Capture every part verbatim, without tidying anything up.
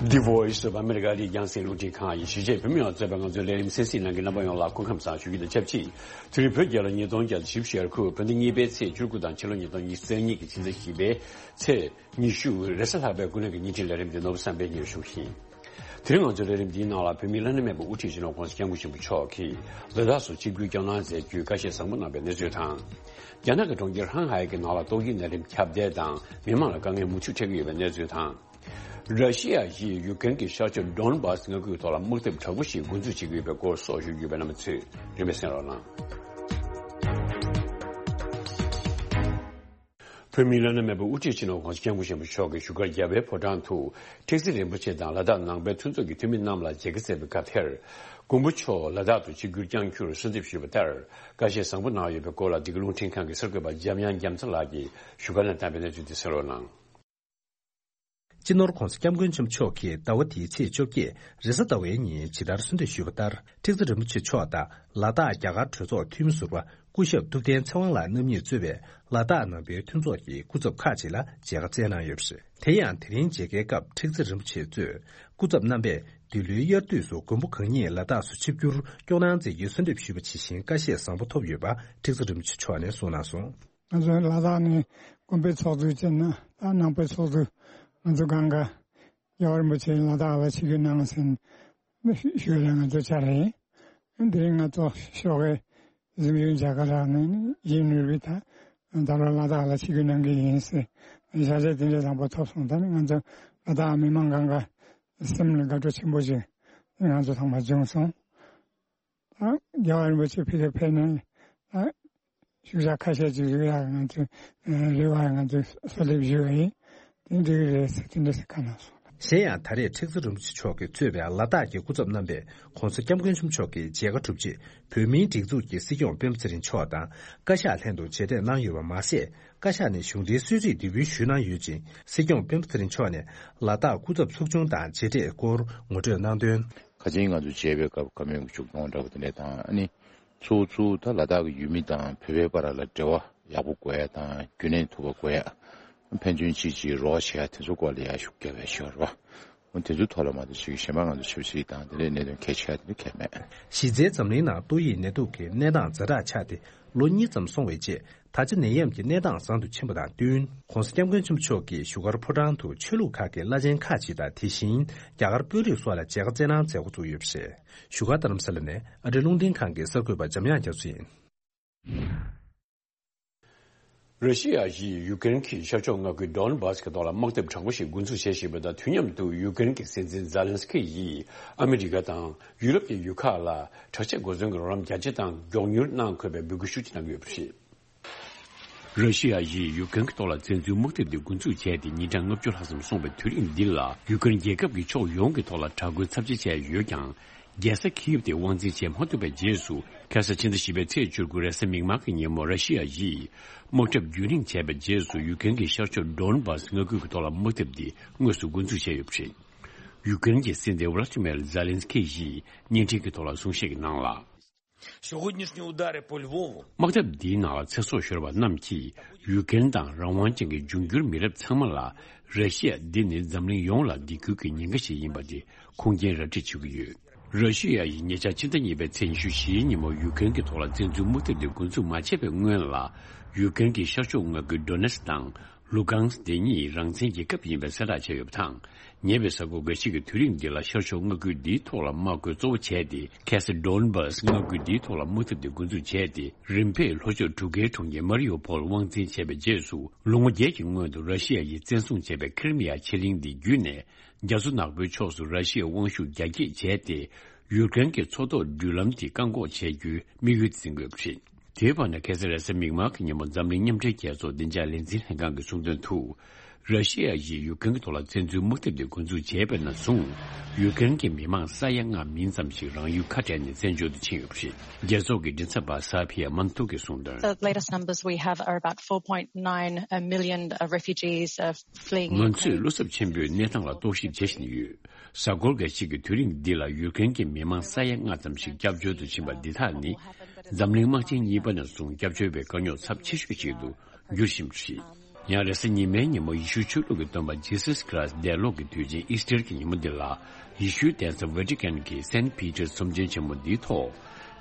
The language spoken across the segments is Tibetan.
The Voice of America ལི་རྒྱང་སྲིང་རླུང་འཕྲིན་ཁང་ཡི་གཞིས་བྱེས་བོད་མི་ཡོངས་གཙོས་པའི་ང་ཚོའི་ལས་རིམ་གསན་གཟིགས་གནང་མཁན་རྣམ་པ་ཡོངས་ལ་སྐུ་ཁམས་བཟང་ཞུ་རྒྱུ་དང་ཆབས་ཅིག་དེ་རིང་བོད་རྒྱལ་ལོ་ཉིས་སྟོང་བརྒྱ་དང་བཞི་བཅུ་ཞེ་དགུ་བོད་ཟླ་གཉིས་པའི་ཚེས་བཅུ་དགུ་དང་ཕྱི་ལོ་ཉིས་སྟོང་ཉི་ཤུ་རྩ་གཉིས་ཀྱི་ཕྱི་ཟླ་བཞི་པའི་ཚེས་ཉི་ཤུ་རེས་གཟའ་ལྷག་པའི་སྐུ་ལྔ་གི་ཉིན་ཁྲིད་ལས་རིམ་འདི་ནོར་བུ་བསམ་འཕེལ་གཉེར་ཞུ་ཡིན། དེ་རིང་ང་ཚོའི་ལས་རིམ་འདིའི་ནང་ལ་བོད་མིའི་བླ་ན་མེད་པའི་དབུ་ཁྲིད་སྤྱི་ནོར་༸གོང་ས་༸སྐྱབས་མགོན་ཆེན་པོ་མཆོག་གིས་ལ་དྭགས་སུ་ཆིབས་བསྒྱུར་བསྐྱངས་གནང་མཛད་རྒྱུའི་བཀའ་བཞེས་བཟང་པོ་གནང་བའི་གནས་ཚུལ་དང་། རྒྱ་ནག་གི་གྲོང་ཁྱེར་ཧང་ཧའེ་གི་ནང་ལ་ཏོག་དབྱིབས་ནད་རིམས་ཁྱབ་གདལ་དང་མི་མང་ལ་དཀའ་ངལ་མུ་མཐུད་འཕྲད་ཀྱི་ཡོད་པའི་གནས་ཚུལ་དང་། ར་ཤི་ཡ་ཡིས་ཡུ་ཀེ་རེན་གྱི་ཤར་ཕྱོགས་ཌོན་བྷ་སི་མངའ་ཁུལ་ཐོག་ལ་དམག་འཐབ་དྲག་པོ་ཞིག་འགོ་འཛུགས་བྱེད་ཀྱི་ཡོད་པའི་སྐོར་སོགས་ཞུ་རྒྱུ་ཡོད་པས་རྣམ་པ་ཚོས་རིམ་པས་གསན་རོགས་གནང་། བོད་མིའི་བླ་ན་མེད་པའི་དབུ་ཁྲིད་སྤྱི་ནོར་༸གོང་ས་༸སྐྱབས་མགོན་ཆེན་པོ་མཆོག་གིས་བཞུགས་སྒར་རྒྱལ་བའི་ཕོ་བྲང་དུ་ཁྲེག་ཟིང་རིན་པོ་ཆེ་དང་ལ་དྭགས་ནང་པའི་མཐུན་ཚོགས་ཀྱི་འཐུས་མི་རྣམས་ལ་མཇལ་ཁ་བསྩལ་བའི་སྐབས་དེར། མགོན་པོ་མཆོག་ལ་དྭགས་དུ་ཆིབས་བསྒྱུར་བསྐྱངས་རྒྱུར་གསོལ་འདེབས་ཞུས་པ་ལྟར་བཀའ་བཞེས་བཟང་པོ་གནང་ཡོད་པའི་སྐོར་ལ་འདི་ག་རླུང་འཕྲིན་ཁང་གི་གསར་འགོད་པ་འཇམ་དབྱངས་རྒྱ་མཚོ་ལགས་ཀྱིས་བཞུགས་སྒར་ནས་བཏང་བའི་གནས་ཚུལ་འདི་གསན་རོགས་གནང་། སྤྱི་ནོར་༸གོང་ས་༸སྐྱབས་མགོན་ཆེན་པོ་མཆོག་གིས་ཟླ་བ་འདིའི་ཚེས་བཅོ་བརྒྱད་རེས་གཟའ་ཟླ་བའི་ཉིན་ཇི་ལྟར་གསོལ་འདེབས་ཞུས་པ་ལྟར། ཁྲེག་ཟིང་རིན་པོ་ཆེ་མཆོག་དང་ལ་དྭགས་རྒྱ་གར་གྲོས་ཚོགས་འཐུས་མི་ཟུར་པ་སྐུ་ཞབས་ཐུབ་བསྟན་ཚེ་དབང་ལགས་རྣམ་གཉིས་གཙོས་པའི་ལ་དྭགས་ནང་པའི་མཐུན་ཚོགས་ཀྱི་སྐུ་ཚབ་ཁག་ཅིག་ལ་མཇལ་ཁ་བསྩལ་གནང་ཡོད་པ་རེད། དེ་ཡང་དེ་རིང་མཇལ་ཁའི་སྐབས་ཁྲེག་ཟིང་རིན་པོ་ཆེ་གཙོས་སྐུ་ཚབ་རྣམ་པས་འདི་ལོའི་དབྱར་དུས་སུ་མགོན་པོ་གང་ཉིད་ལ་དྭགས་སུ་ཆིབས་བསྒྱུར་སྐྱོང་གནང་མཛད་རྒྱུའི་གསོལ་འདེབས་ཞུས་པ་ཇི་བཞིན་བཀའ་བཞེས་བཟང་པོ་ཐོབ་ཡོད་པ་ཁྲེག་ཟིང་རིན་པོ་ཆེ་མཆོག་ནས་གསུངས་གནང་སོང་། ང་ཚོ་ལ་དྭགས་ནས་དགོན་པའི་ཚོགས་གཙོ་བྱས་ན་ད་ནང་པའི་ཚོགས་གཙོ་ང་ཚོ་སྒང་ག་རྒྱལ་བ་རིན་པོ་ཆེ་ལ་དྭགས་ལ་ཆིབས་བསྒྱུར་གནང་ཟིན་ཞུ་ལ་ང་ཚོ་བཅར་རེད། དེ་རིང་ང་ཚོ་ཞོགས་ཀའི་གཟིམ་ཆུང་མཇལ་ཁ་རག་ནས་ཡིན་ནུས་པའི་ད་ད་ལོ་ལ་དྭགས་ལ་ཆིབས་བསྒྱུར་གནང་གི་ཡིན་ཟེར་ཞལ་བྱས་དེ་འདྲ་བཟང་པོ་ཐོབ་སོང་། ད་ནི་ང་ཚོ་ལ་དྭགས་མི་མང་སྒང་ག་སེམས་ལ་དགའ་སྤྲོ་ཆེན་པོ་ཞིག་ང་ཚོ་ཚང་མ་བྱུང་སོང་། ད་རྒྱལ་བ་རིན་པོ་ཆེ་ཕ་གིར་ཕེབས་ནས་ད་ཤུགས་རྒྱག་ཁ་ཤས་ཅིག་རེ་བ་ང་ཚོས་རེ་བ་ང་ཚོས་གསོལ་འདེབས་ཞུ་བ་ཡིན། དེ་འགྲིག་གི་རེད་ཟེར་དེ་འདྲ་ཟེར་ཁ་ནང་སོང་། གཞན་ཡང་ད་རེས་ཁྲེག་ཟིང་རིན་པོ་ཆེ་མཆོག་གིས་གཙོས་པའི་ལ་དྭགས་ཀྱི་སྐུ་ཚབ་རྣམ་པས་༸གོང་ས་༸སྐྱབས་མགོན་ཆེན་པོ་མཆོག་གི་མཇལ་ཁ་གྲུབ་རྗེས་བོད་མིའི་སྒྲིག་འཛུགས་ཀྱི་སྲིད་སྐྱོང་སྤེན་པ་ཚེ་རིང་མཆོག་དང་བཀའ་ཤག་ལྷན་དུ་མཇལ་འཕྲད་གནང་ཡོད་པ་མ་ཟད། བཀའ་ཤག་ནས་གཞུང་འབྲེལ་གསོལ་ཚིགས་འདེགས་འབུལ་ཞུས་གནང་ཡོད་ཅིང་། སྲིད་སྐྱོང་སྤེན་པ་ཚེ་རིང་མཆོག་ནས་ལ་དྭགས་སྐུ་ཚབ་ཚོགས་ཆུང་དང་མཇལ་འཕྲད་སྐོར་ངོ་སྤྲོད་གནང་དོན། ཁ་ཆེན་ང་ཚོ་མཇལ་བའི་སྐབས་བཀའ་མོལ་མཇུག་སྐྱོང་འདྲ་བོ་དེ་འདྲ་དང་ཨ་ནི། ཚུར་ཚུར་ད་ལ་དྭགས་ཀྱི་ཡུལ་མི་དང་བོད་པའི་བར་ལ་འབྲེལ་བ་ཡག་པོ་དགོས་ཡ་དང་རྒྱུན་གནས་ཐུབ་པ་དགོས་ཡ། ཕན་ཚུན་གཅིག་གཅིག་རོགས་བྱེད་ཡ་དེ་ཚོ་སྐོར་ལ་ཡ་ཤུགས་རྒྱབ་པའི་ཞོར་བ། འོ་དེ་ཚོའི་ཐོག་ལ་མ་གཏོགས་ཅིག་གཞན་པ་ང་ཚོ་ཆབ་སྲིད་དང་དེ་འདྲའི་གནད་དོན་གལ་ཆེ་བ་དེ་འདྲ་གལ་མེད། གཞི་རྩའི་འཛམ་གླིང་ནང་ཏོག་དབྱིབས་ནད་དུག་གི་གནས་སྟངས་ཛ་དྲག་ཆགས་ཏེ་ལོ་གཉིས་ཙམ་སོང་བའི་རྗེས་ད་ཆ་ནད་ཡམས་ཀྱི་གནས་སྟངས་བཟང་དུ་ཕྱིན་པ་དང་བསྟུན། ༸གོང་ས་༸སྐྱབས་མགོན་ཆེན་པོ་མཆོག་གིས་བཞུགས་སྒར་ཕོ་བྲང་དུ་ཆོས་ལུགས་ཁག་གི་བླ་ཆེན་ཁག་ཅིག་དང་དེ་བཞིན་རྒྱ་གར་དཔོན་རིགས་སོགས་ལ་མཇལ་ཁ་བསྩལ་གནང་མཛད་འགོ་བཙུགས་ཡོད་པ་རེད། བཞུགས་སྒར་རྡ་རམ་ས་ལ་ནས་ཨ་རི་རླུང་འཕྲིན་ཁང་གི་གསར་འགོད་པ་འཇམ་དབྱངས་རྒྱ་མཚོ་ཡིན། ར་ཤི་ཡ་ཡིས་ཡུ་ཀེ་རེན་གྱི་ཤར་ཕྱོགས་མངའ་ཁུལ་ཌོན་བྷ་སི་གི་ཐོག་ལ་དམག་འཐབ་དྲག་པོ་ཞིག་འགོ་འཛུགས་བྱེད་བཞིན་པ་དང་དུས་མཉམ་དུ་ཡུ་ཀེ་རེན་གྱི་སྲིད་འཛིན་ཛཱ་ལན་སི་ཀི་ཡིས་ཨ་མི་རི་ཀ་དང་ཡུ་རོབ་ཀྱི་ཡུལ་ཁག་ལ་དྲག་ཆས་གོ་མཚོན་གྱི་རོགས་རམ་རྒྱ་ཆེ་དང་མགྱོགས་མྱུར་གནང་དགོས་པའི་འབོད་སྐུལ་ཤུགས་ཆེ་གནང་གི་ཡོད་པ་རེད། ར་ཤི་ཡ་ཡིས་ཡུ་ཀེ་རེན་གྱི་ཐོག་ལ་བཙན་འཛུལ་དམག་འཐབ་འདི་འགོ་འཛུགས་བྱས་ཏེ་ཉིན་གྲངས་ལྔ་བཅུ་ལྷག་ཙམ་སོང་བའི་དུས་རིང་འདི་ལ་ཡུ་ཀེ་རེན་རྒྱལ་ཁབ་ཀྱི་ཕྱོགས་ཡོངས་ཀྱི་ཐོག་ལ་དྲག་རྒོལ་ཚབས་ཆེ་བྱས་ཡོད་ཀྱང་། རྒྱལ་ས་ཁིབ་དེ་དབང་འཛིན་བྱེད་མ་ཐུབ་པའི་རྗེས་སུ་ཁ་སང་ཕྱི་ཟླ་བཞི་པའི་ཚེས་བཅུ་དགུ་རེས་གཟའ་མིག་དམར་གྱི་ཉིན་མོ་ར་ཤི་ཡ་ཡིས་དམག་འཁྲབ་རྒྱུན་རིང་བྱས་པའི་རྗེས་སུ་ཡུ་ཀེ་རེན་གྱི་ཤར་ཕྱོགས་ཌོན་བྷ་སི་མངའ་ཁུལ་གྱི་ཐོག་ལ་དམག་འཐབ་འདི་དངོས་སུ་འགོ་འཛུགས་བྱས་ཡོད་པ་རེད། ཡུ་ཀེ་རེན་གྱི་སྲིད་འཛིན་ཝ་ལ་ཏི་མེར་ཛཱ་ལན་སི་ཀི་ཡིས་བརྙན་འཕྲིན་གྱི་ཐོག་ལ་གསུང་བཤད་ཀྱི་ནང་ལ། Сьогоднішні удари по Львову དམག་འཐབ་འདིའི་ནང་ལ་ཚེ་སྲོག་ཤོར་བ་རྣམས་ཀྱིས་ཡུ་ཀེ་རེན་དང་རང་དབང་ཅན་གྱི་འབྱུང་འགྱུར་མི་རབས་ཚང་མ་ལ་ར་ཤི་ཡ་འདི་ནི་འཛམ་གླིང་ཡོངས་ལ་སྡིགས་སྐུལ་གྱི་ཉེན་ཁ་ཞིག་ཡིན་པ་དེ་ཁུངས་སྐྱེལ་ར་སྤྲོད་བྱེད་ཀྱི་ཡོད། ར་ཤི་ཡ་ཡིས་ཉེ་ཆར་ཕྱི་ཟླ་གཉིས་པའི་ཚེས་ཉི་ཤུ་བཞིའི་ཉིན་མོ་ཡུ་ཀེ་རེན་གྱི་ཐོག་ལ་བཙན་འཛུལ་དམག་འཐབ་དེ་འགོ་འཛུགས་མ་བྱས་པའི་སྔོན་ལ་ཡུ་ཀེ་རེན་གྱི་ཤར་ཕྱོགས་མངའ་ཁུལ་ཌོ་ནེ་སི་དང་། ལུ་གང་སི་དེ་གཉིས་རང་བཙན་རྒྱལ་ཁབ་ཡིན་པའི་གསལ་བསྒྲགས་བྱས་ཡོད་པ་དང་། ཉེ་བའི་གཟའ་འཁོར་འགའ་ཤས་ཀྱི་དུས་རིང་འདི་ལ་ཤར་ཕྱོགས་མངའ་ཁུལ་འདིའི་ཐོག་ལ་དམག་རྒོལ་གཙོ་བོ་བྱས་ཏེ། ཁ་སང་ཌོན་བྷ་སི་མངའ་ཁུལ་འདིའི་ཐོག་ལ་དམག་འཐབ་དེ་འགོ་འཛུགས་བྱས་ཏེ། རིམ་པས་ལྷོ་ཕྱོགས་གྲུ་ཁའི་གྲོང་ཁྱེར་མ་རི་ཡུ་ཕོལ་དབང་འཛིན་བྱས་པའི་རྗེས་སུ། ལོ་ངོ་བརྒྱད་ཀྱི་སྔོན་དུ་ར་ཤི་ཡ་ཡིས་བཙན་བཟུང་བྱས་པའི་ཁི་རི་མི་ཡ་ཕྱེད་གླིང་འདི་བརྒྱུད་ནས། རྒྱ་མཚོ་ནག་པོའི་ཕྱོགས་སུ་ར་ཤི་ཡའི་དབང་ཤུགས་རྒྱ་སྐྱེད་བྱས་ཏེ། ཡུཀ་རེན་གྱི་མཚོ་ཐོག་འགྲུལ་ལམ་དེ་བཀག་འགོག་བྱེད་རྒྱུའི་དམིགས་ཡུལ་འཛིན་དགོས་པ་རེད། དེའི་བར་ན་ཁ་སང་རེས་གཟའ་མིག་དམར་གྱི་ཉིན་མོ་འཛམ་གླིང་མཉམ་འབྲེལ་རྒྱལ་ཚོགས་བདེ་འཇགས་ལས་འཛིན་ལྷན་ཁང་གིས་གསུངས་དོན་དུ། ར་ཤི་ཡ་ཡིས་ཡུཀ་རེན་གྱི་ཐོག་ལ་བཙན་འཛུལ་དམག་འཐབ་དེ་འགོ་འཛུགས་བྱས་པ་ནས་བཟུང་། ཡུཀ་རེན་གྱི་མི་མང་ས་ཡ་ལྔ་མིན་ཙམ་ཞིག་རང་ཡུལ་ཁ་བྲལ་ནས་བཙན་བྱོལ་དུ་ཕྱིན་ཡོད་པ་རེད། རྒྱལ་ཚོགས་ཀྱི་མགྲིན་ཚབ་པ་ས་ཕི་ཡ་མན་ཐུ་གིས་གསུངས་དོན། The latest numbers we have are about four point nine million refugees fleeing Ukraine. ང་ཚོས་བློ་འཚབ་ཆེན་པོས་གནས་སྟངས་ལ་རྟོག་ཞིབ་བྱེད་བཞིན་ཡོད། གཟའ་འཁོར་འགའ་ཞིག་གི་དུས་རིང་འདི་ལ་ཡུཀ་རེན་གྱི་མི་མང་ས་ཡ་ལྔ་ཙམ་ཞིག་སྐྱབས་བཅོལ་དུ་ཕྱིན་པ་འདི་དག་ནི། འཛམ་གླིང་དམག་ཆེན་གཉིས་པ་ནས་བཟུང་སྐྱབས་བཅོལ་བའི་དཀའ་རྙོག་ཚབས་ཆེ་ཤོས་ཤིག་ཏུ་འགྱུར་བཞིན་པ་རེད། ཡང་རེས་གཟའ་ཉི་མའི་ཉིན་མོ་ཡེ་ཤུ་ཆོས་ལུགས་ཀྱི་སྟོན་པ་ཇི་སཱས་ཁྲི་སི་འདས་ལོག་གི་དུས་ཆེན་ཨིས་ཊར་གྱི་ཉིན་མོ་འདི་ལ། ཡེ་ཤུའི་གདན་ས་ཝེ་ཏི་ཀན་གྱི་སེན་པི་ཏར་ཚོམས་ཆེན་ཆེན་མོ་འདིའི་ཐོག་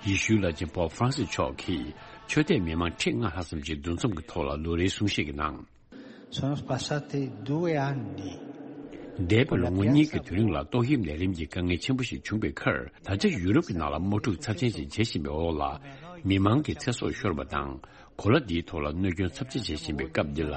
ཡེ་ཤུའི་བླ་ཆེན་པོབ་ཧྥ་རན་སིས་མཆོག་གིས་ཆོས་དད་མི་མང་ཁྲི་ལྔ་ལྷག་ཙམ་གྱི་འདུ་འཛོམས་ཀྱི་ཐོག་ལ་ལོ་རེའི་གསུང་བཤད་ཀྱི་ནང་། Sono passati due anni. འདས་པའི་ལོ་ངོ་གཉིས་ཀྱི་དུས་རིང་ལ་ཏོག་དབྱིབས་ནད་རིམས་ཀྱི་དཀའ་ངལ་ཆེན་པོ་ཞིག་བྱུང་བའི་ཁར། ད་ཆ་ཡུ་རོབ་ཀྱི་ནང་ལ་དམག་འཁྲུག་ཚབས་ཆེན་ཞིག་བྱེད་བཞིན་པའི་འོག་ལ། མི་མང་གི་ཚེ་སྲོག་ཤོར་བ་དང་། གོ་ལ་འདིའི་ཐོག་ལ་གནོད་སྐྱོན་ཚབས་ཆེ་བྱེད་བཞིན་པའི་སྐབས་འདི་ལ།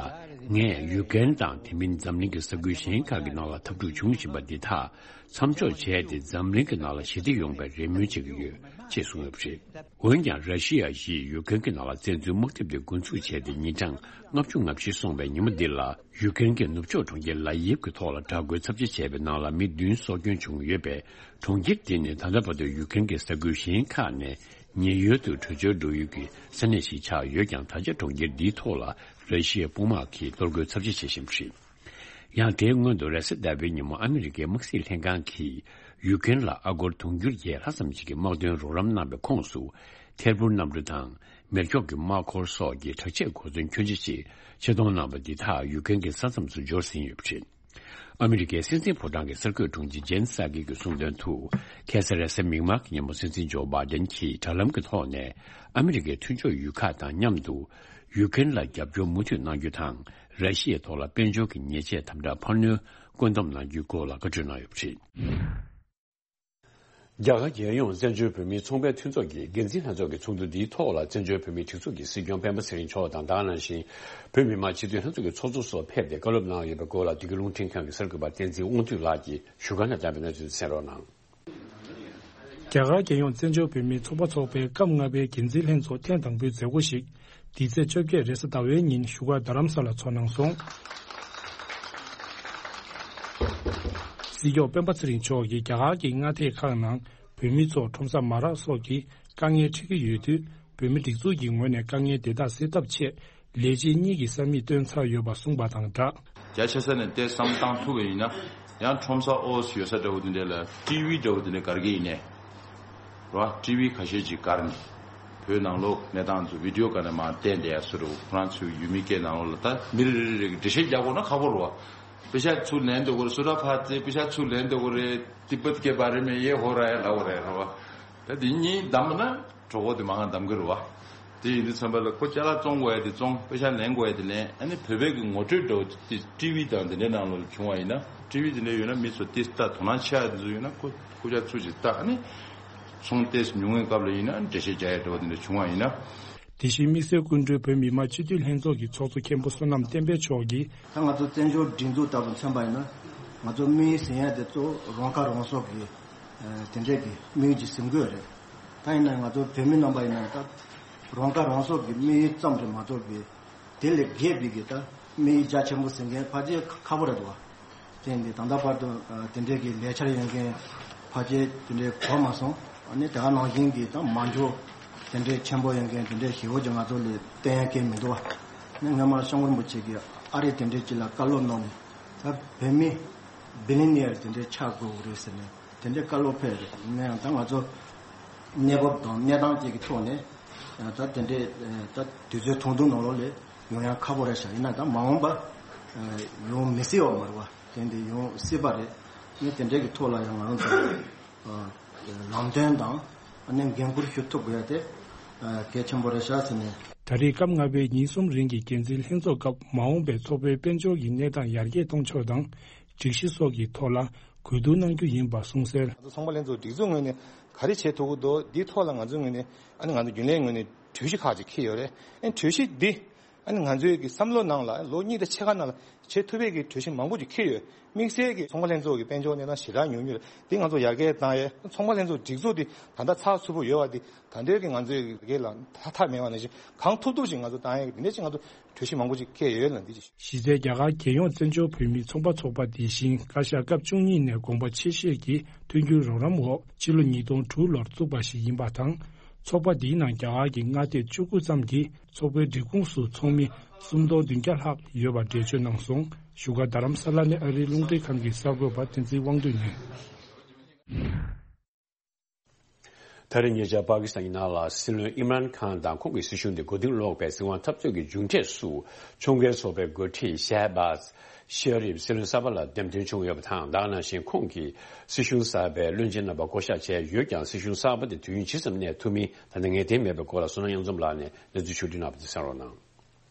ངས་ཡུ་ཀེ་རེན་དང་དེ་མིན་འཛམ་གླིང་གི་ས་ཁུལ་གཞན་ཁག་གི་ནང་ལ་འཐབ་འཁྲུག་བྱུང་བཞིན་པ་འདི་དག་མཚམས་འཇོག་བྱས་ཏེ། འཛམ་གླིང་གི་ནང་ལ་ཞི་བདེ་ཡོང་བའི་རེ་སྨོན་བྱེད་ཀྱི་ཡོད་ཅེས་གསུངས་ཡོད་པ་རེད། འོན་ཀྱང་། ར་ཤི་ཡ་ཡིས་ཡུ་ཀེ་རེན་གྱི་ནང་ལ་བཙན་འཛུལ་དམག་འཐབ་དེ་འགོ་འཛུགས་བྱས་ཏེ་ཉིན་གྲངས་ལྔ་བཅུ་ང་བཞི་སོང་བའི་ཉིན་མོ་འདི་ལ། ཡུ་ཀེ་རེན་གྱི་ནུབ་ཕྱོགས་གྲོང་ཁྱེར་ལ་ཡིབ་ཀྱི་ཐོག་ལ་དྲག་རྒོལ་ཚབས་ཆེ་བྱས་པའི་ནང་ལ་མི་བདུན་སྲོག་སྐྱོན་བྱུང་ཡོད་པས། གྲོང་ཁྱེར་འདི་ནི་ད་ལྟ་བར་དུ་ཡུ་ཀེ་རེན་གྱི་ས་ཁུལ་གཞན་ཁག་ནས་ཉེན་གཡོལ་དུ་བྲོས་བྱོལ་འགྲོ་ཡུལ་གྱི་ས་གནས་ཤིག་ཆགས་ཡོད་ཀྱང་། ད་ཆ་གྲོང་ཁྱེར་འདིའི་ཐོག་ལ་ར་ཤི་ཡའི་དཔུང་དམག་གིས་གཏོར་རྒོལ་ཚབས་ཆེ་བྱེད་བཞིན་པ་རེད། ཡང་། དེའི་སྔོན་དུ་རེས་གཟའ་ཟླ་བའི་ཉིན་མོ་ཨ་མི་རི་ཀའི་དམག་སྲིད་ལྷན་ཁང་གིས་ཡུ་ཀེ་རེན་ལ་ཨ་སྒོར་དུང་ཕྱུར་བརྒྱད་ལྷག་ཙམ་ཞིག་གི་དམག་དོན་རོགས་རམ་གནང་བའི་ཁོངས་སུ། ཐད་འཕུར་གནམ་གྲུ་དང་། མེ་སྒྱོགས་ཀྱི་དམག་འཁོར་སོགས་ཀྱི་དྲག་ཆས་གོ་མཚོན་ཁྱོན་ཆེ་ཞིག་ཆེད་གཏོང་གནང་བ་འདི་དག་ཡུ་ཀེ་རེན་གྱི་ས་མཚམས་སུ་འབྱོར་ཟིན་ཡོད་པ་རེད། ཨ་མི་རི་ཀའི་སྲིད་འཛིན་ཕོ་བྲང་གི་གསར་འགོད་དྲུང་ཆེ་ཇེན་སཱ་ཀི་གིས་གསུངས་དོན་དུ། ཁ་སང་རེས་གཟའ་མིག་དམར་གྱི་ཉིན་མོ་སྲིད་འཛིན་ཇོ་བྷའི་ཌེན་གྱིས་དྲ་ལམ་གྱི་ཐོག་ནས། ཨ་མི་རི་ཀའི་མཐུན་ཕྱོགས་ཡུལ་ཁག་དང་མཉམ་དུ་ཡུ་ཀེ་རེན་ལ་རྒྱབ་སྐྱོར་མུ་མཐུད་གནང་རྒྱུ་དང་། ར་ཤི་ཡའི་ཐོག་ལ་དཔལ་འབྱོར་གྱི་ཉེས་ཆད་དམ་དྲག་འཕར་སྣོན་བཀོད་འདོམས་གནང་རྒྱུའི་སྐོར་ལ་བཀའ་འཁྲོལ་གནང་ཡོད་པ་རེད། རྒྱ་གར་རྒྱལ་ཡོངས་བཙན་བྱོལ་བོད་མིའི་ཚོང་པའི་མཐུན་ཚོགས་ཀྱི་འགན་འཛིན་ལྷན་ཚོགས་ཀྱི་ཚོགས་འདུ་འདིའི་ཐོག་ལ། བཙན་བྱོལ་བོད་མིའི་སྒྲིག་འཛུགས་ཀྱི་སྲིད་སྐྱོང་སྤེན་པ་ཚེ་རིང་མཆོག་དང་། ད་ག་ནང་བཞིན་བོད་མི་མང་སྤྱི་འཐུས་ལྷན་ཚོགས་ཀྱི་ཚོགས་གཙོ་སོགས་ཕེབས་ཏེ། བཀའ་སློབ་གནང་ཡོད་པའི་སྐོར་ལ། བདེ་སྐྱིད་རླུང་འཕྲིན་ཁང་གི་གསར་འགོད་པ་བསྟན་འཛིན་དབང་འདུས་ལགས་ཀྱིས་བཞུགས་སྒར་ནས་བཏང་བའི་གནས་ཚུལ་གསན་རོགས་གནང་། རྒྱ་གར་རྒྱལ་ཡོངས་བཙན་བྱོལ་བོད་མིའི་ཚོགས་པ་འཚོགས་པའི་སྐབས་ལྔ་པའི་འགན་འཛིན་ལྷན་ཚོགས་ཐེངས་དང་པོའི་མཛད་སྒོ་ཞིག་འདི་ཚེས་བཅོ་བརྒྱད་རེས་གཟའ་ཟླ་བའི་ཉིན་བཞུགས་སྒར་རྡ་རམ་ས་ལ་ཚོགས་གནང་སོང་། སྲིད་སྐྱོང་སྤེན་པ་ཚེ་རིང་མཆོག་གིས་རྒྱ་གར་གྱི་མངའ་སྡེ་ཁག་ནང་བོད་མི་ཚོར་ཁྲོམ་ས་མ་རག་སོགས་ཀྱི་དཀའ་ངལ་འཕྲད་ཀྱི་ཡོད་དུས། བོད་མི་སྒྲིག་འཛུགས་ཀྱི་ངོས་ནས་དཀའ་ངལ་དེ་དག་སེལ་ཐབས་ཆེད། ལས་བྱེད་གཉིས་ཀྱི་ས་མིག་བཏོན་ཚར་ཡོད་པ་གསུངས་པ་དང་སྦྲགས། རྒྱ་ཆེ་ས་ནས་ཏོག་ཙམ་བཏང་ཐུབ་པ་ཡིན་ན། ཡང་ཁྲོམ་ས་ཨོ་ཡོད་ས་འདྲ་བོ་དེ་འདྲ་ལ་ཊི་ཝི་འདྲ་བོ་དེ་འདྲ་སྒར་གྱི་ཡིན་ནས། རེད་བ། ཊི་ཝི་ཁ་ཤས་ཅིག་སྒར་ནས་བོད་ནང་ལོགས་གནས་སྟངས་ཚོ་བི་ཌི་ཡོ་སྒང་ནས་མར་བསྟན་བསྡད་ཡ་བཟོ་འདྲ་བོ། ཁོ་རང་ཚོའི་ཡུལ་མི་སྐད་ནང་ལོགས་ལ། ད་མི་རེ་རེ་རེ་གིས་འགྲེལ་བཤད་རྒྱག་དགོས་ན་ཁག་པོ་རེད་བ། པེ་ཤ་ཚུར་ལེན་འདོད་ཀྱི་རེད། སུ་ཊ་ཕ་ཙེ་པེ་ཤ་ཚུར་ལེན་འདོད་ཀྱི་རེད། ཏི་པད་ཀེ་བྷ་རེ་མེ་ཡེ་ཧོ་ར་ཡ་ལབ་དགོས་རེད། རེད་བ། ད་དེ་གཉིས་བསྡམས་ན། གྲོད་ཁོག་དེ་མང་ང་བསྡམ་གི་རེད་བ། དེ་ཡིན་དུས་ཙམ་པ་ལ་ཁོ་ཅ་ལག་བཙོང་དགོས་ཡ་དེ་བཙོང་། པེ་ཤ་ལེན་དགོས་ཡ་དེ་ལེན། ཨ་ནི་བོད་པའི་གི་ངོ་སྤྲོད་འདྲ་བོ་དེ་ཊི་ཝི་དང་དེ་འདྲའི་ནང་ལོགས་ལ་བྱུང་བ་ཡིན་ན། ཊི་ཝི་དེ་འདྲ་ཡོད་ན་མི་ཚོ་ཏོག་ཙམ་དོ་སྣང་ཆེ་ཡ་དེ་ཚོ་ཡོད་ན། ཁོ་སྐུ་ཕྱྭ་ཚུར་ཅིག་བལྟ། ཨ་ནི་ཚོང་ཏོག་ཙམ་ཉུང་བའི་སྐབས་ལ་ཡིན་ན་འགྲེལ་བཤད་རྒྱག་ཡ་འདྲ་བོ་དེ་འདྲ་བྱུང་བ་ཡིན་ན། དེ་བཞིན་དམིགས་བསལ་སྐུ་མགྲོན་བོད་མི་མང་སྤྱི་འཐུས་ལྷན་ཚོགས་ཀྱི་ཚོགས་གཙོ་མཁན་པོ་བསོད་ནམས་བསྟན་འཕེལ་མཆོག་གིས། ད་ང་ཚོ་བཙན་བྱོལ་སྒྲིག་འཛུགས་ལྟ་བུ་མཚོན་པ་ཡིན་ན། ང་ཚོ་དམིགས་ཡུལ་ཟིན་ཡ་དེ་གཙོ་བོ་རང་ཁ་རང་གསོ་གི། ཨ། དེ་འདྲས་ཀྱི་དམིགས་ཡུལ་ཅིག་ཟིན་དགོས་རེད། ད་ཡིན་ན་ང་ཚོ་བོད་མི་རྣམ་པ་ཡིན་ན་ད་རང་ཁ་རང་གསོ་གི་དམིགས་ཡུལ་ཙམ་རེད་མ་གཏོགས་པའི་དེ་ལས་བརྒལ་བའི་གི་ད་དམིགས་ཡུལ་རྒྱ་ཆེན་པོ་ཟིན་མཁན་ཕལ་ཆེར་ཁག་པོ་རེད་འདུག་བ། དེ་ཡིན་དུས་ད་ལྟ་བར་དུ་ཨ་དེ་འདྲས་ཀྱི་ལས་འཆར་ཡོད་མཁན་ཕལ་ཆེར་དེ་འདྲས་གོ་མ་སོང་། ཨ་ནི་དེ་ག་ནང་བཞིན་གྱི་ད་མ་འཇོག་དེ་འདྲས་ཆེན་པོ་ཡོད་མཁན་དེ་འདྲས་ཞེ་པོ་ཅིག་ང་ཚོ་ལ་བསྟན་ཡ་གང་ཡང་མི་འདུག་བ། ཨ་ནི་སྔོན་མ་སྐྱབས་མགོན་རིན་པོ་ཆེ་གིས་ཨ་རི་དེ་འདྲས་ཅིག་ལ་བཀའ་སློབ་གནང་ནས། ད་བོད་མི་བི་ལི་ནི་ཡར་དེ་འདྲས་ཆགས་དགོས་རེད་ཟེར་ནས། དེ་འདྲའི་བཀའ་སློབ་ཕེབས་རེད། ཡིན་ན་ཡང་ད་ང་ཚོ་གནས་བབ་དང་གནས་སྟངས་བཅས་ཀྱི་ཐོག་ནས་ད་དེ་འདྲའི་ད་དུས་ཚོད་ཐུང་ཐུང་ནང་ལོགས་ལ་ཡོང་ཡ་ཁག་པོ་རེད་ཤག་ཡིན་ན་ད་མ་འོངས་པ་ཡོང་མི་སྲིད་པ་མ་རེད་བ། དེ་འདྲ་ཡོང་སྲིད་པ་རེད། ངས་དེ་འདྲའི་གི་ཐོག་ལ་ཡང་ང་རང་ཚོ་ལམ་སྟོན་དང་ཨ་ནི་འགན་འཁུར་ཞུ་ཐུབ་དགོས་ཡ་དེ་གལ་ཆེན་པོ་རེད་ཤག་ཟེར་ནས། ད་རེས་སྐབས་ལྔ་པའི་ཉིན་གསུམ་རིང་གི་འགན་འཛིན་ལྷན་ཚོགས་སྐབས་མ་འོངས་པའི་ཚོགས་པའི་དཔལ་འབྱོར་གྱི་གནས་སྟངས་ཡར་རྒྱས་གཏོང་ཕྱོགས་དང་། སྒྲིག་གཞི་སོགས་ཀྱི་ཐོག་ལ་གོ་བསྡུར་གནང་རྒྱུ་ཡིན་པ་གསུངས་གསལ། ང་ཚོ་ཚོང་པ་ལྷན་ཚོགས་སྒྲིག་འཛུགས་ངོས་ནས་ག་རེ་བྱེད་ཐུབ་ཀྱི་འདུག་འདིའི་ཐོག་ལ་ང་ཚོའི་ངོས་ནས་ཨ་ནི་ང་ཚོ་རྒྱུན་ལས་ངོས་ནས་གྲོས་གཞི་ཁག་ཅིག་འཁྱེར་ཡོད་རེད། ཨ་ནི་གྲོས་གཞི་འདི་ཨ་ནི་ང་ཚོའི་གི་བསམ་བློ་ནང་ལ་ལོ་གཉིས་དང་ཕྱེད་ཀ་ནང་ལ་བྱེད་ཐུབ་པའི་གི་གྲོས་གཞི་མང་པོ་ཅིག་འཁྱེར་ཡོད། དམིགས་བསལ་གྱི་ཚོང་པ་ལྷན་ཚོགས་ཀྱི་དཔལ་འབྱོར་གནས་སྟངས་ཞེ་དྲག་ཉུང་ཉུང་རེད། འདི་ང་ཚོ་ཡར་རྒྱས་བཏང་ཡས། ཚོང་པ་ལྷན་ཚོགས་སྒྲིག་འཛུགས་འདི་ད་ལྟ་ཚགས་ཚུད་པོ་ཡོད་པ་འདི་ད་ལྟའི་གི་ང་ཚོའི་གི་ལ་ཐ་ཐག་མེད་པ་ནང་བཞིན་གང་ཐུབ་ཐུབ་ཅིག་ང་ཚོ་བཏང་ཡས་ཀྱི་འདི་འདྲ་ཅིག་ང་ཚོ་གྲོས་གཞི་མང་པོ་ཅིག་འཁྱེར་ཡོད་ལ་འདི་ཅིག་གཞི་རྩའི་རྒྱ་གར་རྒྱལ་ཡོངས་བཙན་བྱོལ་བོད་མིའི་ཚོང་པ་ཚོགས་པ་འདི་བཞིན་བཀའ་ཤག་སྐབས་བཅུ་གཉིས་ནས་དགོངས་པ་ཆེ་བཞེས་ཀྱིས་མཐུན་འགྱུར་རོགས་རམ་འོག་ཕྱི་ལོ་ཉིས་སྟོང་དྲུག་ལོར་བཙུགས་པ་ཞིག་ཡིན་པ་དང་། ཚོགས་པ་འདིའི་ནང་རྒྱ་གར་གྱི་མངའ་སྡེ་བཅུ་དགུ་ཙམ་གྱི་ཚོགས་པའི་སྒྲིག་ཁོངས་སུ་ཚོགས་མི་སུམ་སྟོང་བདུན་བརྒྱ་ལྷག་ཡོད་པ་འགྲེལ་བརྗོད་གནང་སོང་། བཞུགས་སྒར་རྡ་རམ་ས་ལ་ནས་ཨ་རིའི་རླུང་འཕྲིན་ཁང་གི་གསར་འགོད་པ་བསྟན་འཛིན་དབང་འདུས་ནས། ད་རེས་ཉེ་ཆར་པ་ཀི་སི་ཐན་གྱི་ནང་ལ་སྲིད་བློན་ཨིམ་རཱན་ཁཱན་དང་ཁོང་གི་སྲིད་གཞུང་དེ་མགོ་རྟིང་སློག་པའི་སྲིད་དབང་འཐབ་རྩོད་ཀྱི་མཇུག་འབྲས་སུ། ཁྲོམ་སྐྱེལ་ཚོགས་པའི་འགོ་ཁྲིད་ཤེ་བཱ་ཤེ་རིབ་སྲིད་བློན་གསར་པ་ལ་འདེམས་ཐོན་བྱུང་ཡོད་པ་དང་། ད་ག་ནང་བཞིན་ཁོང་གིས་སྲིད་གཞུང་གསར་པའི་བློན་ཆེན་རྣམ་པ་བསྐོ་གཞག་བྱས་ཡོད་ཀྱང་། སྲིད་གཞུང་གསར་པ་དེ་དུས་ཡུན་ཇི་ཙམ་གནས་ཐུབ་མིན་ད་ལྟ་ངེས་གཏན་མེད་པའི་སྐོར་ལ་བསོད་ནམས་དབྱངས་འཛོམས་ལགས་ནས་གནས་ཚུལ་ཕྱོགས་བསྒྲིགས་གནང་བ་དེ་གསན་རོགས་གནང་།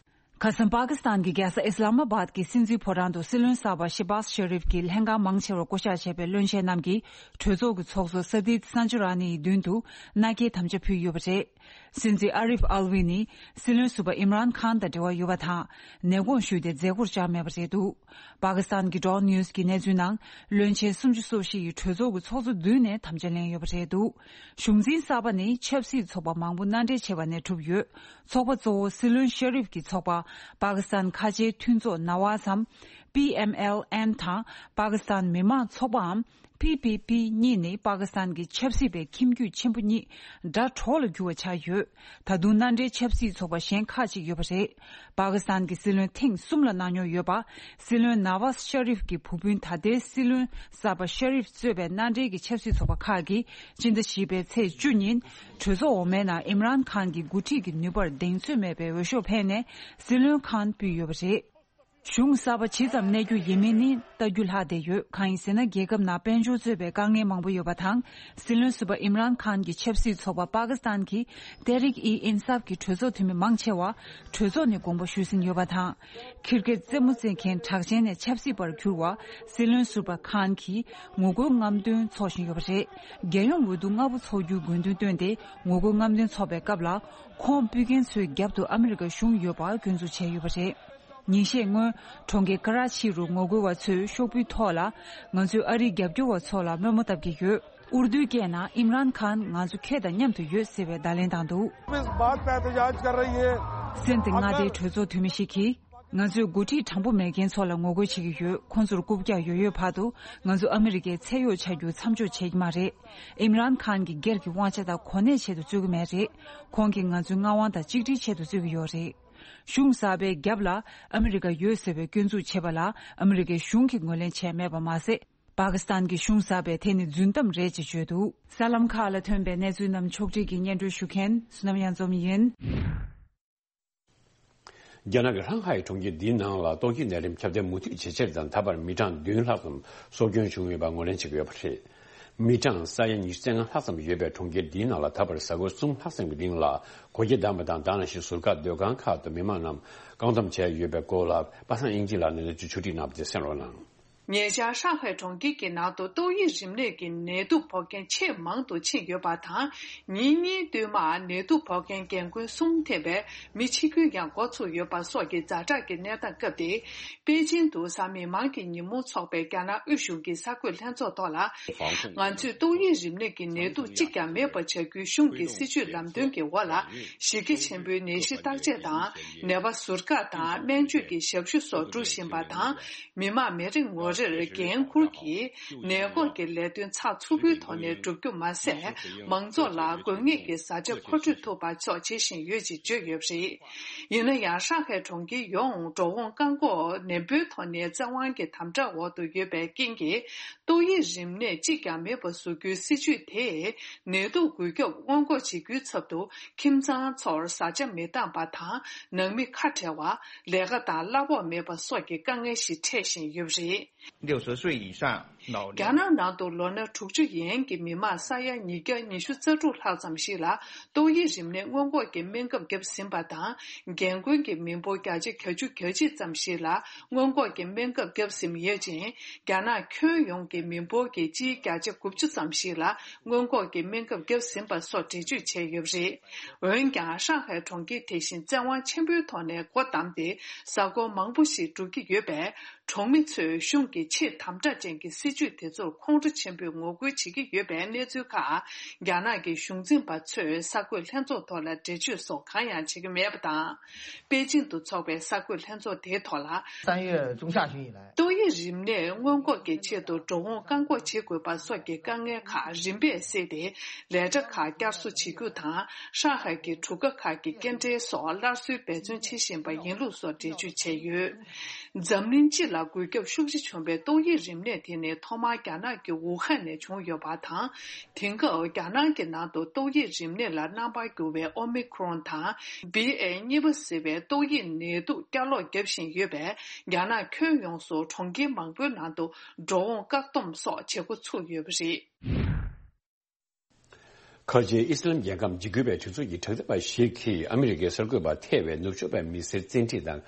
ཁ་སང་པ་ཀི་སི་ཐན་གྱི་རྒྱལ་ས་ཨི་སི་ལ་མ་བཱད་ཀྱི་སྲིད་འཛིན་ཕོ་བྲང་དུ་སྲིད་བློན་གསར་པ་ཤེ་བཱས་ཤེ་རིབ་ཀྱི་ལྷན་ཁང་མང་ཆེ་བར་བསྐོ་གཞག་བྱས་པའི་བློན་ཆེན་རྣམས་ཀྱིས་གྲོས་ཚོགས་ཀྱི་ཚོགས་གཙོ་ས་དིད་སན་ཇུ་ར་ནི་ཡི་མདུན་དུ་མནའ་སྐྱེལ་དམ་བཅའ་ཕུལ་ཡོད་པ་རེད། སྲིད་འཛིན་ཨ་རིབ་ཨལ་ཝི་ནི་སྲིད་བློན་ཟུར་པ་ཨིམ་རཱན་ཁཱན་དང་འབྲེལ་བ་ཡོད་པ་དང་། ནས་དགོངས་ཞུས་ཏེ་མཛད་སྒོར་བཅར་མེད་པ་རེད་འདུག་པ་ཀི་སི་ཐན་གྱི་ཌོན་ནིའུ་སི་གི་གནས་ཚུལ་ནང་། བློན་ཆེན་སུམ་ཅུ་སོ་བཞི་ཡིས་གྲོས་ཚོགས་ཀྱི་ཚོགས་གཙོ་མདུན་ནས་དམ་བཅའ་ལེན་ཡོད་པ་རེད་འདུག་གཞུང་འཛིན་གསར་པ་ནི་ཆབ་སྲིད་ཚོགས་པ་མང་པོ་མནའ་འབྲེལ་བྱས་པ་ནས་གྲུབ་ཡོད། ཚོགས་པ་གཙོ་བོ་སྲིད་བློན་ཤ་རིབ་ཀྱི་ཚོགས་པ་པ་ཀི་སི་ཐན་ཁ་ཆེའི་མཐུན་ཚོགས་ནཱ་ཝཱ་སམ། པི་ཨེམ་ཨེལ་ཨེན་དང་པ་ཀི་སི་ཐན་མི་དམངས་ཚོགས་པའམ། པི་པི་པི་གཉིས་ནི་པ་ཀི་སི་ཐན་གྱི་ཆབ་སྲིད་པའི་ཁྱིམ་རྒྱུད་ཆེན་པོ་གཉིས་དགྲ་གྲོགས་ལ་གྱུར་བ་ཆགས་ཡོད། ད་དུང་མནའ་འབྲེལ་ཆབ་སྲིད་ཚོགས་པ་གཞན་ཁག་ཅིག་ཡོད་པ་རེད། པ་ཀི་སི་ཐན་གྱི་སྲིད་བློན་ཐེངས་གསུམ་ལ་གནང་མྱོང་ཡོད་པ། སྲིད་བློན་ནཱ་ཝཱ་ཤ་རིབ་ཀྱི་བུ་སྤུན་ད་ལྟའི་སྲིད་བློན་གསར་པ་ཤ་རིབ་གཙོས་པའི་མནའ་འབྲེལ་གྱི་ཆབ་སྲིད་ཚོགས་པ་ཁག་གིས་སྤྱི་ཟླ་བཞི་པའི་ཚེས་བཅུ་ཉིན་གྲོས་ཚོགས་འོག་མའི་ནང་ཨིམ་རཱན་ཁཱན་གྱི་འགོ་ཁྲིད་ཀྱི་ནུས་པར་གདེང་ཚོད་མེད་པའི་འོས་ཤོག་འཕེན་ནས་སྲིད་བློན་ཁཱན་བསྐོས་ཡོད་པ་རེད། གཞུང་གསར་པ་ཇི་ཙམ་གནས་རྒྱུ་ཡིན་མིན་ནི་ལྟ་རྒྱུ་ལྷག་བསྡད་ཡོད། གང་ཡིན་ཟེར་ན། རྒྱལ་ཁབ་ནང་དཔལ་འབྱོར་གཙོས་པའི་དཀའ་ངལ་མང་པོ་ཡོད་པ་དང་། སྲིད་བློན་ཟུར་པ་ཨིམ་རཱན་ཁཱན་གྱི་ཆབ་སྲིད་ཚོགས་པ་པ་ཀི་སི་ཐན་གྱི་ཏེ་རིག་ཨི་ཨིན་སཱབ་ཀྱི་གྲོས་ཚོགས་འཐུས་མི་མང་ཆེ་བ་གྲོས་ཚོགས་ནས་དགོངས་པ་ཞུས་ཟིན་ཡོད་པ་དང་། ཁིར་ཀེ་རྩེད་མོ་རྩེ་མཁན་གྲགས་ཅན་ནས་ཆབ་སྲིད་པར་གྱུར་བ་སྲིད་བློན་ཟུར་པ་ཁཱན་གྱིས་ངོ་རྒོལ་རྔམ་སྟོན་འཚོགས་བཞིན་ཡོད་པ་རེད། རྒྱལ་ཡོངས་འོས་བསྡུ་སྔ་པོ་འཚོགས་རྒྱུའི་དགོས་འདུན་བཏོན་ཏེ་ངོ་རྒོལ་རྔམ་སྟོན་འཚོགས་པའི་སྐབས་ལ། ཁོང་སྤུལ་མཁན་ཚོའི་རྒྱབ་ཏུ་ཨ་མི་རི་ཀ་གཞུང་ཡོད་པ་སྐྱོན་འཛུགས་བྱས་ཡོད་པ་རེད། ཉིན་ཤས་སྔོན། གྲོང་ཁྱེར་ཀ་ར་ཆི་རུ་ངོ་རྒོལ་བ་ཚོས་ཤོག་བུའི་ཐོག་ལ། ང་ཚོས་ཨ་རིའི་རྒྱབ་སྐྱོར་བ་ཚོ་ལ་དམོད་མོ་བཏབ་ཀྱི་ཡོད། ཨུར་དུའི་སྐད་ནང་ཨིམ་རཱན་ཁཱན་ང་ཚོ་ཁྱེད་དང་མཉམ་དུ་ཡོད་ཟེར་བའི་བརྡ་ལན་བཏང་འདུག། इस बात पे एहतजाज कर रही है। སེམས་ཏེ་མངའ་སྡེའི་གྲོས་ཚོགས་འཐུས་མི་ཞིག་གིས། ང་ཚོས་འགོ་ཁྲིད་དྲང་པོ་མེད་མཁན་ཚོ་ལ་ངོ་རྒོལ་བྱེད་ཀྱི་ཡོད། ཁོང་ཚོར་རྐུབ་བཀྱག་ཡོད་ཡོད་བར་དུ་ང་ཚོ་ཨ་མི་རི་ཀའི་ཚད་ཡོད་ཆགས་རྒྱུ་མཚམས་འཇོག་བྱེད་ཀྱི་མ་རེད། ཨིམ་རཱན་ཁཱན་གྱིས་སྒེར་གྱི་དབང་ཆ་དང་གོ་གནས་ཆེད་དུ་རྩོད་ཀྱི་མེད་རེད། ཁོང་གིས་ང་ཚོའི་མངའ་དབང་དང་གཅིག་སྒྲིལ་ཆེད་དུ་རྩོད་ཀྱི་ཡོད་རེད། གཞུང་གསར་པའི་རྒྱབ་ལ་ཨ་མི་རི་ཀ་ཡོད་ཟེར་བའི་སྐྱོན་འཛུགས་བྱས་པ་ལ་ཨ་མི་རི་ཀའི་གཞུང་གིས་ངོས་ལེན་བྱས་མེད་པ་མ་ཟད། པ་ཀི་སི་ཐན་གྱི་གཞུང་གསར་པས་དེ་ནི་རྫུན་གཏམ་རེད་ཅེས་བརྗོད་འདུག། གསར་ལམ་ཁག་ལ་ཐོན་པའི་གནས་ཚུལ་རྣམས་ཕྱོགས་སྒྲིག་གིས་སྙན་སྒྲོན་ཞུ་མཁན་བསོད་ནམས་གཡང་འཛོམས་ཡིན། རྒྱ་ནག་གི་ཧྲང་ཧའེ་གྲོང་ཁྱེར་འདིའི་ནང་ལ་ཏོག་དབྱིབས་ནད་རིམས་ཁྱབ་གདལ་མུ་མཐུད་ཇེ་ཆེར་དང་། ད་བར་མི་གྲངས་བདུན་ལྷག་ཙམ་སྲོག་སྐྱོན་བྱུང་ཡོད་པ་ངོས་ལེན་བྱེད་ཀྱི་ཡོད་པ་རེད། མི་གྲངས་ས་ཡ་ཉི་ཤུ་རྩ་ལྔ་ལྷག་ཙམ་ཡོད་པའི་གྲོང་ཁྱེར་འདིའི་ནང་ལ་ད་བར་གཟའ་འཁོར་གསུམ་ལྷག་ཙམ་གྱི་རིང་ལ་སྒོ་ཁྱི་བསྡམས་པ་དང་། ད་ག་ནང་བཞིན་ཟུར་བཀག་སྡོད་ཁང་ཁག་ཏུ་མི་མང་རྣམས་བཀག་སྡོམ་བྱས་ཡོད་པའི་སྐོར་ལ་པ་སངས་དབྱིན་ཇི་ལགས་ནས་གནས་ཚུལ་ཕྱོགས་སྒྲིག་གནང་བ་དེ་གསན་རོགས་གནང་། ཉེ་ཆར་ཧྲང་ཧའེ་གྲོང་ཁྱེར་གྱི་ནང་དུ་ཏོག་དབྱིབས་རིམས་ནད་ཀྱི་ནད་དུག་ཕོག་མཁན་ཆེས་མང་དུ་ཕྱིན་ཡོད་པ་དང་། ཉིན་གཉིས་བསྟུད་མར་ནད་དུག་ཕོག་མཁན་རྒན་རྒོན་གསུམ་ཐེ་བའི་མི་འཆི་སྐྱོན་ཡང་འགོ་ཚུགས་ཡོད་པ་སོགས་ཀྱི་ཛ་དྲག་གི་གནས་སྟངས་སྐབས་དེ། པེ་ཅིན་དུ་གཟའ་མིག་དམར་གྱི་ཉིན་མོ་འཚོགས་པའི་རྒྱ་ནག་དབུས་གཞུང་གི་གསར་འགོད་ལྷན་ཚོགས་ཐོག་ལ། ང་ཚོས་ཏོག་དབྱིབས་རིམས་ནད་ཀྱི་ནད་དུག་གཅིག་ཀྱང་མེད་པ་བྱ་རྒྱུའི་གཞུང་གི་སྲིད་ཇུས་ལམ་སྟོན་གྱི་འོག་ལ། གཞི་རྒྱ་ཆེན་པོའི་ནད་གཞི་བརྟག་དཔྱད་དང་། ནད་པ་ཟུར་བཀག་དང་སྨན་བཅོས་ཀྱི་ཞབས་ཞུ་སོགས་སྒྲུབ་བཞིན་པ་དང་། མི་མང་མི་རེ་ངོ་རེར་འགན་འཁུར་གྱིས་ནད་འགོག་གི་ལས་དོན་ཚགས་ཚུད་པོའི་ཐོག་ནས་བསྒྲུབ་རྒྱུ་མ་ཟད། མང་ཚོགས་ལ་དགོས་ངེས་ཀྱི་བཟའ་བཅའ་མཁོ་སྤྲོད་ཐུབ་པ་སོགས་བྱེད་བཞིན་ཡོད་ཅེས་བརྗོད་ཡོད་པ་རེད། ཡིན་ན་ཡང་། ཧྲང་ཧའེ་གྲོང་ཁྱེར་ཡོངས་འགྲོ་འོང་བཀག་འགོག་ནན་པོའི་ཐོག་ནས་བཙན་དབང་གི་དམ་དྲག་འོག་ཏུ་ཡོད་པའི་རྐྱེན་གྱིས། ཏོག་དབྱིབས་རིམས་ནད་གཅིག་ཀྱང་མེད་པ་བཟོ་རྒྱུའི་སྲིད་ཇུས་དེས། ནད་དུག་འགོས་ཁྱབ་སྔོན་འགོག་བྱེད་རྒྱུའི་ཚབ་ཏུ། ཁྱིམ་ཚང་ཚོར་བཟའ་བཅའ་མི་བཏང་པ་དང་། ནང་མི་ཁ་བྲལ་བ། ལས་ཀ་དང་གླ་ཕོགས་མེད་པ་སོགས་ཀྱི་དཀའ་ངལ་ཞིག་འཕྲད་བཞིན་ཡོད་པ་རེད། 六十岁以上老人 རྒྱ་ནག་ནང་དུ་ལོ་ན་དྲུག་ཅུ་ཡན་གྱི་མི་མང་ས་ཡ་ཉིས་བརྒྱ་ཉི་ཤུ་རྩ་དྲུག་ལྷག་ཙམ་ཞིག་ལ་ཏོག་དབྱིབས་རིམས་ནད་སྔོན་འགོག་གི་སྨན་ཁབ་བརྒྱབ་ཟིན་པ་དང་། རྒན་རྒོན་གྱི་མི་འབོར་བརྒྱ་ཆ་གྱ་བཅུ་གྱ་གཅིག་ཙམ་ཞིག་ལ་སྔོན་འགོག་གི་སྨན་ཁབ་བརྒྱབ་ཟིན་ཡོད་ཅིང་། རྒྱ་ནག་ཁྱོན་ཡོངས་ཀྱི་མི་འབོར་གྱི་སྤྱིའི་བརྒྱ་ཆ་དགུ་བཅུ་ཙམ་ཞིག་ལ་སྔོན་འགོག་གི་སྨན་ཁབ་བརྒྱབ་ཟིན་པ་སོགས་འགྲེལ་བརྗོད་བྱས་ཡོད་པ་རེད། འོན་ཀྱང་། ཧྲང་ཧའེ་གྲོང་ཁྱེར་དེ་བཞིན་བཙན་དབང་ཆེན་པོའི་ཐོག་ནས་སྒོ་བསྡམས་ཏེ། གཟའ་འཁོར་མང་པོ་ཞིག་འགྲོ་གི་ཡོད་པས། གྲོང་མི་ཚོས་གཞུང་གི་ཆེས་དམ་དྲག་ཅན་གྱི་སྲིད་ཇུས་དེ་ཚོར་ཁོང་ཁྲོ་ཆེན་པོས་ངོ་རྒོལ་བྱེད་ཀྱི་ཡོད་པའི་གནས་ཚུལ་ཁག་རྒྱ་ནག་གི་གཞུང་འཛིན་པ་ཚོས་གསར་འགོད་ལྷན་ཚོགས་ཐོག་ལ་འགྲེལ་བརྗོད་སོགས་གང་ཡང་བྱེད་ཀྱི་མེད་པ་དང་། པེ་ཅིན་དུ་འཚོགས་པའི་གསར་འགོད་ལྷན་ཚོགས་དེའི་ཐོག་ལ། 三月中下旬以来 ཏོག་དབྱིབས་རིམས་ནད་སྔོན་འགོག་གི་ཆེད་དུ་འགྲོ་འོང་བཀག་འགོག་བྱེད་དགོས་པ་སོགས་ཀྱི་དཀའ་ངལ་ཁག་རིམ་པས་སེལ་ཏེ། ལས་གྲྭ་ཁག་བསྐྱར་གསོ་བྱེད་རྒྱུ་དང་། ཧྲང་ཧའེ་གྱི་གྲུ་ཁ་ཁག་གི་སྐྱེལ་འདྲེན་སོགས་སླར་གསོའི་འབད་བརྩོན་བྱེད་བཞིན་པ་ཡིན་ལུགས་སོགས་འགྲེལ་བརྗོད་བྱས་ཡོད། འཛམ་གླིང་སྤྱི་ལ་འགོས་ཁྱབ་ཤུགས་ཆེ་བྱུང་བའི་ཏོག་དབྱིབས་རིམས་ནད་དེ་ནི། ཐོག་མར་རྒྱ་ནག་གི་ཝུ་ཧན་ནས་བྱུང་ཡོད་པ་དང་། དེང་སྐབས་རྒྱ་ནག་གི་ནང་དུ་ཏོག་དབྱིབས་རིམས་ནད་ལ་རྣམ་པར་གྱུར་བའི་ཨོ་མི་ཁྲོན་དང་། བྷི་ཨེ་གཉིས་པ་ཟེར་བའི་ཏོག་དབྱིབས་ནད་དུག་བསྐྱར་ལོག་བརྒྱབ་བཞིན་ཡོད་པས། རྒྱ་ནག་ཁྱོན་ཡོངས་སུ་གྲོང་ཁྱེར་མང་པོའི་ནང་དུ་འགྲོ་འོང་བཀག་སྡོམ་སོགས་བྱེད་འགོ་ཚུགས་ཡོད་པ་རེད། ཁ་ཆེའི་ཨི་སི་ལམ་རྒྱལ་ཁམས་འཇིགས་སྐུལ་བའི་གྲོས་ཚོགས་ཀྱི་དྲག་འཐབ་པ་ཞིག་གིས་ཨ་མི་རི་ཀའི་གསར་འགོད་པ་ཐེ་བའི་ནུབ་ཕྱོགས་པའི་མི་སེར་བཙན་ཁྲིད་དང་།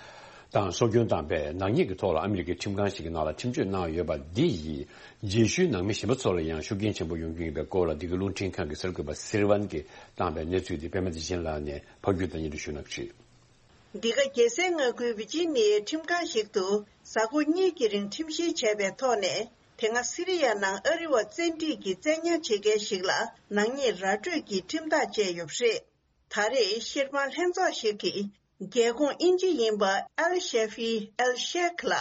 དང་སྲོག་སྐྱོན་བཏང་པའི་ནག་ཉེས་ཀྱི་ཐོག་ལ་ཨ་མི་རི་ཀའི་ཁྲིམས་ཁང་ཞིག་གི་ནང་ལ་ཁྲིམས་གཅོད་གནང་ཡོད་པ་འདི་ཡིས་རྗེས་ཤུལ་ནང་མི་གཞན་པ་ཚོ་ལ་ཡང་ཤུགས་རྐྱེན་ཆེན་པོ་ཡོང་རྒྱུ་ཡིན་པའི་སྐོར་ལ། འདི་གའི་རླུང་འཕྲིན་ཁང་གི་གསར་འགོད་པ་སིལ་ཝན་གྱིས་བཏང་པའི་གནས་ཚུལ་འདི་པད་མ་བདེ་ཆེན་ལགས་ནས་ཕབ་སྒྱུར་དང་སྙན་སྒྲོན་ཞུ་གནང་གི་རེད། འདི་ག་རྒྱལ་སའི་མངའ་ཁུལ་ཝི་ཇི་ནི་ཡའི་ཁྲིམས་ཁང་ཞིག་ཏུ་གཟའ་འཁོར་གཉིས་ཀྱི་རིང་ཁྲིམས་བཤེར་བྱས་པའི་ཐོག་ནས། དེ་སྔ་སི་རི་ཡ་ནང་ཨ་རི་བ་བཙན་ཁྲིད་ཀྱིས་བཙན་ཉར་བྱེད་མཁན་ཞིག་ལ་ནག་ཉེས་ར་སྤྲོད་ཀྱི་ཁྲིམས་ཐག་བཅད་ཡོད་པ་རེད། ད་རེས་བཤེར་དཔང་ལྷན་ཚོགས་ཤིག་གིས་རྒྱལ་ཁོངས་དབྱིན་ཇི་ཡིན་པ་ཨལ་ཤེ་ཧྥི་ཨལ་ཤེག་ལ་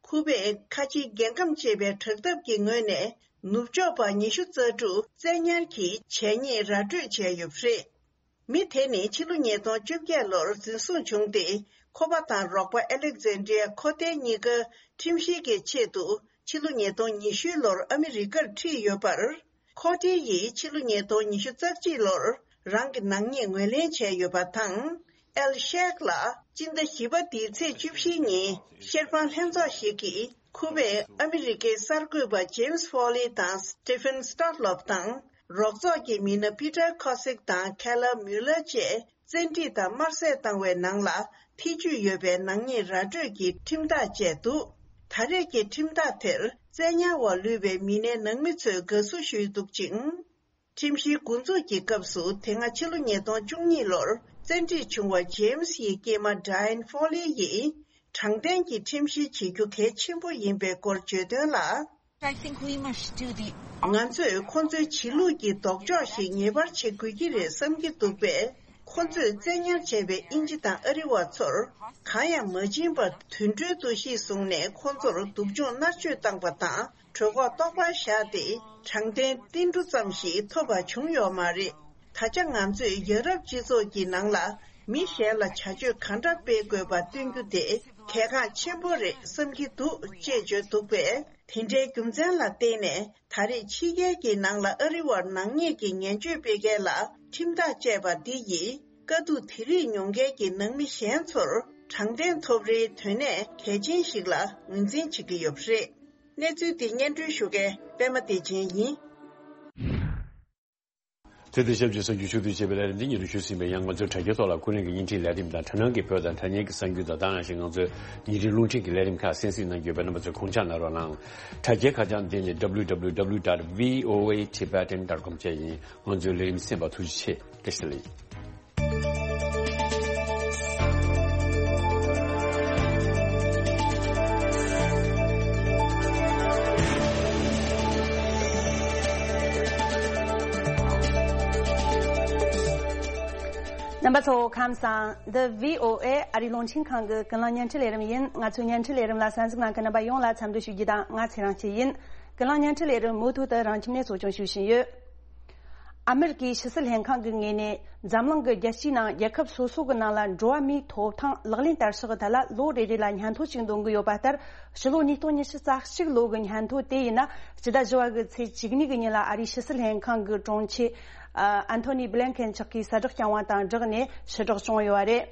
ཁུ་པེ་ཁ་ཆེའི་རྒྱལ་ཁམས་ཅེས་པའི་དྲག་འཐབ་ཀྱི་ངོས་ནས་ནུབ་ཕྱོགས་པ་ཉི་ཤུ་རྩ་དྲུག་བཙན་ཉར་གྱིས་བྱས་ཉེས་ར་སྤྲོད་བྱས་ཡོད་པ་རེད། མི་དེ་ནི་ཕྱི་ལོ་ཉིས་སྟོང་བཅོ་བརྒྱད་ལོར་འཛིན་བཟུང་བྱུང་སྟེ། ཁོ་པ་དང་རོགས་པ་ཨེ་ལེག་ཛན་ཌི་ཡ་ཁོ་ཏེ་གཉིས་ཀ་ཁྲིམས་བཤེར་གྱི་ཆེད་དུ་ཕྱི་ལོ་ཉིས་སྟོང་ཉི་ཤུ་ལོར་ཨ་མི་རི་ཀར་ཁྲིད་ཡོད་པར། ཁོ་ཏེ་ཡིས་ཕྱི་ལོ་ཉིས་སྟོང་ཉི་ཤུ་རྩ་གཅིག་ལོར་རང་གི་ནག་ཉེས་ངོས་ལེན་བྱས་ཡོད་པ་དང་། ཨེལ་ཤེག་ལ་སྤྱི་ཟླ་བཞི་པ་འདིའི་ཚེས་བཅུ་བཞི་ཉིན་བཤེར་དཔང་ལྷན་ཚོགས་ཤིག་གིས་ཁུ་པེ་ཨ་མི་རི་ཀའི་གསར་འགོད་པ་ཇེམ་སི་ཧྥོ་ལི་དང་སི་ཏི་ཕན་སི་ཏོ་ལོབ་དང་། རོགས་ཚོགས་ཀྱི་མི་སྣ་པི་ཏར་ཁོ་སིག་དང་ཁེ་ལ་མུ་ལར་བཅས་བཙན་ཁྲིད་དང་དམར་གསོད་བཏང་བའི་ནང་ལ་ཐེ་ཇུས་ཡོད་པའི་ནག་ཉེས་ར་སྤྲོད་ཀྱི་ཁྲིམས་ཐག་བཅད་འདུག་ད་རེས་ཀྱི་ཁྲིམས་ཐག་དེར་བཙན་ཉར་འོག་ལུས་པའི་མི་སྣའི་ནང་མི་ཚོས་དགའ་བསུ་ཞུས་འདུག་ཅིང་། ཁྲིམས་བཤེར་འགོ་འཛུགས་ཀྱི་སྐབས་སུ། དེ་སྔ་ཕྱི་ལོ་ཉིས་སྟོང་བཅུ་གཉིས་ལོར་བཙན་ཁྲིད་བྱུང་བ་ཇེམ་སི་ཡི་སྐྱེས་མ་ཌ་ཡན་ཧྥོ་ལི་ཡིས་དྲང་བདེན་གྱི་ཁྲིམས་བཤེར་བྱེད་རྒྱུ་གལ་ཆེན་པོ་ཡིན་པའི་སྐོར་བརྗོད་དོན་ལ། I think we must do the ང་ཚོས་ཁོ་ཚོའི་བྱེད་ལུགས་ཀྱི་ལྡོག་ཕྱོགས་ཤིག་ངེས་པར་བྱེད་དགོས་ཀྱི་རེད་བསམ་གྱི་འདུག་པས། ཁོ་ཚོས་བཙན་ཉར་བྱས་པའི་དབྱིན་ཇི་དང་ཨ་རི་བ་ཚོར་གང་ཡང་མ་བྱིན་པར་དུད་འགྲོའི་འདུ་ཤེས་བཟུང་ནས་ཁོ་ཚོར་སྡུག་སྦྱོང་མནར་གཅོད་བཏང་པ་དང་། གྲོད་ཁོག་ལྟོགས་པར་བཞག་སྟེ། དྲང་བདེན་ཏིལ་འབྲུ་ཙམ་ཞིག་ཐོབ་པ་བྱུང་ཡོད་མ་རེད། ད་ཆ་ང་ཚོས་ཡ་རབས་སྤྱི་ཚོགས་ཀྱི་ནང་ལ་མི་གཞན་ལ་བྱ་སྤྱོད་གང་འདྲ་སྤེལ་དགོས་པ་སྟོན་རྒྱུ་དེ་གལ་འགངས་ཆེན་པོ་རེད་བསམ་གྱི་འདུག་ཅེས་བརྗོད་འདུག་པས། དེ་འདྲའི་རྒྱུ་མཚན་ལ་བརྟེན་ནས། ད་རེས་ཕྱི་རྒྱལ་གྱི་ནང་ལ་ཨ་རི་བར་ནག་ཉེས་ཀྱི་ངན་བྱུས་སྤེལ་མཁན་ལ་ཁྲིམས་ཐག་བཅད་པ་འདི་ཡིས། དཀའ་སྡུག་དེ་རིགས་མྱོང་མཁན་གྱི་ནང་མི་གཞན་ཚོར་དྲང་བདེན་ཐོབ་རེའི་དོན་གནད་གལ་ཆེན་ཞིག་ལ་ངོས་འཛིན་བྱེད་ཀྱི་ཡོད་པ་རེད། གནས་ཚུལ་འདི་སྙན་སྒྲོན་ཞུ་མཁན་པད་མ་བདེ་ཆེན་ཡིན། དེ་དང་ཆབས་ཅིག་གསར་འགྱུར་ཕྱོགས་བསྡུས་བྱས་པའི་ལས་རིམ་འདི་ཉིད་དུ་ཞུ་ཟིན་པས། ཡང་ང་ཚོའི་དྲ་རྒྱའི་ཐོག་ལ་ཁོ་རང་གི་བརྙན་འཕྲིན་ལས་རིམ་དང་། དྲ་སྣང་གི་བོད་དང་དྲ་བརྙན་གྱི་གསར་འགྱུར་དང་། ད་ནང་གི་གསར་འགྱུར་ཁག་གསན་གཟིགས་གནང་རྒྱུ་ཡོད་པས། རྣམ་པ་ཚོས་དགོངས་འཇགས་གནང་རོགས་གནང་། དྲ་རྒྱའི་ཁ་བྱང་འདི་ནི་W W W dot V O A Tibetan dot com བཅས་ཡིན། ང་ཚོའི་ལས་རིམ་གསན་པར་ཐུགས་རྗེ་ཆེ། བཀྲ་ཤིས་བདེ་ལེགས། རྣམ་པ་ཚོ་ཁམས་བཟང་། འདི་V O A ཨ་རིའི་རླུང་འཕྲིན་ཁང་གི་ཀུན་གླེང་བརྙན་འཕྲིན་ལས་རིམ་ཡིན། ང་ཚོའི་བརྙན་འཕྲིན་ལས་རིམ་ལ་གསན་གཟིགས་གནང་མཁན་རྣམ་པ་ཡོངས་ལ་འཚམས་འདྲི་ཞུ་རྒྱུ་དང་། ང་ཚེ་རིང་སྐྱིད་ཡིན། ཀུན་གླེང་བརྙན་འཕྲིན་ལས་རིམ་མུ་མཐུད་དུ་རང་ཁྱིམ་ནས་གཙོ་སྐྱོང་ཞུ་བཞིན་ཡོད། ཨ་མེ་རི་ཀའི་ཕྱི་སྲིད་ལྷན་ཁང་གི་ངོས་ནས། འཛམ་གླིང་གི་རྒྱལ་སྤྱིའི་ནང་རྒྱལ་ཁབ་སོ་སོ་གི་ནང་ལ་འགྲོ་བ་མིའི་ཐོབ་ཐང་ལག་ལེན་བསྟར་ཕྱོགས་ཐད་ལ་ལོ་རེ་རེ་ལ་སྙན་ཐོ་ཅིག་འདོན་གྱི་ཡོད་པ་ལྟར། ཕྱི་ལོ་ཉིས་སྟོང་ཉི་ཤུ་རྩ་གཅིག་ལོ་གི་སྙན་ཐོ་དེ་ཡིན་ན། སྤྱི་ཟླ་བཞི་པ་གི་ཚེས་བཅུ་གཉིས་ཀྱི་ཉིན་ལ་ཨ་རིའི་ཕྱི་སྲིད་ལྷན་ཁང་གི་དྲུང་ཆེ་ཨན་ཐོ་ནི་བྷི་ལན་ཁེན་མཆོག་གིས་གསལ་བསྒྲགས་བསྐྱངས་པ་དང་སྦྲགས་ནས་ཕྱིར་སྒྲོག་བྱུང་ཡོད་པ་རེད།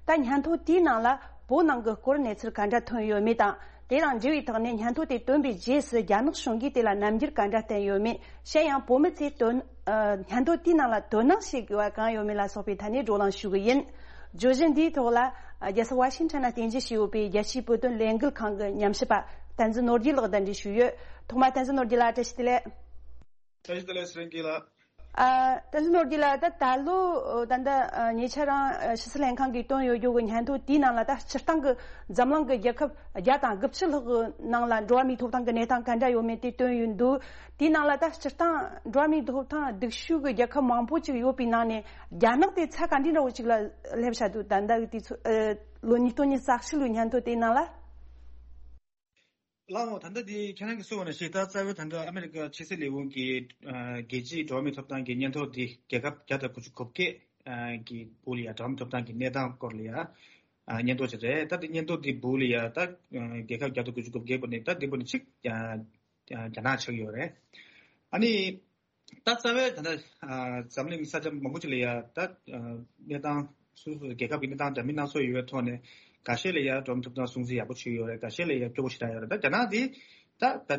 ད་སྙན་ཐོ་དེའི་ནང་ལ་བོད་ནང་གི་སྐོར་གནས་ཚུལ་ག་འདྲ་ཐོན་ཡོད་མེད་དང་། དེ་དང་འབྲེལ་བའི་ཐོག་ནས་སྙན་ཐོ་དེ་བཏོན་པའི་རྗེས་སུ་རྒྱ་ནག་གཞུང་གིས་དེ་ལ་རྣམ་འགྱུར་ག་འདྲ་བསྟན་ཡོད་མེད། གཞན་ཡང་བོད་མི་ཚོས་དོན། ཨ། སྙན་ཐོ་དེའི་ནང་ལ་དོ་སྣང་བྱེད་དགོས་པ་གང་ཡོད་མེད་ལ་སོགས་པའི་ཐད་ནས་བགྲོ་གླེང་ཞུ་གི་ཡིན། བརྗོད་གཞི་འདིའི་ཐོག་ལ། ཨ། རྒྱལ་ས་ཝ་ཤིང་ཊོན་ན་རྟེན་གཞི་བྱས་ཡོད་པའི་རྒྱལ་སྤྱིའི་བོད་དོན་ལས་འགུལ་ཁང་གི་ཉམས་ཞིབ་པ་བསྟན་འཛིན་ནོར་རྒྱས་ལགས་དང་འབྲེལ་ཞུས་ཡོད། ཐོག་མར་བསྟན་འཛིན་ནོར་རྒྱས་ལགས་བཀྲ་ཤིས་བདེ་ལེགས། བཀྲ་ཤིས་བདེ་ལེགས། ཚེ་རིང་སྐྱིད་ལགས། ཨ། བསྟན་འཛིན་ནོར་རྒྱས་ལགས། ད་ད་ལོ་ད་ལྟ་ཉེ་ཆར་རང་ཕྱི་སྲིད་ལྷན་ཁང་གིས་བཏོན་ཡོད་རྒྱུ་གི་སྙན་ཐོ་དེའི་ནང་ལ། ད་སྤྱིར་བཏང་གི་འཛམ་གླིང་གི་རྒྱལ་ཁབ་བརྒྱ་དང་དགུ་བཅུ་ལྷག་གི་ནང་ལ་འགྲོ་བ་མིའི་ཐོབ་ཐང་གི་གནས་སྟངས་ག་འདྲ་ཡོད་མེད་དེ་བཏོན་ཡོད་འདུག་དེའི་ནང་ལ་ད་སྤྱིར་བཏང་འགྲོ་བ་མིའི་ཐོབ་ཐང་སྡུག་ཤོས་ཀྱི་རྒྱལ་ཁབ་མང་པོ་ཅིག་ཡོད་པའི་ནང་ནས། རྒྱ་ནག་དེ་ཚད་ག་འདྲའི་འདྲ་བོ་ཅིག་ལ་སླེབས་བཞག་འདུག་ད་ལྟ་གི་དུས་ཚོད། ཨ། ལོ་ཉིས་སྟོང་ཉི་ཤུ་རྩ་གཅིག་ལོའི་སྙན་ཐོ་དེའི་ནང་ལ། ལགས་འོང་། ད་ལྟ་འདི་ཁྱེད་རང་གིས་གསུངས་པ་ནང་བཞིན། ད་རྩ་བའི་ད་ལྟ་ཨ་མེ་རི་ཀ་ཕྱི་སྲིད་ལས་ཁུངས་ཀྱི། ཨ། རྒྱལ་སྤྱིའི་འགྲོ་བ་མིའི་ཐོབ་ཐང་གི་སྙན་ཐོ་འདི་རྒྱལ་ཁབ་བརྒྱ་དང་དགུ་བཅུ་གོ་བརྒྱད། ཨ། གི་སྦུག་ལ་ཡ་འགྲོ་བ་མིའི་ཐོབ་ཐང་གི་གནས་སྟངས་སྐོར་ལ་ཡ། ཨ། སྙན་ཐོ་ཅིག་རེད། ད་འདི་སྙན་ཐོ་འདི་སྦུག་ལ་ཡ། ད་རྒྱལ་ཁབ་བརྒྱ་དང་དགུ་བཅུ་གོ་བརྒྱད་པོ་ནི། ད་འདི་པོ་ནི་ཅིག་ཨ། རྒྱ་ནག་ཆགས་ཡོད་རེད། ཨ་ནི། ད་རྩ་བའི་ད་ལྟ་འཛམ་གླིང་ས་ཆ་མང་པོ་ཅིག་ལ་ཡ་ད་གནས་སྟངས་སོ་སོ་རྒྱལ་ཁབ་ཀྱི་གནས་སྟངས་འདྲ་མིན་སྣ་ཚོགས་ཡོད་པའི་ཐོག་ནས་འགའ་ཤས་ལ་ཡ་འགྲོ་མི་ཐུབ་སྟངས་སྲུང་བརྩི་ཡག་པོ་བྱས་ཡོད་རེད། འགའ་ཤས་ལ་ཡ་སྐྱོ་པོ་ཞེ་དྲག་ཡོད་རེད། ད་རྒྱ་ནག་འདི་ད་ད་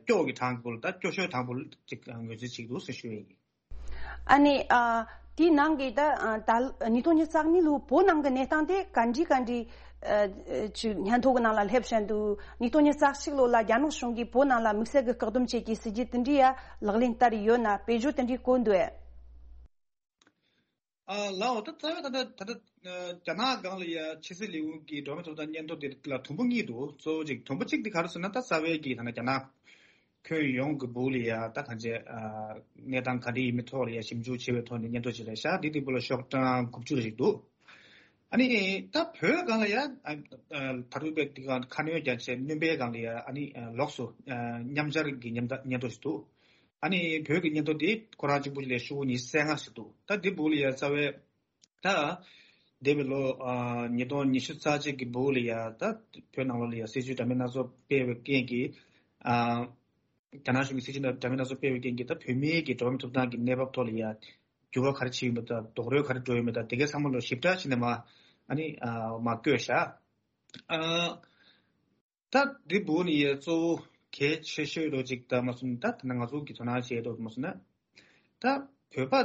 སྐྱོ་གི་གྲངས་ཀྱི་བུ་ལ་ད་སྐྱོ་ཤོས་གྲངས་བུ་ཅིག་ངོས་འཛིན་བྱེད་ཀྱི་འདུག་ཟེར་ཞུ་ཡ་ཡིན། ཨ་ནི་ཨ་དེའི་ནང་གི་ད་ཨ་ད་ཉིས་སྟོང་ཉི་ཤུ་རྩ་གཉིས་ལོའི་བོད་ནང་གི་གནས་སྟངས་དེ་ག་འདྲ་ག་འདྲ་ཨ་ཅིག་སྙན་ཐོ་གི་ནང་ལ་སླེབས་བཞིན་འདུག་ཉིས་སྟོང་ཉི་ཤུ་རྩ་གཅིག་ལོ་ལ་རྒྱ་ནག་གཞུང་གིས་བོད་ནང་ལ་དམིགས་བསལ་གྱི་བཀག་སྡོམ་བཅས་ཀྱི་སྲིད་ཇུས་དེ་འདྲ་ཡ་ལག་ལེན་བསྟར་ཡོད་ན། བེད་སྤྱོད་དེ་འདྲ་བཀོད་འདུག་ཨེ། ཨ་ལའོ། ད་རྩ་བའི་ད་ལྟ་ད་ལྟ་རྒྱ་ནག་སྒང་ལ་ཡ་ཕྱི་སྲིད་ལས་ཁུངས་ཀྱི་འགྲོ་མི་ཐོབ་ཐང་སྙན་ཐོ་དེ་ལ་དུམ་བུ་གཉིས་འདུག་གཙོ་བོ་གཅིག་དུམ་བུ་གཅིག་དེ་ག་རེ་ཟེར་ན། ད་རྩ་བའི་གི་ད་ལྟ་རྒྱ་ནག་ཁྱོན་ཡོངས་ཀྱི་སྦུག་ལ་ཡ་ད་གང་ཅི་གནས་སྟངས་ག་འདྲ་ཡིན་མིན་ཐོག་ལ་ཡ་ཞིབ་འཇུག་བྱས་པའི་ཐོག་ནས་སྙན་ཐོ་ཞིག་རེད་ཤག་འདི་དེ་སྦུག་ལ་ཤོག་གྲངས་དགུ་བཅུ་ཞིག་འདུག་ཨ་ནི་ད་བོད་སྒང་ལ་ཡ་ད་རུང་དཔེ་དེ་ག་ཁ་སྣོན་རྒྱག་བྱས་སྣོན་པའི་སྒང་ལ་ཡ་ཨ་ནི་ལོགས་སུ་མཉམ་སྦྱར་གྱི་མཉམ་ད་སྙན་ཐོ་ཞིག་འདུག་ཨ་ནི་བོད་ཀྱི་སྙན་ཐོ་དེ་ཁོ་རང་གཅིག་པུ་ལས་ཤོག་བུ་ཉི་ཤུ་རྩ་ལྔ་ཞིག་འདུག་ད་འདི་སྦུག་ལ་ཡ་རྩ་བའི་ད་འདས་པའི་ལོ་ཉིས་སྟོང་ཉི་ཤུ་རྩ་གཅིག་གི་སྦུག་ལ་ཡ་ད་བོད་ནང་ལོགས་ལ་ཡ་སྲིད་ཇུས་འདྲ་མིན་སྣ་ཚོགས་སྤེལ་བའི་རྐྱེན་གྱིས། རྒྱ་ནག་གཞུང་གི་སྲིད་ཇུས་འདྲ་མིན་སྣ་ཚོགས་སྤེལ་བའི་རྐྱེན་གྱིས་ད་བོད་མིའི་གི་འགྲོ་བ་མིའི་ཐོབ་ཐང་གི་གནས་བབ་ཐོག་ལ་ཡ་འགྱུར་བ་ག་རེ་ཕྱིན་ཡོད་མེད་དང་རྡོག་རོལ་ག་རེ་འགྲོ་ཡོད་མེད་དང་དེ་གའི་ཚང་མ་ལོ་ཞིབ་ཕྲ་བྱས་ནས་མ་ཨ་ནི་མ་བཀོད་ཤག་ད་འདི་སྦུག་ནས་ཡ་གཙོ་བོ་གལ་ཆེ་ཤོས་རོ་ཅིག་ད་མ་སོང་ད་ད་ང་ཚོ་གི་དོ་སྣང་བྱེད་རོགས་མ་སོང་ན། ད་བོད་པ་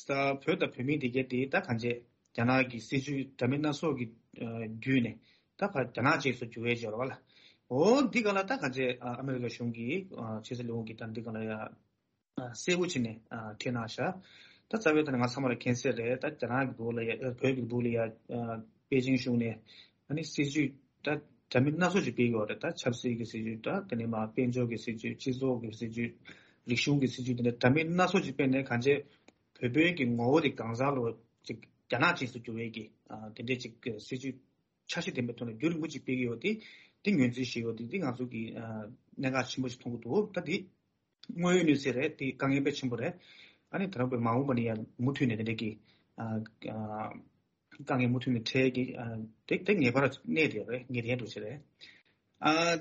ད་བོད་དང་བོད་མི་དེ་གས་དེ་ད་གང་ཅི་རྒྱ་ནག་གི་སྲིད་ཇུས་འདྲ་མིན་སྣ་ཚོགས་ཀྱི་བརྒྱུད་ནས་ད་ཕར་རྒྱ་ནག་ཅེས་སུ་འགྱུར་བའི་སྦྱོར་བ་ལ། འོ་འདི་ག་ལ་ད་གང་ཅི་ཨ་མེ་རི་ཀ་གཞུང་གི་ཕྱི་སྲིད་ལས་ཁུངས་ཀྱི་ད་འདི་ག་ལ་ཡ་གསལ་པོ་བྱས་ནས་ཨ་ཁྲིད་གནང་ཤག་ད་རྩ་བའི་ཐོག་ནས་ང་ཚང་མ་ལ་མཁྱེན་གསལ་རེད། ད་རྒྱ་ནག་གི་སྦུག་ལ་ཡ་བོད་ཀྱི་སྦུག་ལ་ཡ་པེ་ཅིང་གཞུང་ནས་ཨ་ནི་སྲིད་ཇུས་ད་འདྲ་མིན་སྣ་ཚོགས་ཅིག་སྤེལ་གྱི་ཡོད་རེད། ད་ཆབ་སྲིད་ཀྱི་སྲིད་ཇུས་ད་དེ་ནས་མ་དཔལ་འབྱོར་གྱི་སྲིད་ཇུས་སྤྱི་ཚོགས་ཀྱི་སྲིད་ཇུས་རིག་གཞུང་གི་སྲིད་ཇུས་དེ་འདྲ་འདྲ་མིན་སྣ་ཚོགས་ཅིག་སྤེལ་ནས་གང་ཅི་བོད་པའི་གི་ངོ་བོ་དེ་གང་ཟག་ལོ་ཅིག་རྒྱ་ནག་ཅིག་སུ་འགྱུར་བའི་གི་དེ་འདྲའི་ཅིག་སྲིད་ཇུས་འཆར་གཞི་ལྡན་པའི་ཐོག་ནས་རྒྱུན་རིང་པོ་ཅིག་སྤེལ་གྱི་ཡོད་དེ། དེ་ངོས་འཛིན་བྱེད་ཡོད་དེ་དེ་ང་ཚོ་གི་གནད་འགག་ཆེན་པོ་ཞིག་མཐོང་གི་འདུག་ད་དེ་དངོས་ཡོད་གནས་ཚུལ་རེད། དེ་དཀའ་ངལ་དཔེ་ཆེན་པོ་རེད། ཨ་ནི་ད་རུང་དཔེ་མ་འོངས་པ་ནས་ཡང་མུ་མཐུད་ནས་དེ་འདྲ་གི་དཀའ་ངལ་མུ་མཐུད་ནས་འཕྲད་ཀྱི་དེ་དེ་ངེས་པར་གནས་དེ་རེད། ངེས་གཏན་འགྲོ་ཆེ་རེད།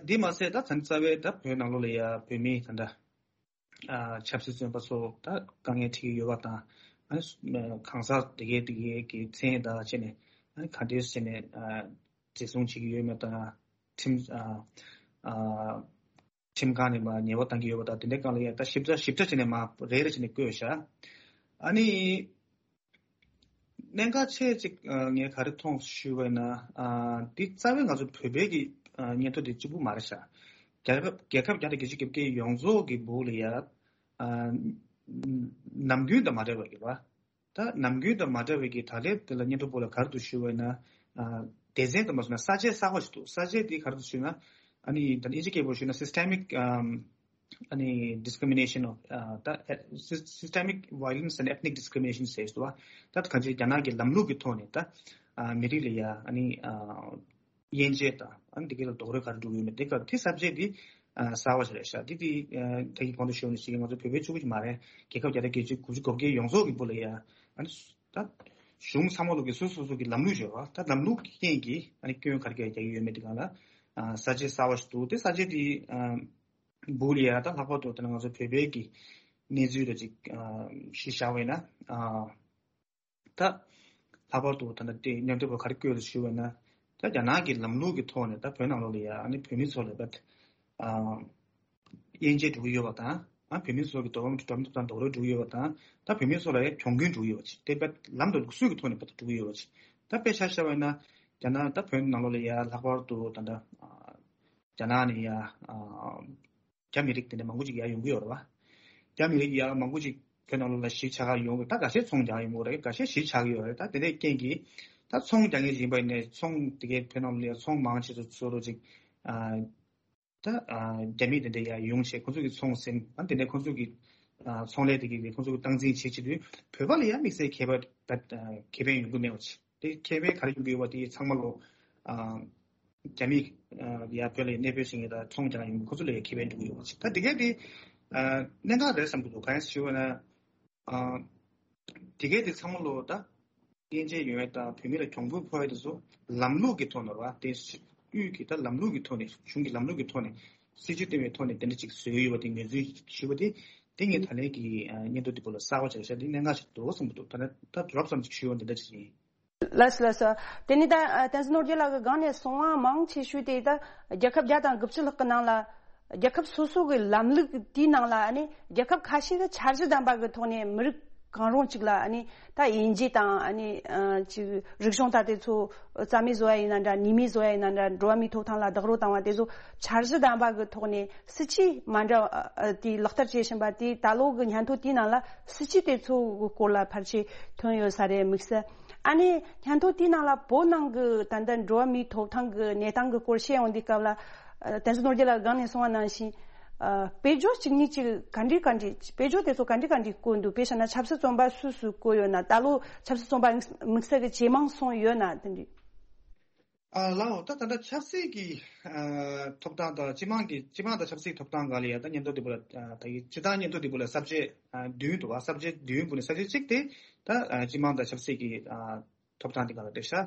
དེ་མ་ཟད་ད་ད་རྩ་བའི་ད་བོད་ནང་ལོགས་ལ་ཡ་བོད་མི་ད་ལྟ་ཆབ་སྲིད་བཙོན་པ་ཚོ་ད་དཀའ་ངལ་འཕྲད་ཀྱི་ཡོད་པ་དང་། ཨ་ནི་གང་ཟག་དེ་གའི་དེ་གའི་གི་མཚན་དང་བཅས་ནས་ཨ་ནི་ག་འདྲས་བྱས་ནས་འཛིན་བཟུང་བྱེད་ཀྱི་ཡོད་མེད་དང་། ཁྲིམས་ཁྲིམས་ཁང་ནས་མ་ཉེས་པ་བཏང་གི་ཡོད་པ་དང་དེ་འདྲའི་སྒང་ལ་ཡ་ད་ཞིབ་ཕྲ་ཞིབ་ཕྲ་བྱས་ནས་མ་རེ་རེ་བྱས་ནས་བཀོད་བཞག་ཨ་ནི། གནད་འགག་ཆེ་གཅིག་ངས་ག་རེ་མཐོང་ཞུས་པ་ཡིན་ན། འདི་རྩ་བའི་ང་ཚོ་བོད་པའི་གི་སྙན་ཐོ་འདི་གཅིག་པུ་མ་རེད་ཤག་རྒྱལ་ཁབ་རྒྱལ་ཁབ་བརྒྱ་དང་བརྒྱད་ཅུ་གྱ་བརྒྱད་ཡོངས་རྫོགས་ཀྱི་སྦུག་ལ་ཡ་ནམ་རྒྱུན་དང་མ་འདྲ་བའི་གི་བ། ད་ནམ་རྒྱུན་དང་མ་འདྲ་བའི་གི་ད་ལན་དེ་ལ་སྙན་ཐོ་སྦུག་ལ་ག་རེ་འདུག་ཞུས་པ་ཡིན་ན། སྡེ་ཚན་དུ་མ་སོང་ན་ས་བཅད་གསར་བ་ཞིག་འདུག་ས་བཅད་འདི་ག་རེ་འདུག་ཞུས་ན། ཨ་ནི་ད་ཨིན་ཇི་སྐད་པོ་ཞུས་ན་systemic ཨ་ནི་discrimination of ཨ་ད་systemic violence and ethnic discrimination ཟེར་སོ། ད་གང་ཅི་རྒྱ་ནག་གི་ལམ་ལུགས་ཀྱི་ཐོག་ནས་ད་ཨ་མི་རིགས་ལ་ཡ་ཨ་ནི་ཨ་དབྱེ་འབྱེད་དང་ཨ་ནི་དེ་ག་ལ་རྡོག་རོལ་ག་རེ་འགྲོ་གི་ཡོད་མེད་དེ་ག་དེ་ས་བཅད་འདི་ཨ་གསར་བ་ཞིག་རེད་ཤག་འདི་དེ་ཨ་ད་གི་གོང་དུ་ཞུས་ནས་ཞིག་ང་ཚོ་བོད་པའི་ཕྲུ་གུ་ཞིག་མ་རེད། རྒྱལ་ཁབ་བརྒྱ་དང་བརྒྱད་ཅུ་དགུ་བཅུ་གོ་བརྒྱད་ཡོངས་རྫོགས་ཀྱི་སྦུག་ལ་ཡ་ཨ་ནི་ད་གཞུང་ཚང་མ་ལོག་གི་སོ་སོ་སོ་གི་ལམ་ལུགས་ཡོད་པ། ད་ལམ་ལུགས་ཀྱི་རྐྱེན་གྱིས་ཨ་ནི་སྐྱོན་ག་རེ་ག་རེ་རྒྱག་གི་ཡོད་མེད་དེ་ག་ལ་ཨ་ས་བཅད་གསར་བ་ཞིག་འདུག་དེ་ས་བཅད་དེ་ཨ་སྦུག་ལ་ཡ་ད་ལྷག་པར་དུ་ད་ང་ཚོ་བོད་པའི་གི་གནས་ཚུལ་རེ་ཅིག་ཨ་གཞི་བཞག་པ་ཡིན་ན་ཨ་ད་ལྷག་པར་དུ་ད་ལྟ་དེ་སྙན་ཐོ་བ་ག་རེ་བཀོད་རེད་ཞུ་བ་ཡིན་ན། ད་རྒྱ་ནག་གི་ལམ་ལུགས་ཀྱི་ཐོག་ནས་ད་བོད་ནང་ལོགས་ལ་ཡ་ཨ་ནི་བོད་མི་ཚོ་ལ་ད་ཨ་དབྱེ་འབྱེད་འགྲོ་གི་ཡོད་པ་དང་། ཨ་བོད་མི་ཚོ་གི་འགྲོ་བ་མི་འགྲོ་མི་ཐོབ་ཐང་རྡོག་རོལ་འགྲོ་གི་ཡོད་པ་དང་། ད་བོད་མི་ཚོ་ལ་ཡ་གྱོང་གུན་འགྲོ་གི་ཡོད་པ་ཅིག་དེ་བས་ལམ་དང་ལུགས་སྲོལ་གྱི་ཐོག་ནས་བོད་དུ་འགྲོ་གི་ཡོད་པ་ཅིག་ད་དཔེ་ཆ་བཞག་པ་ཡིན་ན་རྒྱ་ནག་ད་བོད་ནང་ལོགས་ལ་ཡ་ལྷག་པར་དུ་ད་ལྟ་རྒྱ་ནག་ནས་ཡ་རྒྱ་མི་རིགས་དེ་འདྲ་མང་པོ་ཅིག་ཡར་ཡོང་གི་ཡོད་རེད་བ། རྒྱ་མི་རིགས་ཡར་མང་པོ་ཅིག་བོད་ནང་ལོགས་ལ་གཞིས་ཆགས་ཡོང་གི། ད་ཁ་ཤས་ཚོང་རྒྱག་ཡོང་གི་རེད། ཁ་ཤས་གཞིས་ཆགས་ཀྱི་ཡོད་རེད། ད་དེ་འདྲའི་རྐྱེན་གྱིས་ད་ཚོང་རྒྱག་མཁན་ཞིག་ཡིན་པ་ཡིན་ནའི་ཚོང་དེ་གའི་བོད་ནང་ལོགས་ལ་ཡ་ཚོང་མང་ཆེ་ཚོ་ཚོ་རོ་ཅིག་ད་རྒྱ་མི་དེ་འདྲ་ཡར་ཡོང་བྱས་ཁོ་ཚོ་གི་ཚོང་ཟིན། ཨ་དེ་ནས་ཁོ་ཚོ་གི་ཚོང་ལས་དེ་གི་ཁོ་ཚོ་གི་སྟངས་འཛིན་བྱེད་བྱེད་དུས་བོད་པ་ལ་ཡང་དམིགས་བསལ་ཁེ་ཕན་ཁེ་ཕན་ཡོང་གི་མེད་པ་ཅིག་དེ་ཁེ་ཕན་ག་རེ་ཡོང་གི་ཡོད་པ་དེ་ཚང་མ་ལོ་རྒྱ་མི་ཡར་བོད་ལ་གནས་སྤོས་ཕྱིན་མཁན་དང་ཚོང་རྒྱག་ཡོང་མཁན་ཁོ་ཚོ་ལ་ཡང་ཁེ་ཕན་འགྲོ་གི་ཡོད་པ་ཅིག་ད་དེ་གས་དེ་གནད་འགག་རེད་བསམ་གྱི་འདུག་གང་ཡིན་ཞུ་བ་ན། དེ་གས་དེ་ཚང་མ་ལོ་ད་དབྱེ་འབྱེད་ཡོང་ཡ་དང་བོད་མི་ལ་གྱོང་གུན་ཕོག་ཡ་དེ་ཚོ་ལམ་ལུགས་ཀྱི་ཐོག་ནས་རེད་བ། དེ་དབུས་ཀྱི་ད་ལམ་ལུགས་ཀྱི་ཐོག་ནས་གཞུང་གི་ལམ་ལུགས་ཀྱི་ཐོག་ནས་ སྲིད་ཇུས་བཏིང་བའི་ཐོག་ནས་དེ་འདྲ་ཅིག་བཟོས་ཡོད་པ་དེ་ངོས་འཛིན་ཞུས་པ་དེ་དེ་ངས་ད་ལན་གྱི་ཨ་སྙན་ཐོ་དེ་པོ་ལ་གསར་པ་ཆགས་ཤག་དེ་གནད་འགག་ཞིག་འདུག་བསམ་གྱི་འདུག་ད་ནི་ད་རོབ་ཙམ་ཅིག་ཞུས་པ་འདི་འདྲ་ཅིག་ཡིན། ལགས་སོ་ལགས་སོ། དེ་ནི་ད་ཨ་བསྟན་འཛིན་ནོར་རྒྱས་ལགས་ཀྱི་སྒང་ནས་གསུང་བ་མང་ཆེ་ཤོས་དེ་ད་རྒྱལ་ཁབ་བརྒྱ་དང་དགུ་བཅུ་ལྷག་གི་ནང་ལ་རྒྱལ་ཁབ་སོ་སོ་གི་ལམ་ལུགས་དེའི་ནང་ལ་ཨ་ནི་རྒྱལ་ཁབ་ཁ་ཤས་ཀྱི་འཆར་གཞི་ལྡན་པ་གི་ཐོག་ནས་མི་རིགས་གང་རུང་གཅིག་ལ་ཨ་ནི་ད་དབྱེ་འབྱེད་དང་ཨ་ནི་ཨ་ཅིག་རིག་གཞུང་ད་དེ་ཚོ་རྩ་མེད་བཟོ་ཡ་ཡིན་ན་འདྲ། ཉེས་མེད་བཟོ་ཡ་ཡིན་ན་འདྲ། འགྲོ་བ་མིའི་ཐོབ་ཐང་ལ་རྡོག་རོལ་བཏང་བ་དེ་ཚོ་འཆར་གཞི་ལྡན་པ་གི་ཐོག་ནས་སྲིད་ཇུས་མ་འདྲ་བ་ཨ་དེ་ལག་བསྟར་བྱེད་བཞིན་པ་དེ་ད་ལོ་གི་སྙན་ཐོ་དེའི་ནང་ལ་སྲིད་ཇུས་དེ་ཚོ་གི་སྐོར་ལ་ཕལ་ཆེར་ཐོན་ཡོད་ས་རེད་དམིགས་བསལ། ཨ་ནི་སྙན་ཐོ་དེའི་ནང་ལ་བོད་ནང་གི་ད་ལྟ་འགྲོ་བ་མིའི་ཐོབ་ཐང་གི་གནས་སྟངས་གི་སྐོར་བཤད་ཡོང་དུས་སྐབས་ལ་ཨ་བསྟན་འཛིན་ནོར་རྒྱས་ལགས་སྒང་ནས་གསུངས་པ་ནང་བཞིན་ཨ་དཔེ་བརྗོད་གཅིག་གཉིས་གཅིག་ག་འདྲ་ག་འདྲ་དཔེ་བརྗོད་དེ་ཚོ་ག་འདྲ་ག་འདྲ་བཀོད་འདུག་དཔེ་བཞག་ན་ཆབ་སྲིད་བཙོན་པ་སུ་སུ་བཀོད་ཡོད་ན། ད་ལོ་ཆབ་སྲིད་བཙོན་པ་དམིགས་བསལ་གྱི་ཇེ་མང་སོང་ཡོད་ན་དེ་འདྲ། ཨ་ལའོ་ད་ད་ལྟ་ཆབ་སྲིད་ཀྱི་ཨ་ཐོབ་ཐང་དང་སྤྱི་དམངས་ཀྱི་སྤྱི་དམངས་དང་ཆབ་སྲིད་ཐོབ་ཐང་སྒང་ལ་ཡ་ད་སྙན་ཐོ་དེ་པོ་ལ་ཨ་ད་ཡི་སྤྱིར་བཏང་སྙན་ཐོ་དེ་པོ་ལ་ས་བཅད་ཨ་བདུན་འདུག་བ། ས་བཅད་བདུན་པོ་ནས་ས་བཅད་གཅིག་དེ་ད་ཨ་སྤྱི་དམངས་དང་ཆབ་སྲིད་ཀྱི་ཨ་ཐོབ་ཐང་དེ་སྒང་ལ་བསྡད་ཤག་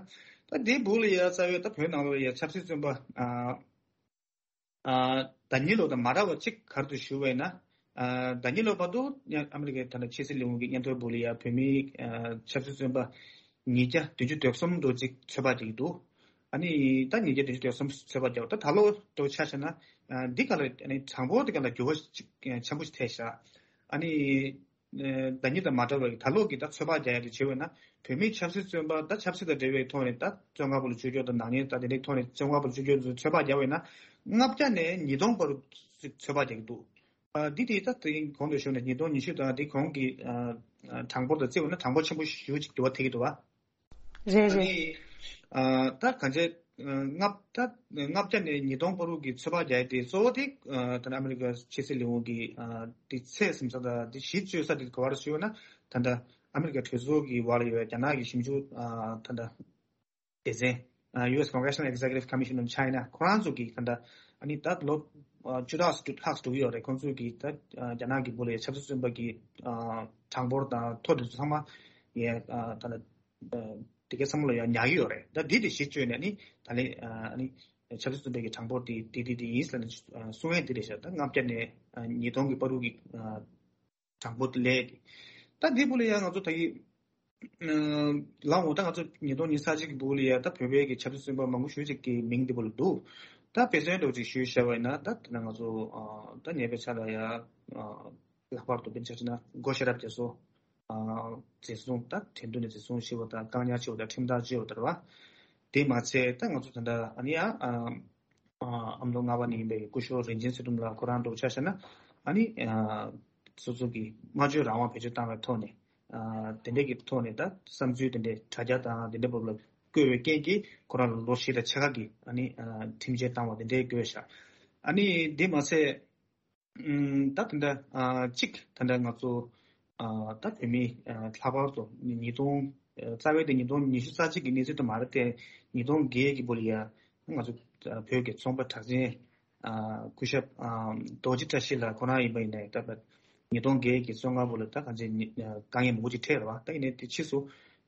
ད་དེ་པོ་ལ་ཡ་རྩ་བའི་ད་བོད་ནང་ལ་ཡ་ཆབ་སྲིད་བཙོན་པ་ཨ་ཨ་ཟླ་ཉིན་ལོ་དང་མ་འདྲ་བ་གཅིག་ག་རེ་འདུག་ཞུ་བས་ན། ཨ་ཟླ་ཉིན་ལོ་བར་དུ་ཨ་མི་རི་ཀའི་ད་ལྟ་ཕྱི་སྲིད་ལས་ཁུངས་ཀྱི་སྙན་ཐོའི་སྦུག་ལ་ཡ་བོད་མིའི་ཨ་ཆབ་སྲིད་བཙོན་པ་ཉིས་བརྒྱ་བདུན་ཅུ་དོན་གསུམ་འགྲོ་གཅིག་ཚོད་དཔག་བྱེད་ཀྱི་འདུག་ཨ་ནི་ད་ཉིས་བརྒྱ་བདུན་ཅུ་དོན་གསུམ་ཚོད་དཔག་བྱས་པ་ད་ད་ལོ་དུ་ཆ་བཞག་ན་ཨ་འདི་ག་ལ་ཨ་ནི་གྲངས་འབོར་འདི་ག་ལ་འགྱུར་བ་ཅིག་ཆེན་པོ་ཞིག་ཐེབས་ཤག་ཨ་ནི། ཟླ་ཉིན་དང་མ་འདྲ་བའི་ད་ལོ་གི་ད་ཚོད་དཔག་རྒྱག་ཡ་དེ་བྱེད་འོས་ན་བོད་མིའི་ཆབ་སྲིད་བཙོན་པ་ད་ཆབ་སྲིད་དང་འབྲེལ་བའི་ཐོག་ནས་ད་བཙོན་ཁང་བར་ལ་བཅོས་སྒྱུར་དང་ནག་ཉེས་ད་དེ་འདྲའི་ཐོག་ནས་བཙོན་ཁང་བར་ལ་བཅོས་སྒྱུར་ཚོད་དཔག་རྒྱག་འོས་ན་ལྔ་བརྒྱ་ནས་ཉིས་སྟོང་བར་ཚོད་དཔག་རྒྱག་གི་འདུག་ཨ་འདི་དེ་ད་དེ་གོང་དུ་ཞུས་ནས་ཉིས་སྟོང་ཉི་ཤུ་དང་དེ་གོང་གི་ཨ་ཨ་གྲངས་འབོར་དང་བརྩི་འོས་ན་གྲངས་འབོར་ཆེན་པོ་ཞེ་པོ་ཅིག་འགྱུར་བ་ཐེབས་ཀྱི་འདུག་བ། རེད་རེད། ཨ་ནི་ཨ་ད་གང་ཅི་ལྔ་ད་ལྔ་བརྒྱ་ནས་ཉིས་སྟོང་བར་དུ་གི་ཚོད་དཔག་རྒྱག་ཡ་དེ་གཙོ་བོ་དེ་ཨ་ད་ནི་ཨ་མི་རི་ཀ་ཕྱི་སྲིད་ལས་ཁུངས་ཀྱི་ཨ་དེ་ཚད་ཟིན་ས་དང་དེ་གཞི་བཅོལ་ས་དེ་ག་བར་ཞུས་ན་ད་ལྟ་ཨ་མི་རི་ཀ་གྲོས་ཚོགས་ཀྱི་འོག་ལ་ཡོད་རྒྱ་ནག་གི་ཞིབ་འཇུག་ཨ་ད་ལྟ་སྡེ་ཚན་ཨ་ཡུ་ཨེས་Congressional Executive Commission on China ཁོ་རང་ཚོ་གི་ད་ལྟ་ཨ་ནི་ད་ལོ་ཨ་བཅུ་ཕྲག་ལྷག་ཙམ་འགྲོ་གི་ཡོད་རེད། ཁོང་ཚོ་གི་ད་ཨ་རྒྱ་ནག་གི་སྦུག་ལ་ཡ་ཆབ་སྲིད་བཙོན་པ་གི་ཨ་གྲངས་འབོར་དང་ཐོ་དེ་ཚོ་ཚང་མ་ཡ་ཨ་ད་ལྟ་ཨ་དེ་གའི་བསམ་བློ་ཡང་ཉར་གྱི་ཡོད་རེད། ད་འདི་དེ་གཞི་བཅོལ་ནས་ནི་ད་ལན་ཨ་ནི་ཆབ་སྲིད་བཙོན་པའི་གི་གྲངས་འབོར་དེ་དེ་དེ་དེ་ཡིན་ཟེར་ནས་གསུང་ཡས་དེ་རེད་ཤག་ད་ལྔ་བརྒྱ་ནས་ཨ་ཉིས་སྟོང་གི་བར་དུ་གི་ཨ་གྲངས་འབོར་དེ་ལས་དེ་ད་འདི་བུ་ལ་ཡང་ང་ཚོ་ད་གི་ལའོ་ད་ང་ཚོ་ཉིས་སྟོང་ཉི་ཤུ་རྩ་གཅིག་གི་བུ་ལ་ཡང་ད་བོད་པའི་གི་ཆབ་སྲིད་བཙོན་པ་མང་པོ་ཞེ་ཅིག་གི་མིང་འདི་བུ་ལ་འདུག་ད་དཔེ་མཚོན་འདྲ་བོ་ཅིག་ཞུས་བཞག་པ་ཡིན་ན་ད་ད་ང་ཚོ་ཨ་ད་ཉེ་བའི་ཆར་ལ་ཡང་ཨ་ལྷག་པར་དུ་དཔེར་ན་ཆ་བཞག་ན་སྒོ་ཤེས་རབ་རྒྱ་མཚོ། ཨ་འཛིན་བཟུང་དང་ཁྲིམས་མཐུན་ནས་འཛིན་བཟུང་བྱས་པ་དང་བཀག་ཉར་བྱས་པ་དང་ཁྲིམས་ཐག་བཅད་པ་དང་རེད་བ། དེ་མ་ཚད་ད་ང་ཚོ་ད་ལྟ་ཨ་ནི་ཡང་ཨ་ཨ་ཨ་མདོ་རྔ་བ་ནས་ཡིན་པའི་སྐུ་ཞབས་རིན་ཆེན་ཚེ་རིང་ལགས་ཁོ་རང་འདྲ་བོ་ཆ་བཞག་ན་ཨ་ནི་ཨ་སོ་སོ་གི་སྨྲ་བརྗོད་རང་དབང་བེད་སྤྱོད་བཏང་བའི་ཐོག་ནས་ཨ་དེ་འདྲས་ཀྱི་ཐོག་ནས་ད་བསམ་ཚུལ་དེ་འདྲས་དྲ་རྒྱ་དང་དེ་འདྲས་བབ་ལ་བཀོད་པའི་རྐྱེན་གྱིས་ཁོ་རང་ལ་ལོ་བཞི་དང་ཕྱེད་ཀ་གི་ཨ་ནི་ཨ་ཁྲིམས་ཆད་བཏང་བ་དེ་འདྲས་བཀོད་བཞག་ཨ་ནི་དེ་མ་ཚད། ཨུམ། ད་དེ་འདྲ་ཨ་གཅིག་ད་ལྟ་ང་ཚོ་ཨ་ད་བོད་མི་ཨ་ལྷག་པར་དུ་ཉིས་སྟོང་ཨ་རྩ་བའི་དེ་ཉིས་སྟོང་ཉི་ཤུ་རྩ་གཅིག་གི་གནས་ཚུལ་དུ་མ་རེད་དེ། ཉིས་སྟོང་བརྒྱད་ཀྱི་བར་ལ་ཡ་ང་ཚོ་ཨ་བོད་ཀྱི་ཚོང་པ་གྲགས་ཅན་ཨ་སྐུ་ཞབས་ཨ་རྡོ་རྗེ་བཀྲ་ཤིས་ལགས་ཁོ་རང་ཡིན་པ་ཡིན་ནའི་ད་ལྟ་ཉིས་སྟོང་བརྒྱད་ཀྱི་བཙོན་ཁང་བར་ལ་ད་གང་ཅི་ཉི་ཨ་དཀའ་ངལ་མང་པོ་ཅིག་འཕྲད་རེད་བ། ད་ཡིན་ནའི་དེ་ཕྱིས་སུ་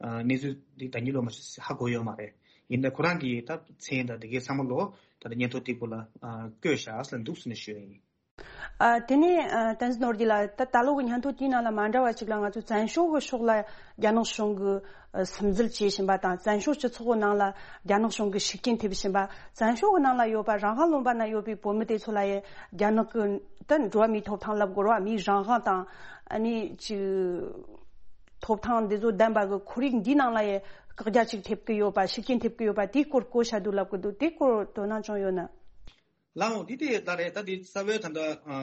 ཨ་གནས་ཚུལ་འདི་ད་གཉིད་ལོག་མ་ཧ་གོ་ཡོད་མ་རེད། ཡིན་ནའི་ཁོ་རང་གིས་ད་མཚན་དང་དེ་གའི་ཚང་མ་ལོ་ད་ལྟ་སྙན་ཐོ་དེ་བུ་ལ་ཨ་བཀོད་བཞག་ཟེར་འདུག་ཟེར་ནས་ཞུ་ཡ་ཡིན། ཨ་དེ་ནས་ཨ་བསྟན་འཛིན་ནོར་རྒྱས་ལགས། ད་ད་ལོ་གི་སྙན་ཐོ་དེའི་ནང་ལ་མ་འདྲ་བ་ཞིག་ལ་ང་ཚོས་བཙན་བྱོལ་གྱི་ཕྱོགས་ལ་རྒྱ་ནག་གཞུང་གིས་ཨ་སིམ་འཛུལ་བྱེད་བཞིན་པ་དང་། བཙན་བྱོལ་སྤྱི་ཚོགས་ཀྱི་ནང་ལ་རྒྱ་ནག་གཞུང་གིས་ཤུགས་རྐྱེན་ཐེབས་བཞིན་པ། བཙན་བྱོལ་གྱི་ནང་ལ་ཡོད་པ་རང་དབང་ལུང་པ་ན་ཡོད་པའི་བོད་མི་དེ་ཚོ་ལ་ཡང་རྒྱ་ནག་གི་ད་འགྲོ་བ་མིའི་ཐོབ་ཐང་ལབ་དགོས་རེད་བ། མིའི་རང་དབང་དང་ཨ་ནི་ཅིག་ཐོབ་ཐང་འདི་ཚོ་ལྡན་པ་གི་ཁོར་ཡུག་འདིའི་ནང་ལ་ཡང་བཀག་རྒྱ་ཅིག་ཐེབས་ཀྱི་ཡོད་པ། ཤུགས་རྐྱེན་ཐེབས་ཀྱི་ཡོད་པ་དེའི་སྐོར་བཀོད་བཞག་འདུག་ལབ་ཀྱི་འདུག་དེའི་སྐོར་དོ་སྣང་བྱུང་ཡོད་ན། ལའོ་འདི་དེ་ལྟ་རེད། ད་འདི་རྩ་བའི་ད་ལྟ་ཨ་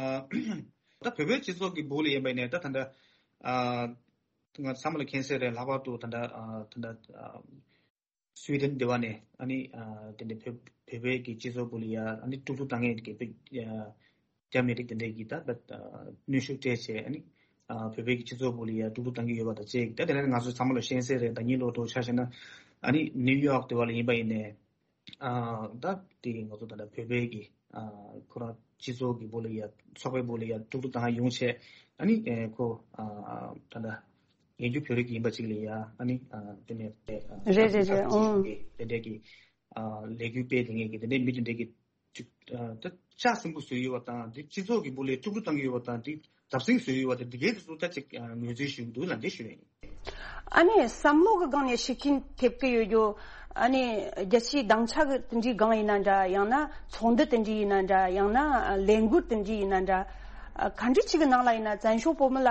ད་བོད་པའི་སྤྱི་ཚོགས་ཀྱི་སྦུག་ལ་ཡིན་པ་ཡིན་ནའི་ད་ད་ལྟ་ཨ་ང་ཚང་མ་ལ་མཁྱེན་གསལ་རེད། ལྷག་པར་དུ་ད་ལྟ་ཨ་ད་ལྟ་ཨ་སུའི་ཌེན་འདི་བ་ནས་ཨ་ནི་ཨ་དེ་འདྲ་བོད་བོད་པའི་གི་སྤྱི་ཚོགས་སྦུག་ལ་ཡ་ཨ་ནི་དཀྲུག་དཀྲུག་བཏང་མཁན་གི་བོད་ཨ་རྒྱ་མི་རིགས་དེ་འདྲས་ཀྱིས་ད་ད་གནོན་ཤུགས་སྤྲད་བྱས་ཨ་ནི་ཨ་བོད་པའི་གི་སྤྱི་ཚོགས་སྦུག་ལ་ཡ་དཀྲུག་དཀྲུག་བཏང་གི་ཡོད་པ་དང་བཅས་ཀྱི་ད་དེ་ལ་ང་ཚོ་ཚང་མ་ལ་མཁྱེན་གསལ་རེད། ད་གཉིད་ལོག་འགྲོ་ཆ་བཞག་ན་ཨ་ནི་ནིའུ་ཡོག་འདི་བ་ལ་ཡིན་པ་ཡིན་ནའི། ཨ་ད་དེ་ང་ཚོ་ད་ལྟ་བོད་པའི་གི་ཨ་ཁོ་རང་སྤྱི་ཚོགས་ཀྱི་སྦུག་ལ་ཡ་ཚོགས་པའི་སྦུག་ལ་ཡ་དཀྲུག་དཀྲུག་བཏང་ཡོང་བྱས་ཨ་ནི་ཨེ་ཁོ་ཨ་ད་ལྟ་ཡན་རྒྱུ་བོད་རིགས་ཡིན་པ་ཅིག་ལ་ཡ་ཨ་ནི་ཨ་དེ་ནས་ཨ་རེད་རེད་རེད། ཨང་། དེ་འདྲས་ཀྱི་ཨ་ལས་འགུལ་སྤེལ་དེ་ངེས་ཀྱི་དེ་འདྲས་མི་དེ་འདྲས་ཀྱི་ ཅིག་ཨ་ད་ལྕགས་སྲིན་པོ་བཟོས་ཡོད་པ་དང་འདི་སྤྱི་ཚོགས་ཀྱི་སྦུག་ལ་དཀྲུག་དཀྲུག་བཏང་གི་ཡོད་པ་དང་འདི་བརྡབ་གསིག་བཟོས་ཡོད་པ་དང་འདི་གའི་དེ་ཚོ་ད་ཅིག་ཨ་ངོས་འཛིན་ཞུ་གི་འདུག་ལབ་འདི་ཞུ་ཡ་ཡིན། ཨ་ནི་བསམ་བློ་གི་སྒང་ནས་ཤུགས་རྐྱེན་ཐེབས་ཀྱི་ཡོད་རྒྱུ། ཨ་ནི་རྒྱལ་སྤྱིའི་སྡིངས་ཆ་གི་དེ་འདྲའི་སྒང་ཡིན་ན་འདྲ། ཡང་ན་ཚོགས་འདུ་དེ་འདྲའི་ཡིན་ན་འདྲ། ཡང་ན་ལས་འགུལ་དེ་འདྲའི་ཡིན་ན་འདྲ། ཨ་ག་འདྲ་ཅིག་གི་ནང་ལ་ཡིན་ན་བཙན་བྱོལ་བོད་མི་ལ་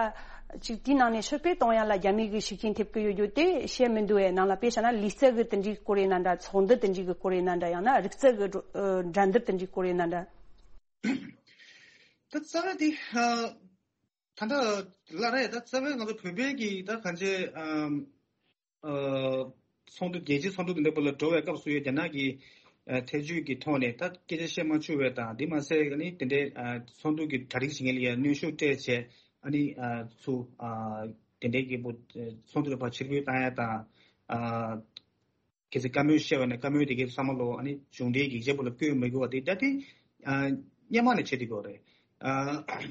ཅིག་དེའི་ནང་ནས་ཕྱིར་ཕེབས་གཏོང་ཡ་ལ་རྒྱ་མི་གི་ཤུགས་རྐྱེན་ཐེབས་ཀྱི་ཡོད་རྒྱུ་དེ་བཤད་མི་འདུག་བས། ནང་ལ་དཔེ་བཞག་ན་ལུས་རྩལ་གི་དེ་འདྲའི་སྐོར་ཡིན་ན་འདྲ། ཚོགས་འདུ་དེ་འདྲའི་གི་སྐོར་ཡིན་ན་འདྲ། ཡང་ན་རིག་རྩལ་གི་འགྲོ་ཨ་འགྲན་བསྡུར་དེ་འདྲའི་སྐོར་ཡིན་ན་འདྲ། ད་རྩ་བའི་དེ་ཨ་ད་ལྟ་ལ་རེད། ད་རྩ་བའི་ང་ཚོ་བོད་པའི་གི་ད་གང་ཅི་ཨམ་ཨ་ཚོགས་འདུ་རྒྱལ་སྤྱིའི་ཚོགས་འདུ་དེ་འདྲ་པོ་ལ་འགྲོ་བའི་སྐབས་སུ་ཡང་རྒྱ་ནག་གི་ཨ་ཐེ་ཇུས་ཀྱི་ཐོག་ནས་ད་སྐད་ཆ་བཤད་མ་བཅུག་པའི་དང་དེ་མ་ཟད་ཨ་ནི་དེ་འདྲའི་ཨ་ཚོགས་འདུ་གི་གྲ་སྒྲིག་བྱེད་མཁན་ལ་ཡང་གནོན་ཤུགས་སྤྲད་བྱས་ཨ་ནི་ཨ་ཚུ་ཨ་དེ་འདྲའི་གི་པོ་ཚོགས་འདུ་ལ་ཕར་ཕྱིར་འབུད་བཏང་ཡ་དང་ཨ། གལ་སྲིད་བཀའ་མོལ་བཤད་པ་ན་བཀའ་མོལ་དེ་གའི་བསམ་བློ་ཨ་ནི་གཞུང་འབྲེལ་ཡིག་ཆ་པོ་ལ་བཀོད་མི་དགོས་པ་དེ་ད་དེ་ཨ་སྔོན་མ་ནས་བྱེད་དེ་དགོས་རེད། ཨ་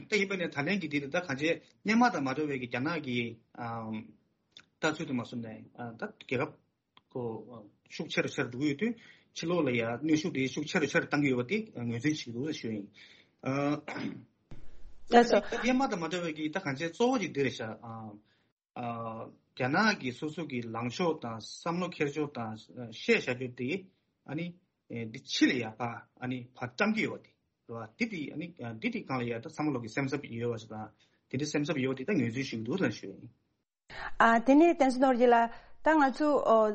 ད་ཡིན་པ་ནས་ད་ལན་གྱི་དེ་ད་གང་བྱས་སྔོན་མ་དང་མ་འདྲ་བའི་གི་རྒྱ་ནག་གི་ཨ་ལྟ་ཚུལ་དུ་མ་སོང་ནས་ཨ་ད་རྒྱལ་ཁབ་ཁོ་ཤུགས་ཆེ་རུ་ཆེ་རུ་འགྲོ་གི་ཡོད་དུས་ཕྱི་ལོགས་ལ་ཡ་གནོན་ཤུགས་དེ་ཤུགས་ཆེ་རུ་ཆེ་རུ་བཏང་གི་ཡོད་པ་དེ་ངོས་འཛིན་བྱེད་ཀྱི་འདུག་ཞུ་ཡིན། ཨ་ད་ད་སྔོན་མ་དང་མ་འདྲ་བའི་གི་ད་གང་བྱས་གཙོ་བོ་ཅིག་འདི་རེད་ཤག་ཨ། ཨ་རྒྱ་ནག་གི་སོ་སོ་གི་ལངས་ཕྱོགས་དང་བསམ་བློ་འཁྱེར་ཕྱོགས་དང་ཨ་བཤད་བྱ་རྒྱུ་དེ་ཨ་ནི་ཨེ་འདི་ཕྱི་ལ་ཡ་ཕར་ཨ་ནི་ཕར་བཀྲམ་གྱི་ཡོད་པ་དེ་རེད་བ། དེ་དེ་ཨ་ནི་ཨ་འདི་དེ་སྒང་ལ་ཡ་ད་བསམ་བློ་གི་སེམས་འཚབ་ཡོད་པ་ཞིག་དང་དེ་འདྲའི་སེམས་འཚབ་ཡོད་པ་དེ་ད་ངོས་འཛིན་ཞུ་གི་འདུག་ལབ་ཞུ་ཡ་ཡིན། ཨ་དེ་ནས་བསྟན་འཛིན་ནོར་གྱིས་ལ་ད་ང་ཚོ་ཨོ་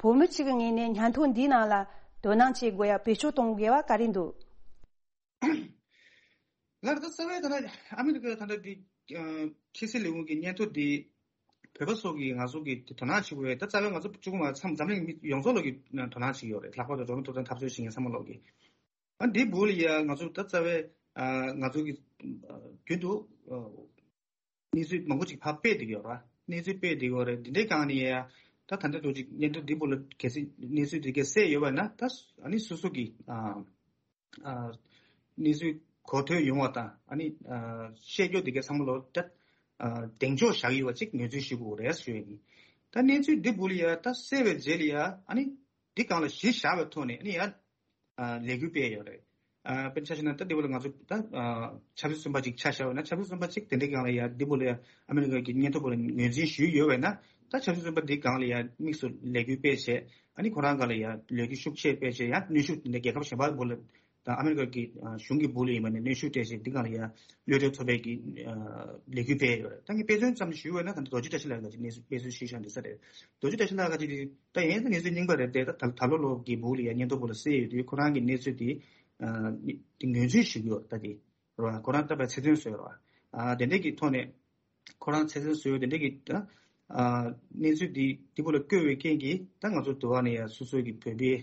བོད་མི་གཅིག་གི་ངོས་ནས་སྙན་ཐོ་འདིའི་ནང་ལ་དོ་སྣང་བྱེད་དགོས་ཡ་བེད་སྤྱོད་གཏོང་དགོས་པ་ག་རེ་འདུག་ལར་ད་རྩ་བའི་ད་ལྟ་ཨ་མི་རི་ཀའི་ད་ལྟ་འདི་ཨ་ཕྱི་སྲིད་ལས་ཁུངས་ཀྱི་སྙན་ཐོ་འདི་བོད་པ་ཚོ་གིས་ང་ཚོ་གི་དོ་སྣང་བྱེད་དགོས་པས། ད་རྩ་བའི་ང་ཚོ་གཅིག་པུ་མ་ཚང་འཛམ་གླིང་མི་ཡོངས་རྫོགས་ལོག་གི་དོ་སྣང་བྱེད་ཀྱི་ཡོད་རེད། ལྷག་པར་དུ་འགྲོ་བ་མིའི་ཐོབ་ཐང་འཐབ་རྩོད་བྱེད་མཁན་ཚང་མ་ལོག་གི་ཨ་འདི་བུ་ལ་ཡ་ང་ཚོ་ད་རྩ་བའི་ཨ་ང་ཚོ་གི་ཨ་རྒྱུན་དུ་ཨ་གནས་ཚུལ་མང་པོ་ཅིག་ཕར་སྤེལ་བསྡད་ཀྱི་ཡོད་རེད། གནས་ཚུལ་སྤེལ་བསྡད་ཀྱི་ཡོད་རེད། འདི་འདྲའི་སྒང་ནས་ཡ་ད་ད་ལྟ་འདྲ་ཅིག་སྙན་ཐོ་འདི་བུ་ལ་གལ་སྲིད་གནས་ཚུལ་འདི་གས་གསལ་ཡོད་པ་ན་ད་ཨ་ནི་སོ་སོ་གི་ཨ་ཨ་གནས་ཚུལ་གོ་ཐོས་ཡོང་བ་དང་ཨ་ནི་ཨ་བཤད་རྒྱུ་དེ་གའི་ཚང་མ་ལོ་ད་ཨ་གདེང་འཇོག་བཞག་ཡོད་པ་ཅིག་ངོས་འཛིན་ཞུ་དགོས་རེད་ཞུ་ཡ་ཡིན། ད་གནས་ཚུལ་འདི་བུ་ལ་ཡ་ད་གསལ་བའི་རྗེས་ལ་ཡ་ཨ་ནི་འདི་སྒང་ལ་གཞི་བཞག་པའི་ཐོག་ནས་ཨ་ནི་ཡ་ཨ་ལས་འགུལ་སྤེལ་ཡོད་རེད། ཨ་དཔེར་ཆ་བཞག་ན་ད་འདི་བུ་ལ་ང་ཚོ་ད་ཨ་ཆབ་སྲིད་བཙོན་པ་ཅིག་ཆ་བཞག་པ་ན་ཆབ་སྲིད་བཙོན་པ་ཅིག་དེ་འདྲའི་སྒང་ལ་ཡ་འདི་བུ་ལ་ཡ་ཨ་མི་རི་ཀ་གི་སྙན་ཐོ་བུ་ལ་ངོས་འཛིན་ཞུས་ཡོད་པས་ན་ད་ཆབ་སྲིད་བཙོན་པ་འདི་སྒང་ལ་ཡ་དམིགས་སུ་ལས་འགུལ་སྤེལ་བྱས། ཨ་ནི་ཁོ་རང་སྒང་ལ་ཡ་ལས་འགུལ་ཤུགས་ཆེ་སྤེལ་བྱས་ཡ་གནོན་ཤུགས་དེ་འདྲ་རྒྱལ་ཁབ་གཞན་པ་བུ་ལ་དང་ཨ་མི་རི་ཀ་གི་ཨ་གཞུང་གི་བུ་ལ་ཡིན་པ་ནས་གནོན་ཤུགས་སྤྲད་བྱས་འདི་སྒང་ལ་ཡ་གློད་གྲོལ་ཚོགས་པའི་གི་ཨ་ལས་འགུལ་སྤེལ་ཡོད་རེད། ད་ངས་དཔེ་མཚོན་ཙམ་ཞུས་པ་ན་ད་ལྟ་རྡོ་རྗེ་བཀྲ་ཤིས་ལགས་ཀྱིས་གནས་ཚུལ་དཔེ་མཚོན་ཞུས་བཞག་འདི་ས་རེད། རྡོ་རྗེ་བཀྲ་ཤིས་ལགས་ཀྱིས་ད་ཡིན་ན་གནས་ཚུལ་རྙིང་པ་རེད་དེ་ད་ད་ད་ལོ་ལོ་གི་བུ་ལ་ཡ་སྙན་ཐོ་བུ་ལ་གསལ་ཡོད་དུས་ཁོ་རང་གི་གནས་ཚུལ་དེ་ཨ་དེ་ངོས་འཛིན་ཞུས་ཡོད་ད་དེ་རེད་བ། ཁོ་རང་ད་བའི་ཚེ་བཙོན་བཟོས་རེད་བ། ཨ་དེ་འདྲས་ཀྱི་ཐོག་ནས་ཁོ་རང་ཚེ་བཙོན་བཟོས་ཡོད་དེ་འདྲས་ཀྱི་ད་ཨ་གནས་ཚུལ་དེ་དེ་བུ་ལ་བཀོད་པའི་རྐྱེན་གྱིས་ད་ང་ཚོ་དུ་བ་ནས་ཡ་སོ་སོའི་གི་བོད་པའི་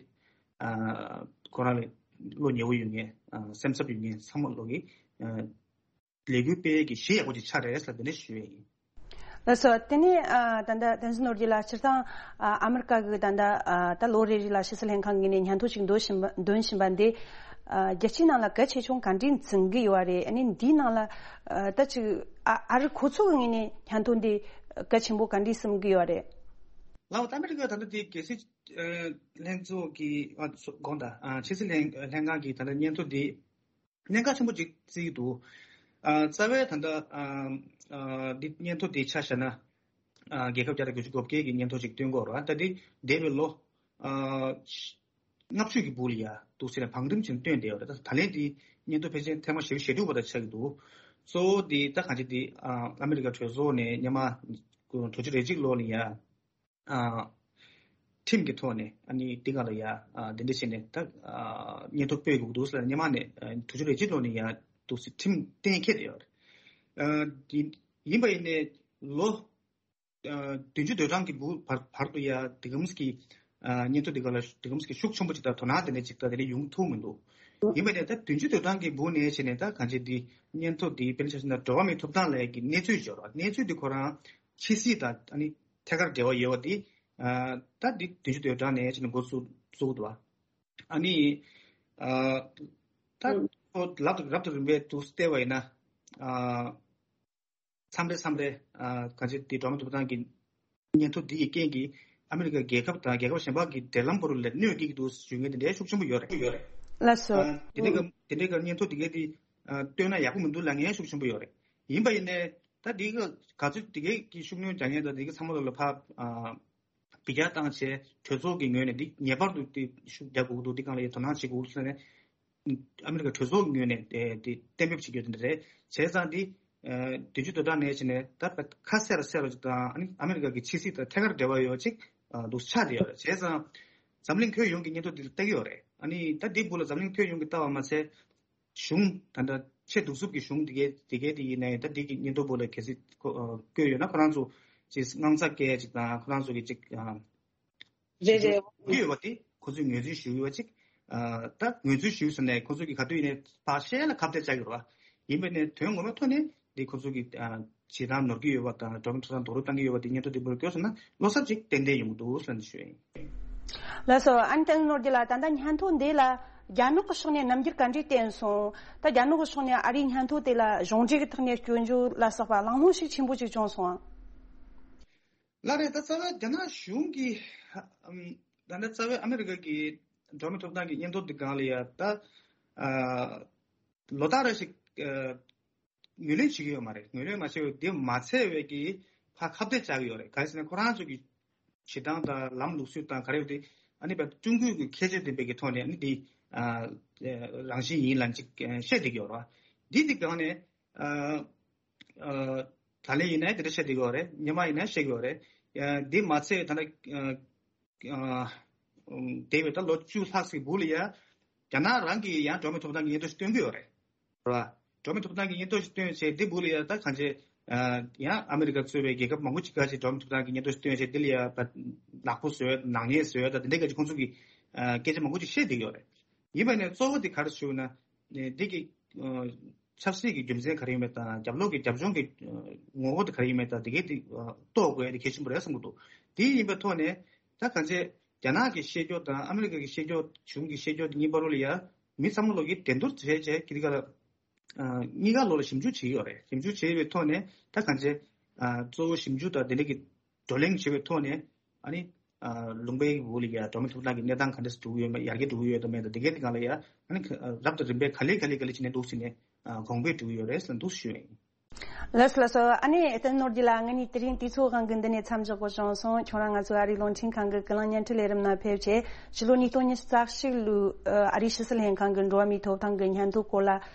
ཨ་ཁོ་རང་ལ་བློ་ཉེ་བོ་ཡོད་མཁན་ཨ་སེམས་འཚབ་ཡོད་མཁན་ཚང་མ་ལོག་གི་ཨ་ལས་འགུལ་སྤེལ་གྱི་གཞི་ཡག་པོ་ཅིག་ཆགས་རེད་ཟེར་དེ་འདྲ་ཞུ་ཡ་ཡིན། ལགས་སོ། དེ་ནས་ཨ་ད་ལྟ་བསྟན་འཛིན་ནོར་གྱིས་ལ་སྤྱིར་བཏང་ཨ་ཨ་མི་རི་ཀ་གི་ད་ལྟ་ཨ་ད་ལོ་རེ་རེ་ལ་ཕྱི་སྲིད་ལྷན་ཁང་ངོས་ནས་སྙན་ཐོ་ཞིག་འདོན་བཞིན་པ་འདོན་བཞིན་པ་འདི་ཨ་རྒྱལ་སྤྱིའི་ནང་ལ་གལ་ཆེ་ཆུང་ག་འདྲས་འཛིན་གྱི་ཡོད་རེད། ཨ་ནི་འདིའི་ནང་ལ་ཨ་ད་ཅིག་ཨ་ཨ་རི་ཁོ་ཚོ་གི་ངོས་ནས་སྙན་ཐོ་འདི་གལ་ཆེན་པོ་ག་འདྲས་བསམ་གྱི་ཡོད་རེད། ལགས་ད་ཨ་མི་རི་ཀ་ད་ལྟ་དེ་རྒྱལ་སྲིད་ཨ་ལྷན་ཚོགས་ཀྱི་ཨ་ཚོ་དགོངས་དག་ཨ་ཕྱི་སྲིད་ལྷན་ལྷན་ཁང་གི་ད་ལྟ་སྙན་ཐོ་འདི་གནད་འགག་ཆེན་པོ་ཅིག་བརྩི་གི་འདུག་ཨ་རྩ་བའི་ད་ལྟ་ཨ་ཨ་འདི་སྙན་ཐོ་འདི་ཆ་བཞག་ན་ཨ་རྒྱལ་ཁབ་བརྒྱ་དང་དགུ་བཅུ་གོ་བརྒྱད་ཀྱི་སྙན་ཐོ་ཅིག་བཏོན་གྱི་ཡོད་རེད་བ། ད་འདི་འདས་པའི་ལོ་ཨ་ལྔ་བཅུ་གི་སྦུག་ལ་ཡ་འདུག་ཟེར་ནས་བང་རིམ་བྱས་བཏོན་བསྡད་ཡོད་རེད། ད་ད་ལན་འདི་སྙན་ཐོ་ཕལ་ཆེར་ཐེངས་མ་བཞི་བཅུ་ཞེ་དྲུག་པ་དང་ཆགས་ཀྱི་འདུག་གཙོ་བོ་འདི་ད་གང་ཅི་འདི་ཨ་ཨ་མི་རི་ཀ་གྲོས་ཚོགས་ནས་སྔོན་མ་དྲུག་ཅུ་རེ་གཅིག་ལོ་ལ་ཡ་ཨ་ཁྲིམས་ཀྱི་ཐོག་ནས་ཨ་ནི་འདི་ག་ལ་ཡ་ཨ་འདི་འདྲ་བྱས་ནས་ད་ཨ་སྙན་ཐོ་སྤེལ་དགོས་འདུག་ཟེར་ནས་སྔོན་མ་ནས་ཨ་དྲུག་ཅུ་རེ་གཅིག་ལོ་ནས་ཡ་འདུག་སེ་ཁྲིམས་གཏན་འཁེལ་བསྡད་ཡོད་རེད། ཨ་འདི་ཡིན་པ་ཡིན་ནའི་ལོ་ཨ་བདུན་ཅུ་དོན་གྲངས་ཀྱི་འབུ་བར་བར་དུ་ཡ་དེ་གམ་གི་ཨ་སྙན་ཐོ་འདི་ག་ལ་དེ་གམ་གི་ཤུགས་ཆེན་པོ་ཅིག་དང་དོ་སྣང་དེ་འདྲ་ཅིག་ད་དེ་འདྲ་ཡོང་ཐུབ་མི་འདུག་ཡིན་པ་ནས་ད་བདུན་ཅུ་དོན་གྲངས་ཀྱི་འབུ་ནས་བྱས་ནས་ད་གང་ཅི་འདི་སྙན་ཐོ་འདི་དཔེར་ན་ཆ་བཞག་ན་འགྲོ་བ་མིའི་ཐོབ་ཐང་ལས་ཀྱི་གནས་ཚུལ་འབྱོར་བ་གནས་ཚུལ་འདི་ཁོ་རང་ཕྱི་སྲིད་དང་ཨ་ནི་ཐད་ཀར་འབྲེལ་བ་ཡོད་པ་འདི་ཨ་ད་འདི་བདུན་ཅུ་དོན་གྲངས་ནས་བྱས་ནས་འགོ་བཙུགས་བཙུགས་འདུག་བ། ཨ་ནི་ཨ་ད་ཁོ་ལབ་ཏུ་རབ་ཏུ་རིམ་པས་འདུག་བལྟས་པ་ཡིན་ན་ཨ་མཚམས་རེ་མཚམས་རེ་ཨ་གང་ཅི་འདི་འགྲོ་བ་མིའི་ཐོབ་ཐང་གི་སྙན་ཐོ་འདི་ཡི་རྐྱེན་གྱིས་ཨ་མི་རི་ཀ་རྒྱལ་ཁབ་དང་རྒྱལ་ཁབ་གཞན་པ་གི་འབྲེལ་ལམ་བར་ལ་གནོད་སྐྱེལ་གྱི་འདུག་ཞུ་མཁན་དེ་འདྲའི་ཤུགས་ཆེན་པོ་ཡོད་རེད། ཡོད་རེད། ལགས་སོ། ཨ། དེ་འདྲའི་གི་དེ་འདྲའི་གི་སྙན་ཐོ་དེ་གའི་དེ་ཨ་བཏོན་ན་ཡག་པོ་མི་འདུག་ལབ་མཁན་ཤུགས་ཆེན་པོ་ཡོད་རེད། ཡིན་པ་ཡིན་ནའི་ད་དེ་གི་ག་ཚོད་དེ་གའི་གི་ཤུགས་སྣོན་རྒྱག་མཁན་དང་དེ་གི་ཚང་མ་ལ་ལ་ཕ་ཨ་འབུད་རྒྱག་བཏང་བྱས་གྲོས་ཚོགས་ཀྱི་ངོས་ནས་འདི་ངེས་པར་དུ་དེ་ཤུགས་རྒྱག་དགོས་ཀྱི་འདུག་འདི་སྒང་ལ་ཡ་དོ་སྣང་བྱེད་དགོས་ཀྱི་འདུག་ཟེར་ནས་ཨ་མི་རི་ཀ་གྲོས་ཚོགས་ཀྱི་ངོས་ནས་དེ་དེ་གཏན་འབེབས་བྱེད་རྒྱུ་དེ་འདྲ་རེད། བྱས་ཙང་དེ་ཨ་བདུན་ཅུ་དོན་གྲངས་ནས་བྱས་ནས་ད་ཁ་གསལ་རུ་གསལ་རུ་ཅིག་དང་ཨ་ནི་ཨ་མི་རི་ཀ་གི་ཕྱི་སྲིད་དང་ཐད་ཀར་འབྲེལ་བ་ཡོད་ཅིག་ཨ་འདུག་ཆགས་བསྡད་ཡོད་རེད། བྱས་ཙང་འཛམ་གླིང་ཁྱོན་ཡོངས་ཀྱི་སྙན་ཐོ་འདི་ལ་ལྟ་གི་ཡོད་རེད། ཨ་ནི་ད་འདི་སྦུག་ལ་འཛམ་གླིང་ཁྱོན་ཡོངས་ཀྱིས་ལྟ་བ་མ་ཟད། གཞུང་ད་ལྟ་ཆེས་གདུག་རྩུབ་ཀྱི་གཞུང་དེ་གའི་དེ་གའི་དེ་ཡིན་ནའི་ད་དེ་གི་སྙན་ཐོ་པོ་ལ་གལ་སྲིད་ཁོ་ཨ་བཀོད་ཡོད་ན་ཁོ་རང་ཚོ་ཅིག་དངངས་འཚབ་སྐྱེ་ཅིག་དང་ཁོ་རང་ཚོ་གི་ཅིག་ཨ་རེད་རེད། ཡོད་པ་དེ་ཁོ་ཚོས་ངོས་འཛིན་ཞུ་ཡོད་པ་ཅིག་ཨ་ད་ངོས་འཛིན་ཞུས་ཟེར་ནས་ཁོ་ཚོ་གི་ག་དུས་ཡིན་ནའི་ཕར་བཤད་ལ་ཁ་གཏད་བཅག་གི་རེད་བ། ཡིན་པ་ནས་དོན་ངོ་མའི་ཐོག་ནས་དེ་ཁོ་ཚོ་གི་ཨ་བྱེད་སྟངས་ནོར་གྱི་ཡོད་པ་དང་འགྲོ་མི་ཐོབ་ཐང་རྡོག་རོལ་བཏང་གི་ཡོད་པ་དེ་སྙན་ཐོ་དེ་པོ་ལ་བཀོད་སོང་ན་བློ་འཚབ་ཅིག་ཏན་ཏན་ཡོང་གི་འདུག་ཟེར་ནས་ཞུ་ཡ་ཡིན། ལགས་སོ། ཨན་ཏན་ནོར་གྱི་ལགས། ད་ལྟ་སྙན་ཐོ་འདི་ལ་རྒྱ་ནག་གི་ཕྱོགས་ནས་རྣམ་འགྱུར་ག་འདྲས་བསྟན་སོང་། ད་རྒྱ་ནག་གི་ཕྱོགས་ནས་ཨ་རིའི་སྙན་ཐོ་དེ་ལ་གཞུང་འབྲེལ་གྱི་ཐོག་ནས་སྐྱོན་བརྗོད་ལ་སོགས་པ་གླེང་སློང་ཞིག་ཆེན་པོ་ཅིག་བྱུང་སོང་ཨང་། ལགས་རེད། ད་རྩ་བའི་རྒྱ་ནག་གཞུང་གིས་ཨམ་ད་ནི་རྩ་བའི་ཨ་མི་རི་ཀ་གི་འགྲོ་མི་ཐོབ་ཐང་གི་སྙན་ཐོ་འདི་སྒང་ལ་ཡ་ད་ཨ་ལོ་ལྟར་རེ་ཞིག་ཨ་ངོས་ལེན་བྱེད་ཀྱི་ཡོད་མ་རེད། ངོས་ལེན་མ་བྱས་པའི་དེ་མ་ཚད་པའི་གི་ཕར་ཁ་གཏད་བཅག་གི་ཡོད་རེད། ག་རེ་ཟེར་ན་ཁོ་རང་ཚོ་གི་བྱེད་སྟངས་དང་ལམ་ལུགས་སྲོལ་དང་ག་རེ་ཡོད་དེ་ཨ་ནི་བ་ཀྲུང་གོས་གི་ཁྱད་ཆོས་ལྡན་པའི་གི་ཐོག་ནས་ཨ་ནི་དེ་ཨ་རང་བཞིན་ཡིན་ལབ་ཅིག་བཤད་བསྡད་ཀྱི་ཡོད་རེད་བ། འདི་དེ་སྒང་ནས་ཨ། ཨ་ད་ལན་ཡིན་ན་དེ་འདྲ་བཤད་བསྡད་ཀྱི་ཡོད་རེད། སྔོན་མ་ཡིན་ན་བཤད་ཀྱི་ཡོད་རེད། ཡ་འདི་མ་ཚད་ད་ལྟ་ཨ་ཨ་འདས་པའི་ད་ལོ་བཅུ་ལྷག་ཙམ་སྦུག་ལ་ཡ་རྒྱ་ནག་རང་གིས་ཡང་འགྲོ་མི་ཐོབ་ཐང་གི་སྙན་ཐོ་ཞིག་བཏོན་གྱི་ཡོད་རེད། རེད་བ། འགྲོ་མི་ཐོབ་ཐང་གི་སྙན་ཐོ་ཞིག་བཏོན་བྱས་འདི་སྦུག་ལ་ཡ་ད་གང་ཅི་ཨ་ཡང་ཨ་མི་རི་ཀ་གཙོས་པའི་རྒྱལ་ཁབ་མང་པོ་ཅིག་ག་ཅིག་འགྲོ་མི་ཐོབ་ཐང་གི་སྙན་ཐོ་ཞིག་བཏོན་བྱས་འདི་ལ་ཡ་ད་ནག་པོ་བཟོས་ནག་ཉེས་བཟོས་ད་འདི་འདྲ་ག་ཅིག་ཁོང་ཚོ་གིས་ཨ་སྐད་ཆ་མང་པོ་ཅིག་བཤད་བསྡད་ཀྱི་ཡོད་རེད། ཡིན་པ་ནས་གཙོ་བོ་དེ་ག་རེ་ཞུ་ན། འདི་གི་ཆབ་སྲིད་ཀྱི་རྒྱུ་མཚན་ག་རེ་ཡོད་མེད་དང་རྒྱབ་ལོགས་ཀྱི་རྒྱབ་ལྗོངས་ཀྱི་ངོ་བོ་དེ་ག་རེ་ཡོད་མེད་དང་དེ་གའི་དེ་རྟོགས་དགོས་ཡ་དེ་གལ་ཆེན་པོ་རེད་བསམ་གྱི་འདུག་དེ་ཡིན་པའི་ཐོག་ནས་ད་གང་ཆེ་རྒྱ་ནག་གི་བཤད་ཕྱོགས་དང་ཨ་མི་རི་ཀ་གི་བཤད་ཕྱོགས་གཞུང་གི་བཤད་ཕྱོགས་དེ་གཉིས་བར་ལ་ཡ་མི་ཚང་མ་ལོག་གི་འགྲན་བསྡུར་བྱས་བྱས་ཀྱི་དེ་ག་ལ་གཉིས་ཀ་ལོག་ལ་ཞིབ་འཇུག་བྱེད་ཀྱི་ཡོད་རེད། ཞིབ་འཇུག་བྱས་པའི་ཐོག་ནས་ད་གང་ཆེ་གཙོ་བོ་ཞིབ་འཇུག་དང་དེ་འདྲ་གི་བགྲོ་གླེང་བྱེད་པའི་ཐོག་ནས་ཨ་ནི་ལུང་པའི་འོག་ལ་ཡ་འགྲོ་མི་ཐོབ་ཐང་གི་གནས་སྟངས་ག་འདྲ་སེ་འགྲོ་གི་ཡོད་མེད་ཡར་རྒྱས་འགྲོ་གི་ཡོད་དང་མེད་དང་དེ་གའི་དེ་གང་ལ་ཡ་ཨ་ནི་རབ་དང་རིམ་པས་ག་ལེ་ག་ལེ་ག་ལེ་བྱས་ནས་འདུག་སེ་ནས་གོང་འཕེལ་འགྲོ་གི་ཡོད་རེད་ཟེར་ན་འདུག་ཞུ་ཡ་ཡིན། ལགས་སོ་ལགས་སོ། ཨ་ནི་བསྟན་ནོར་གྱི་ལགས། ང་ནི་དེ་རིང་དུས་ཚོད་དབང་གིས་འདི་ནས་མཚམས་འཇོག་དགོས་བྱུང་སོང་། ཁྱོད་རང་ང་ཚོའི་ཨ་རིའི་རླུང་འཕྲིན་ཁང་གི་ཀུན་གླེང་བརྙན་འཕྲིན་ལས་རིམ་ནང་ཕེབས་བྱས་ཕྱི་ལོ་ཉིས་སྟོང་ཉི་ཤུ་རྩ་གཅིག་ལོའི་ཨ་རིའི་ཕྱི་སྲིད་ལྷན་ཁང་གི་འགྲོ་བ་མིའི་ཐོབ་ཐང་གི་སྙན་ཐོ་སྐོར་ལ་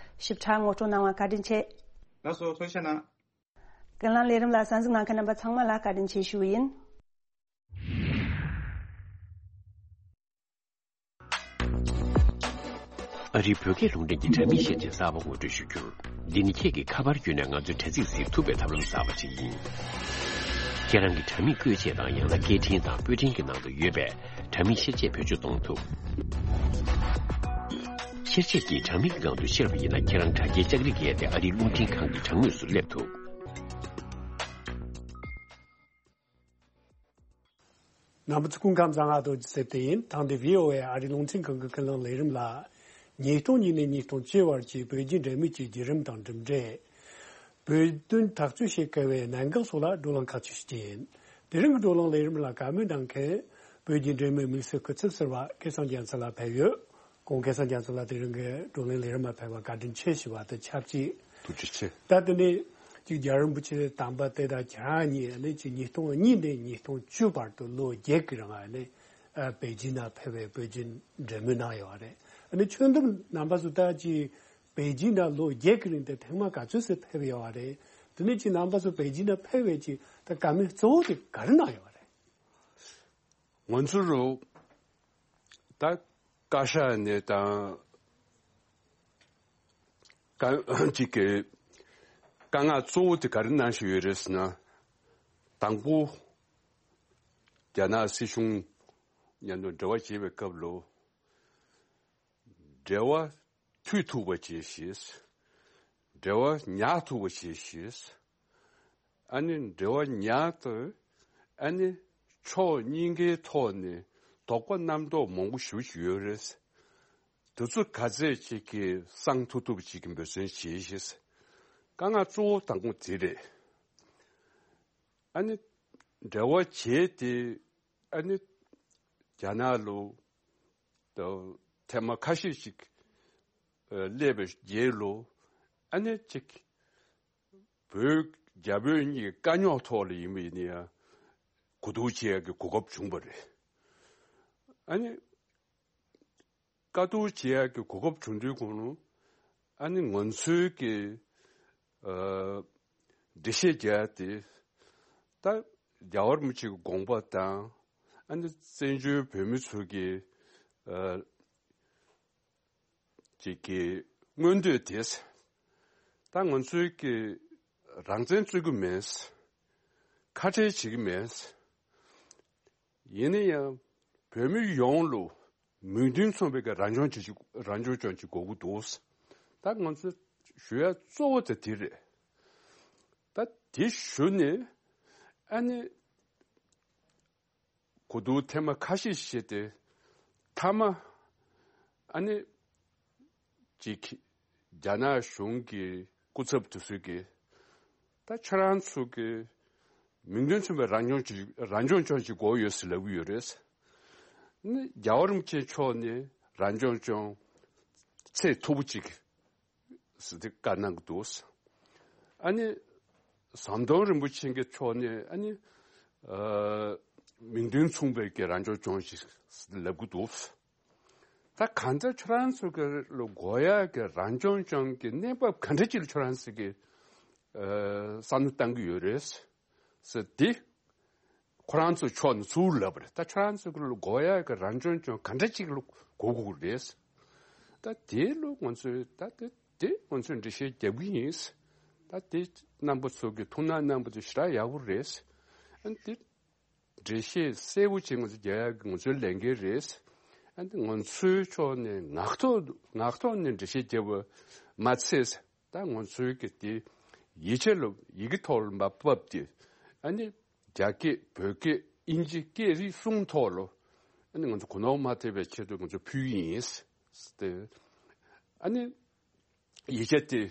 ཞིབ་ཕྲ་ངོ་སྤྲོད་གནང་བ་བཀའ་དྲིན་ཆེ། ལགས་སོ། ཐུགས་རྗེ་ཆེ་གནང་། ཀུན་གླེང་ལས་རིམ་ལ་གསན་གཟིགས་གནང་མཁན་རྣམ་པ་ཚང་མ་ལ་བཀའ་དྲིན་ཆེ་ཞུ་བ་ཡིན། ཨ་རིའི་བོད་སྐད་རླུང་འཕྲིན་གྱི་དྲ་མིག་ཤེར་ཆས་གསར་པ་ངོ་སྤྲོད་ཞུ་རྒྱུར། འདི་ནི་ཁྱེད་ཀྱིས་ཁ་པར་བརྒྱུད་ནས་ང་ཚོའི་དྲ་ཚིགས་གཟིགས་ཐུབ་པའི་ཐབས་ལམ་གསར་པ་ཞིག་ཡིན། ཁྱེད་རང་གི་དྲ་མིག་བཀོད་ཆས་དང་ཡང་ན་སྐད་འཕྲིན་དང་པོད་འཕྲིན་གྱི་ནང་དུ་ཡོད་པའི་དྲ་མིག་ཤེར་ཆས་བེད་སྤྱོད་གཏོང་ཐུབ། ཤེར་ཆས་ཀྱིས་དྲ་མིག་གི་སྒང་དུ་ཤར་བ་ཡིན་ན་ཁྱེད་རང་དྲ་རྒྱའི་ལྕགས་རིས་བརྒལ་ཏེ་ཨ་རིའི་རླུང་འཕྲིན་ཁང་གི་དྲ་ངོས་སུ་སླེབས་ཐུབ། རྣམ་པ་ཚོ་སྐུ་ཁམས་བཟང་། ང་རྡོ་རྗེ་ཚེ་བརྟན་ཡིན། ཐེངས་འདིའི་བྷི་ཨོ་ཨེ་ཨ་རིའི་རླུང་འཕྲིན་ཁང་གི་ཀུན་གླེང་ལས་རིམ་ལ། ཉིས་སྟོང་གཉིས་ནས་ཉིས་སྟོང་བཅུ་བར་གྱི་བོད་བརྒྱུད་འབྲེལ་མོལ་གྱི་བརྒྱུད་རིམ་དང་གྲུབ་འབྲས། བོད་དོན་ཐག་གཅོད་བྱེད་དཀའ་བའི་གནད་འགག་སོགས་ལ་བགྲོ་གླེང་ཁག་ཅིག་ཞུ་རྒྱུ་ཡིན། དེ་རིང་གི་བགྲོ་གླེང་ལས་རིམ་ལ་བཀའ་མོལ་གནང་མཁན་བོད་བརྒྱུད་འབྲེལ་མོལ་དམིགས་བསལ་སྐུ་ཚབ་ཟུར་པ་སྐལ་བཟང་རྒྱ་མཚོ་ལགས་ཕེབས་ཡོད། ཁོང་སྐལ་བཟང་རྒྱ་མཚོ་ལགས་དེ་རིང་གི་བགྲོ་གླེང་ལས་རིམ་ལ་ཕེབས་པར་བཀའ་དྲིན་ཆེ་ཞུ་བ་དང་ཆབས་ཅིག་ཐུགས་རྗེ་ཆེ། ད་དེ་ནས་ཅིག་རྒྱལ་བ་རིན་པོ་ཆེ་དམ་པ་དེ་དང་ཁྱེད་རང་གཉིས་ནི་ཅིག་ཉིས་སྟོང་གཉིས་ནས་ཉིས་སྟོང་བཅུ་བར་དུ་ལོ་བརྒྱད་ཀྱི་རིང་ནི་ཨ་པེ་ཅིན་ན་ཕེབས་པའི་བོད་བརྒྱུད་འབྲེལ་མོལ་གནང་ཡོད་རེད། ཨ་ནི་ཁྱོན་བསྡོམས་རྣམ་པ་ཚོ་ད་ཅིག་པེ་ཅིན་ན་ལོ་བརྒྱད་ཀྱི་རིང་དེ་ཐེངས་མ་ག་ཚོད་ཙམ་ཕེབས་ཡོད་རེད། དེ་ནས་ཅིག་རྣམ་པ་ཚོ་པེ་ཅིན་ན་ཕེབས་པའི་ཅིག་ད་བཀའ་མོལ་གཙོ་བོ་དེ་ག་རེ་གནང་ཡོད་རེད། ང་ཚོ་རུ་ད་བཀའ་ཤག་ནས་དང་བཀའ་ཅིག་གི་བཀའ་མངགས་གཙོ་བོ་དེ་ག་རེ་གནང་བཞིན་ཡོད་རེད་ཟེར་ན། དང་པོ་རྒྱ་ནག་སྲིད་གཞུང་མཉམ་དུ་འབྲེལ་བ་བྱེད་པའི་སྐབས་ལ་འབྲེལ་བ་མཐུད་ཐུབ་པ་བྱེད་ཤེས། འབྲེལ་བ་ཉར་ཐུབ་པ་བྱེད་ཤེས། ཨ་ནི་འབྲེལ་བ་ཉར་དུས་ཨ་ནི་ཕྱོགས་གཉིས་ཀའི་ཐོག་ནས་དོགས་པ་རྣམ་རྟོག་མང་པོ་ཞེ་པོ་ཅིག་ཡོད་རེད། དེ་ཚོ་ག་ཚད་ཅིག་གིས་སངས་ཐུབ་ཐུབ་ཅིག་གི་འབད་བརྩོན་བྱེད་ཤེས། དཀའ་ངལ་གཙོ་བོ་དང་པོ་དེ་རེད། ཨ་ནི་འབྲེལ་བ་བྱས་ཏེ་ཨ་ནི་རྒྱ་ནག་ལ་ད་ཐེངས་མ་ཁ་ཤས་ཤིག་ སླེབས་པའི་རྗེས་ལ་ཨ་ནི་ཅིག་བོད་རྒྱ་བོད་གཉིས་ཀྱི་དཀའ་རྙོག་ཐོག་ལ་ཡིན་པ་ཡིན་ན་ཡང་གོ་བསྡུར་བྱེད་ཡག་གི་གོ་སྐབས་བྱུང་བ་རེད། ཨ་ནི་བཀའ་བསྡུར་བྱེད་ཡག་གི་གོ་སྐབས་བྱུང་དུས་གོང་ལ་ཨ་ནི་ང་ཚོའི་གི་ཨ་འགྲེལ་བཤད་རྒྱག་ཡག་དེ་ད་རྒྱལ་བ་རིན་པོ་ཆེ་གི་དགོངས་པ་དང་ཨ་ནི་བཙན་བྱོལ་བོད་མི་ཚོ་གི་ཨ་ཅིག་གི་མངོན་འདོད་དེ། ད་ང་ཚོའི་གི་རང་བཙན་རྩོད་ཀྱི་མེད། ཁ་བྲལ་བྱེད་ཀྱི་མེད། ཡིན་ན་ཡང་བོད་མི་ཡོངས་ལ་མིང་དོན་མཚུངས་པའི་གི་རང་སྐྱོང་བྱེད་ཀྱི་རང་སྐྱོང་ལྗོངས་ཅིག་དགོས་ཀྱི་འདུག་ད་ང་ཚོ་ཞུ་ཡ་གཙོ་བོ་དེ་དེ་རེད། ད་དེ་ཞུ་ནས་ཨ་ནི་གོ་བསྡུར་ཐེངས་མ་ཁ་ཤས་བྱས་ཏེ་མཐའ་མ་ཨ་ནི་ཅིག་རྒྱ་ནག་གཞུང་གི་སྐུ་ཚབ་དེ་ཚོས་ཀྱིས་ད་ཁྱེད་རང་ཚོ་གི་མིང་དོན་མཚུངས་པའི་རང་སྐྱོང་ཅིག་རང་སྐྱོང་ལྗོངས་ཅིག་དགོས་ཡོད་ཟེར་ལབ་ཀྱི་ཡོད་རེད། ནི་རྒྱལ་བ་རིན་པོ་ཆེ་མཆོག་ནས་རང་སྐྱོང་ལྗོངས་ཚད་མཐོ་པོ་ཅིག་ཟེར་ཏེ་བཀའ་གནང་གི་འདུག་ཨ་ནི་ཟམ་གདོང་རིན་པོ་ཆེ་གི་ཕྱོགས་ནས་ཨ་ནི་ཨ་མིང་དོན་མཚུངས་པའི་གི་རང་སྐྱོང་ལྗོངས་ཤིག་ལབ་གི་འདུག་ད་གང་ལྟར་ཁྱོད་རང་ཚོ་གི་ལ་དགོས་ཡག་གི་རང་སྐྱོང་ལྗོངས་ཀྱི་གནས་བབ་ག་འདྲ་ཅིག་ལ་ཁྱོད་རང་ཚོ་གི་ཨ་བསམ་བློ་བཏང་གི་ཡོད་རེད་ཟེར་ཏེ། ཁོ་རང་ཚོ་ཕྱོགས་ནས་ཚུར་ལབ་པ་རེད། ད་ཁྱོད་རང་ཚོ་གི་ལ་དགོས་ཡག་གི་རང་སྐྱོང་ལྗོངས་ག་འདྲ་ཅིག་ལ་དགོས་དགོས་རེད། ད་དེ་ལ་ང་ཚོས་ད་དེ་དེ་ང་ཚོས་འགྲེལ་བཤད་རྒྱབ་ཀྱི་ཡིན། ད་དེ་རྣམ་པ་ཚོ་གི་ཐུགས་སྣང་གནང་པ་དེ་ཞེ་དྲག་ཡག་པོ་རེད། ཨ་ནི་དེ་འགྲེལ་བཤད་གསལ་པོ་ཅིག་ང་ཚོ་རྒྱག་ཡག་གི་ང་ཚོའི་ལས་འགན་རེད། ཨ་ནི་ང་ཚོའི་ཕྱོགས་ནས་ངག་ཐོག་ངག་ཐོག་ནས་འགྲེལ་བཤད་རྒྱབ་པ་མ་ཚད། ད་ང་ཚོའི་གི་དེ་ཡིག་ཆ་ལ་ཡི་གེ་ཐོག་ལ་མར་ཕབ་སྟེ་ཨ་ནི་རྒྱ་སྐད་བོད་སྐད་དབྱིན་ཇི་སྐད་རིགས་གསུམ་ཐོག་ལ་ཨ་ནི་ང་ཚོ་གོ་ནོར་མ་ཐེབས་པའི་ཆེད་དུ་ང་ཚོ་ཕུལ་གྱི་ཡིན་ཟེར་ཏེ། ཨ་ནི་ཡིག་ཆ་དེ་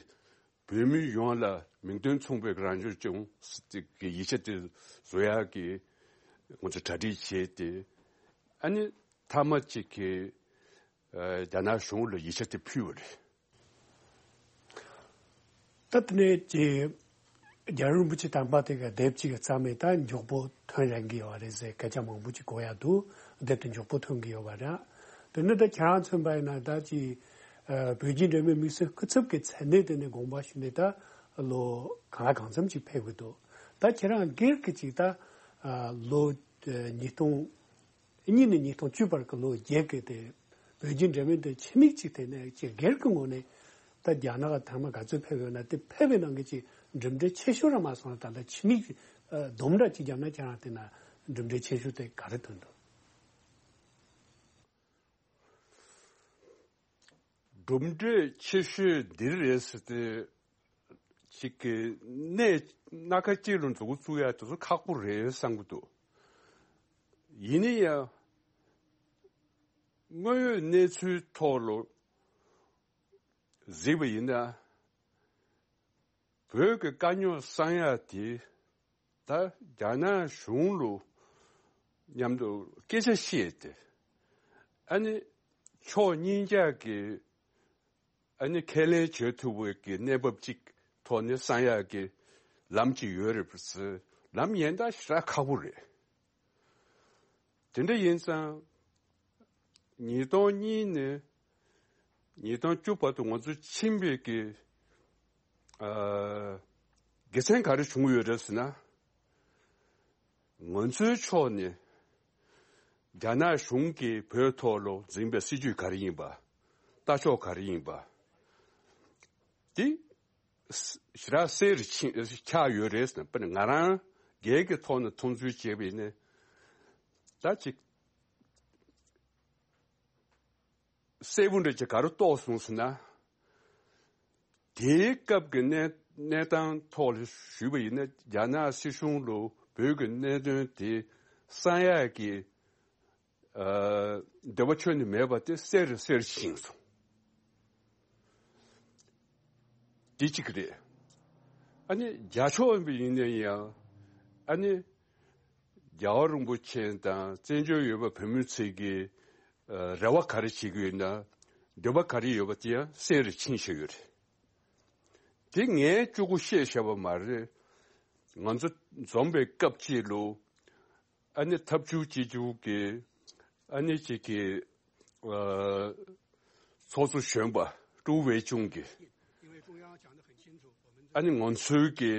བོད་མི་ཡོངས་ལ་མིང་དོན་མཚུངས་པའི་རང་སྐྱོང་ལྗོངས་ཟེར་ཏེ་གི་ཡིག་ཆ་དེ་བཟོ་ཡག་གི་ང་ཚོ་གྲ་སྒྲིག་བྱས་ཏེ་ཨ་ནི་མཐའ་མ་གཅིག་གི་ཨ་རྒྱ་ནག་གཞུང་ལ་ཡིག་ཆ་དེ་ཕུལ་བ་རེད། ད་དེ་ནས་ཀྱི་རྒྱལ་བ་རིན་པོ་ཆེ་དམ་པ་དེ་ག་དེབ་ཅིག་གི་རྩ་མེད་ད་མགྱོགས་པོ་ཐོན་རན་གི་ཡོད་རེད་ཟེར་སྐད་ཆ་མང་པོ་ཅིག་གོ་ཡ་འདུག་དེབ་དེ་མགྱོགས་པོ་ཐོན་གི་ཡོད་པ་རེད། དེ་ནས་ད་ཁྱེད་རང་མཚོན་པ་ཡིན་ན་ད་ཀྱི་ཨ་བོད་བརྒྱུད་འབྲེལ་མོལ་དམིགས་བསལ་སྐུ་ཚབ་ཀྱི་མཚན་གནས་དེ་ནས་དགོངས་པ་ཞུས་ནས་ད་ལོ་གང་ལ་གང་འཚམ་ཅིག་ཕེབས་གི་འདུག་ད་ཁྱེད་རང་སྒེར་གྱི་ཅིག་ད་ཨ་ལོ་ཨ་ཉིས་སྟོང་གཉིས་ནས་ཉིས་སྟོང་བཅུ་བར་གྱི་ལོ་བརྒྱད་ཀྱི་དེ་བོད་བརྒྱུད་འབྲེལ་མོལ་དེ་ཆེད་དམིགས་ཅིག་དེ་ནས་ཅིག་སྒེར་གྱི་ངོས་ནས་ད་རྒྱ་ནག་ཐེངས་མ་ག་ཚོད་ཕེབས་ཡོད་ན་དེ་ཕེབས་པའི་ནང་གི་ཅིག་གྲུབ་འབྲས་ཆེ་ཤོས་ར་མ་སོང་ན་ད་ལྟ་ཆེད་དམིགས་ཨ་སྡོམ་འདྲ་ཅིག་བརྒྱབ་ན་ཁྱེད་རང་དེ་ན་གྲུབ་འབྲས་ཆེ་ཤོས་དེ་ག་རེ་ཐོན་འདུག་གྲུབ་འབྲས་ཆེ་ཤོས་འདི་རེད་ཟེར་ཏེ་ཅིག་གི་གནས་སྣ་ཁ་གཅིག་ལ་མཛུབ་གུ་བཙུགས་ཡ་དེ་ཚོ་ཁག་པོ་རེད་བསམ་གི་འདུག་ཡིན་ན་ཡང་དངོས་ཡོད་གནས་ཚུལ་ཐོག་ལ་གཟིགས་པ་ཡིན་ན་བོད་ཀྱི་དཀའ་རྙོག་སངས་ཡ་དེ་ད་རྒྱ་ནག་གཞུང་ལ་མཉམ་དུ་སྐད་ཆ་བཤད་དེ་ཨ་ནི་ཕྱོགས་གཉིས་ཀྱག་གི་ཨ་ནི་ཁས་ལེན་བྱེད་ཐུབ་པའི་གི་གནས་བབ་ཅིག་ཐོག་ནས་སངས་ཡག་གི་ལམ་ཅིག་ཡོད་རེད་པ་ཟེར་ལམ་ཡན་ལག་ཞེ་དྲག་ཁག་པོ་རེད། དེ་འདྲ་ཡིན་ཙང་ཉིས་སྟོང་གཉིས་ནས་ཉིས་སྟོང་བཅུ་བར་དུ་ང་ཚོ་ཕྱིན་པའི་གི་ཨ་དགེ་མཚན་ག་རེ་བྱུང་ཡོད་རེད་ཟེར་ན། ང་ཚོའི་ཕྱོགས་ནས་རྒྱ་ནག་གཞུང་གིས་བོད་ཐོག་ལ་འཛིན་པའི་སྲིད་ཇུས་ག་རེ་ཡིན་པ། ལྟ་ཕྱོགས་ག་རེ་ཡིན་པ། འདི་ཞེ་དྲག་གསལ་རུ་ཕྱིན་ཆགས་ཡོད་རེད་ཟེར་ན། དཔེར་ན་ང་རང་སྒེར་གྱི་ཐོག་ནས་མཐོང་ཚུལ་བྱས་པ་ཡིན་ན། ད་ཅིག་གསལ་པོ་འདྲ་ཅིག་ག་རེ་རྟོགས་སོང་ཟེར་ན། དེའི་སྐབས་ཀྱི་གནས་གནས་སྟངས་ཐོག་ལ་ཞུས་པ་ཡིན་ན་རྒྱ་ནག་སྲིད་གཞུང་ལ་བོད་ཀྱི་གནད་དོན་དེ་གསང་ཡག་གི་ཨ་འདོད་པ་ཁྱོན་ནས་མེད་པ་དེ་གསལ་རུ་གསལ་རུ་ཕྱིན་སོང་། དེ་གཅིག་རེད། ཨ་ནི་རྒྱ་ཕྱོགས་ཡིན་པ་ཡིན་ན་ཡང་ཨ་ནི་རྒྱལ་བ་རིན་པོ་ཆེ་དང་བཙན་བྱོལ་ཡོད་པ་བོད་མི་ཚོས་ཀྱི་ཨ་རེ་བ་ག་རེ་བྱེད་ཀྱི་ཡོད་ན། འདོད་པ་ག་རེ་ཡོད་པ་དེ་ཡང་སེམས་རེ་ཕྱིན་བཞག་ཡོད་རེད། དེ་ངས་གཅིག་པོ་བཤད་བཞག་པ་མ་རེད། ང་ཚོ་འཛོམས་པའི་སྐབས་ཅིག་ལ་ཨ་ནི་ཐབས་ཇུས་གཅིག་གྱུར་གྱི་ཨ་ནི་གཅིག་གི་ཨ་ཚོགས་གཙོ་གཞོན་པ་ཀྲུའུ་ཝེ་ཆུང་གིས་ཨ་ནི་ང་ཚོའི་གི་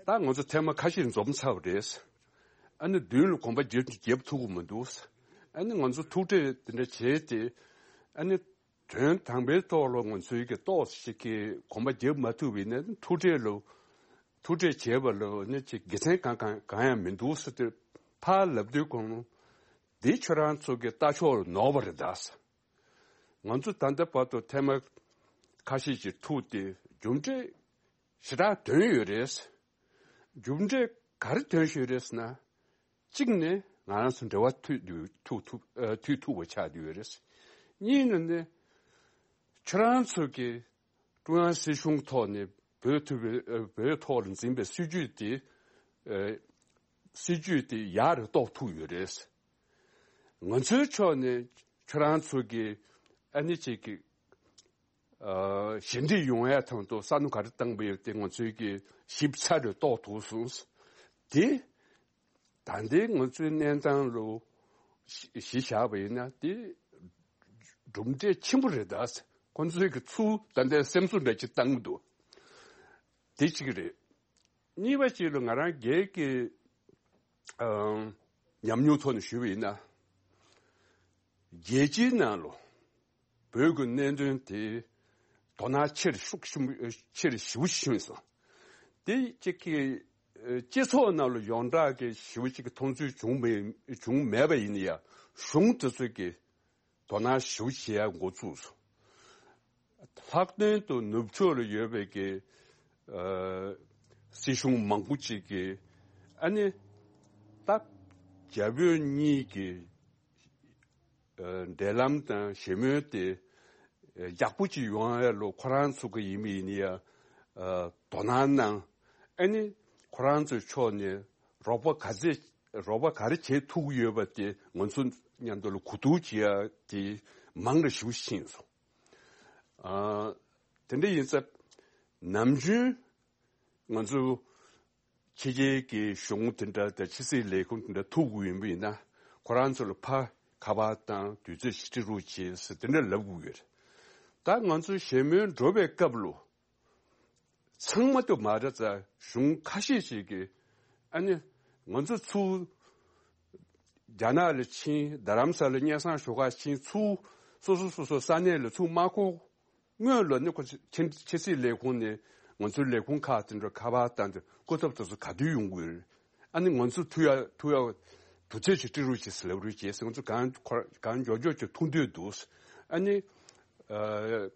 ད་ང་ཚོ་ཐེངས་མ་ཁ་ཤས་འཛོམས་ཚར་བ་རེད། ཨ་ནི་མདུན་ལ་གོམ་པ་རྒྱབ་རྒྱབ་ཐུབ་ཀྱི་མི་འདུག་ཨ་ནི་ང་ཚོ་ཐུག་འཕྲད་དེ་འདྲ་བྱས་ཏེ་ཨ་ནི་དོན་དམ་པའི་ཐོག་ལ་ང་ཚོའི་གི་ཏོག་ཙམ་ཞིག་གི་གོམ་པ་རྒྱབ་མ་ཐུབ་པ་ཡིན་ན་ཐུག་འཕྲད་ལ་ཐུག་འཕྲད་བྱས་པ་ལ་ནི་ཅིག་དགེ་མཚན་གང་གང་གང་ཡང་མི་འདུག་ཟེར་ཏེ་ཕར་ལབ་དུས་གོང་འདི་ཁྱོད་རང་ཚོ་གི་ལྟ་ཕྱོགས་ལ་ནོར་བ་རེད་ད་ཟེར། ང་ཚོ་ད་ལྟ་བར་དུ་ཐེངས་མ་ཁ་ཤས་ཅིག་ཐུག་སྟེ་རྒྱུ་འབྲས་ཞེ་དྲག་ཐོན་ཡོད་རེད། རྒྱུ་འབྲས་ག་རེ་ཐོན་བཞིན་ཡོད་རེད་ཟེར་ན། གཅིག་ནས་ང་རང་ཚོ་འབྲེལ་བ་མཐུད་དུ་ཐུག་ཐུག་ཨ་མཐུད་ཐུབ་པ་ཆགས་བསྡད་ཡོད་རེད། གཉིས་ནས་ནི་ཁྱོད་རང་ཚོ་གི་ཀྲུང་དབྱང་སྲིད་གཞུང་ཐོག་ནས་བོད་ཐུབ་པའི་ཨ་བོད་ཐོག་ལ་འཛིན་པའི་སྲིད་ཇུས་དེ་ཨ་སྲིད་ཇུས་དེ་ཡག་རུ་གཏོང་ཐུབ་ཡོད་རེད། ང་ཚོའི་ཕྱོགས་ནས་ཁྱོད་རང་ཚོ་གི་ཨ་ནི་ཅིག་གི་ཨ་ཞི་འགྲིག་ཡོང་ཡ་དང་དུ་ས་ནུ་ག་རེ་བཏང་པ་ཡོད་དེ་ང་ཚོའི་གི་ཞིབ་ཚགས་རུ་གཏོགས་ཐུབ་སོང་། དེ་ད་ལྟའི་ང་ཚོའི་གནས་སྟངས་ལ་གཞི་གཞི་བཞག་པ་ཡིན་ན་དེ་གྲུབ་འབྲས་ཆེན་པོ་རེད་ད། ཁོང་ཚོའི་གི་ཚུར་ད་ལྟའི་སེམས་གསོ་འདྲ་ཅིག་བཏང་གི་འདུག་དེ་གཅིག་རེད། གཉིས་པ་ཅིག་ལ་ང་རང་སྒེར་གྱི་ཨ་ཉམས་མྱོང་ཐོག་ནས་ཞུས་པ་ཡིན་ན། རྒྱལ་སྤྱིའི་ནང་ལ་བོད་ཀྱི་གནད་དོན་དེ་དོ་སྣང་ཆེ་རུ་ཤུགས་ཆེན་པོ་ཆེ་རུ་ཞེ་པོ་ཕྱིན་སོང་། དེ་གཅིག་གི་ཨ་སྤྱི་ཚོགས་ནང་ལ་ཡོངས་གྲགས་ཀྱི་ཞེ་པོ་ཅིག་གི་མཐོང་ཚུལ་བྱུང་མེད་བྱུང་མེད་པ་ཡིན་ན་ཡང་གཞུང་དེ་ཚོ་གི་དོ་སྣང་ཞེ་པོ་བྱེད་ཡ་འགོ་ཚུགས་སོང་། ལྷག་དོན་དུ་ནུབ་ཕྱོགས་ལ་ཡོད་པའི་གི་ཨ་སྲིད་གཞུང་མང་པོ་ཅིག་གིས་ཨ་ནི་ད་རྒྱ་བོད་གཉིས་ཀྱི་ཨ་འབྲེལ་ལམ་དང་ཞི་མོལ་དེ་ཡག་པོ་ཅིག་ཡོང་ཡ་ལ་ཁོ་རང་ཚོ་གི་ཡིན་མིན་ཡིན་ཡ་ཨ་དོ་སྣང་གནང་། ཨ་ནི་ཁོ་རང་ཚོའི་ཕྱོགས་ནས་རོགས་པ་ག་ཚད་རོགས་པ་ག་རེ་བྱེད་ཐུབ་ཀྱི་ཡོད་པ་དེ་ང་ཚོ་མཉམ་དུ་ལ་གོ་བསྡུར་བྱེད་ཡ་དེ་མང་རུ་ཞེ་པོ་ཕྱིན་སོང་། ཨ་དེ་འདྲ་ཡིན་ཙང་ནམ་རྒྱུན་ང་ཚོ་ཕྱི་རྒྱལ་གྱི་གཞུང་དེ་འདྲ་དང་ཕྱི་སྲིད་ལས་ཁུངས་དེ་འདྲ་ཐུག་དགོས་ཡིན་པ་ཡིན་ན་ཁོ་རང་ཚོ་ལ་ཕར་ཁ་པར་བཏང་དུས་ཚོད་ཞིག་སྤྲད་རོགས་བྱེད་ཟེར་དེ་འདྲ་ལབ་དགོས་ཡོད་རེད། ད་ང་ཚོ་ཞི་མོལ་འགྲོ་བའི་སྐབས་ལ་ཚང་མ་དུ་མ་རེད་ཙང་གཞུང་ཁ་ཤས་ཤིག་གིས་ཨ་ནི་ང་ཚོ་ཚུར་རྒྱ་ནག་ལ་ཕྱིན། རྡ་རམ་ས་ལ་སྙན་སེང་ཞུ་ག་ཕྱིན། ཚུར་སོ་སོ་སོ་སོ་ས་གནས་ལ་ཚུར་མ་འཁོར་སྔོན་ལ་ནི་ཁོ་ཕྱི་ཕྱི་སྲིད་ལས་ཁུངས་ནས་ང་ཚོའི་ལས་ཁུངས་ཁག་དེ་འདྲ་ཁ་པར་བཏང་སྟེ་སྐུ་ཚབ་དེ་ཚོ་ག་དུས་ཡོང་གི་ཡོད་རེད། ཨ་ནི་ང་ཚོ་ཐུག་ཡ་ཐུག་ཡ་དུས་ཚོད་ཅིག་སྤྲད་རོགས་བྱེད་ཟེར་ལབ་རོགས་བྱེད་ཟེར། ང་ཚོ་གང་ཁོ་གང་མགྱོགས་མགྱོགས་ཅིག་ཐུག་འདོད་འདུག་ཨ་ནི་ཨ་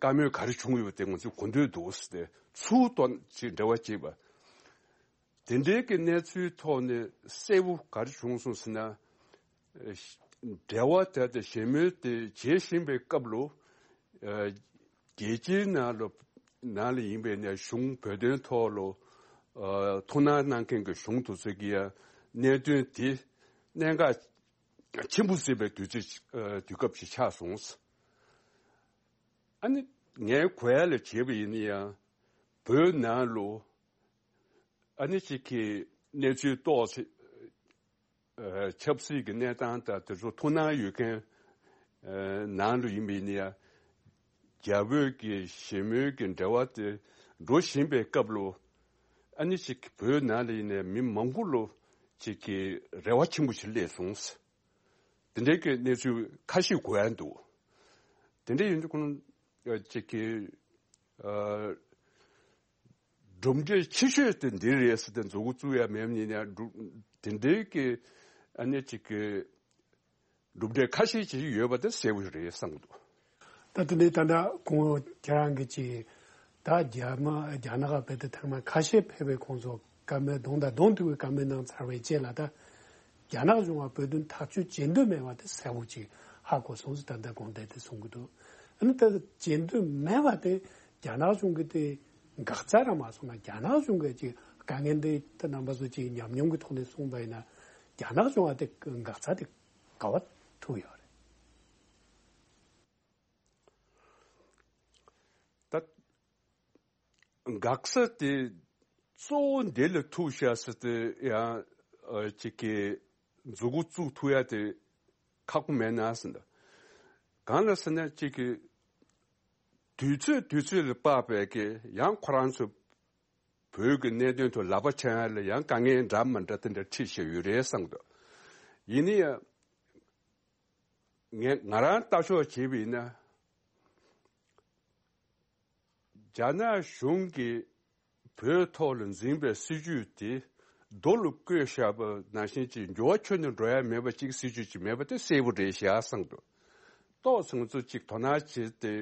བཀའ་མོལ་ག་རེ་བྱུང་ཡོད་པ་དེ་ང་ཚོས་གོ་འདོད་འདུག་ཟེར་ཏེ་ཚུར་ཐོག་ཅིག་འབྲེལ་བ་བྱེད་པ། དེ་འདྲའི་གི་གནས་ཚུལ་ཐོག་ནས་གསལ་པོ་ག་རེ་བྱུང་སོང་ཟེར་ན། འབྲེལ་བ་དེ་དང་ཞི་མོལ་དེ་བྱེད་བཞིན་པའི་སྐབས་ལ་རྒྱལ་སྤྱིའི་ནང་ལ་ནང་ལ་ཡིན་པའི་ནས་གཞུང་བོད་དོན་ཐོག་ལ་ཐུགས་སྣང་གནང་མཁན་གྱི་གཞུང་དེ་ཚོ་གིས་ཡང་གནད་དོན་དེ་གནད་འགག་ཆེན་པོ་བརྩིས་པའི་དུས་ཚོད་དུས་སྐབས་ཤིག་ཆགས་སོང་། ཨ་ནི་ངས་གོ་ཡ་ལ་བྱས་པ་ཡིན་ན་ཡང་བོད་ནང་ལ་ཨ་ནི་གཅིག་གི་གནས་ཚུལ་ཏོག་ཙམ་ཨ་ཆབ་སྲིད་ཀྱི་གནས་སྟངས་དང་དེ་ཚོ་ཐུགས་སྣང་ཡོད་མཁན་ཨ་ནང་ལ་ཡིན་པ་ཡིན་ན་ཡང་རྒྱ་བོད་ཀྱི་ཞི་མོལ་གྱི་འབྲེལ་བ་དེ་འགྲོ་བཞིན་པའི་སྐབས་ལ་ཨ་ནི་གཅིག་བོད་ནང་ལ་ཡིན་ནའི་མི་མང་པོ་ལ་གཅིག་གི་རེ་བ་ཆེན་པོ་ཞིག་སླེབས་སོང་། དེ་འདྲའི་གི་གནས་ཚུལ་ཁ་ཤས་གོ་ཡ་འདུག་དེ་འདྲ་ཡིན་དུས་ཁོང་ཨ་གཅིག་གི་ཨ་གྲུབ་འབྲས་ཆེ་ཤོས་དེ་འདི་རེད་ཟེར་ཏེ་མཛུབ་གུ་བཙུགས་ཡ་མེད་ནི་ནས་གྲུབ་དེ་འདྲའི་གི་ཨ་ནི་གཅིག་གི་གྲུབ་འབྲས་ཁ་ཤས་ཅིག་ཡོད་པ་དེ་གསལ་པོ་རེད་བསམ་གྱི་འདུག་ད་དེ་ནས་ད་ལྟ་ཁོང་ཁྱེད་རང་གི་ཅིག་ད་རྒྱ་མ་རྒྱ་ནག་བོད་དུ་ཐེངས་མ་ཁ་ཤས་ཕེབས་པའི་ཁོང་ཚོ་བཀའ་མོལ་གདོང་དང་གདོང་ཐུག་པའི་བཀའ་མོལ་གནང་ཚར་བའི་རྗེས་ལ་ད་རྒྱ་ནག་གཞུང་ལ་བོད་དོན་ཐག་གཅོད་བྱེད་འདོད་མེད་པ་དེ་གསལ་པོ་ཅིག་ཧ་གོ་སོང་ཟེར་ད་ལྟ་དགོངས་དོན་དེ་གསུང་གི་འདུག་ཨ་ནི་ད་བྱེད་འདོད་མེད་པ་དེ་རྒྱ་ནག་གཞུང་གི་དེ་འགག་རྩ་རང་མ་སོང་ན་རྒྱ་ནག་གཞུང་གི་ཅིག་དཀའ་ངལ་འདི་ད་རྣམ་པ་ཚོ་ཅིག་ཉམས་མྱོང་གི་ཐོག་ནས་གསུངས་པ་ཡིན་ན་རྒྱ་ནག་གཞུང་ལ་དེ་འགག་རྩ་དེ་ག་བ་ཐུག་ཡོད་རེད། འགག་ས་དེ་གཙོ་བོ་འདི་ལ་ཐུག་བཞག་ས་དེ་ཡང་ཨ་ཅིག་གི་མཛུ་གུ་བཙུགས་ཐུབ་ཡ་དེ་ཁག་པོ་མེད་ན་ཟེར་འདུག་གང་ལ་ཟེར་ན་ཅིག་གི་དུས་ཚོད་དུས་ཚོད་ལ་དཔག་པའི་གི་ཡང་ཁོ་རང་ཚོ་བོད་ཀྱི་གནད་དོན་ཐོག་ལག་པ་འཆང་ཡ་ལ་ཡང་དཀའ་ངལ་འདྲ་མི་འདྲ་དེ་འདྲ་འཕྲད་བཞག་ཡོད་རེད་བསམ་འདུག་ཡིན་ན་ཡང་ངས་ང་རང་ལྟ་ཕྱོགས་བྱས་པ་ཡིན་ན། རྒྱ་ནག་གཞུང་གིས་བོད་ཐོག་ལ་འཛིན་པའི་སྲིད་ཇུས་དེ་རྡོ་ལ་བརྐོས་བཞག་པ་ནང་བཞིན་གྱི་འགྱུར་བ་ཁྱོན་ནས་འགྲོ་ཡ་མེད་པ་གཅིག་སྲིད་ཇུས་གཅིག་མེད་པ་དེ་གསལ་པོ་རེད་ཤག་བསམ་འདུག་ཏོག་ཙམ་ང་ཚོ་གཅིག་དོ་སྣང་བྱས་ཏེ་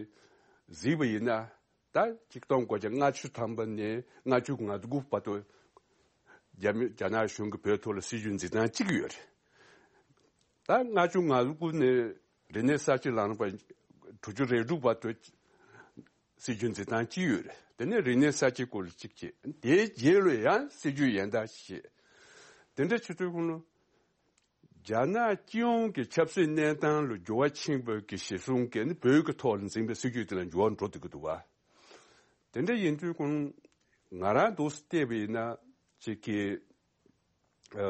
གཟིགས་པ་ཡིན་ན་ད་གཅིག་སྟོང་དགུ་བརྒྱ་ལྔ་བཅུ་ཐམ་པ་ནས་ལྔ་བཅུ་ང་དགུ་བར་དུ་རྒྱ་མི་རྒྱ་ནག་གཞུང་གིས་བོད་ཐོག་ལ་སྲིད་ཇུས་འཛིན་སྟངས་གཅིག་ཡོད་རེད། ད་ལྔ་བཅུ་ང་དགུ་ནས་རིག་གནས་གསར་བརྗེ་ལངས་པ་དྲུག་ཅུ་རེ་དྲུག་བར་དུ་སྲིད་ཇུས་འཛིན་སྟངས་གཅིག་ཡོད་རེད། དེ་ནས་རིག་གནས་གསར་བརྗེའི་སྐོར་ལ་གཅིག་བྱས། དེའི་རྗེས་ལ་ཡང་སྲིད་ཇུས་གཞན་དག་བྱས། དེ་འདྲ་བྱེད་དུས་ཁོང་ལ་རྒྱ་ནག་སྤྱི་ཡོངས་ཀྱི་ཆབ་སྲིད་གནས་སྟངས་ལ་འགྱུར་བ་ཕྱིན་པ་གི་གཞིར་བཟུང་གིས་ནི་བོད་ཀྱི་ཐོག་ལ་འཛིན་པའི་སྲིད་ཇུས་དེ་ལ་འགྱུར་བ་འགྲོ་བསྡད་ཀྱི་འདུག་བ། དེ་འདྲ་ཡིན་དུས་ཁོང་ང་རང་འདུག་སེ་བལྟས་པ་ཡིན་ན་ཅིག་གི་ཨ་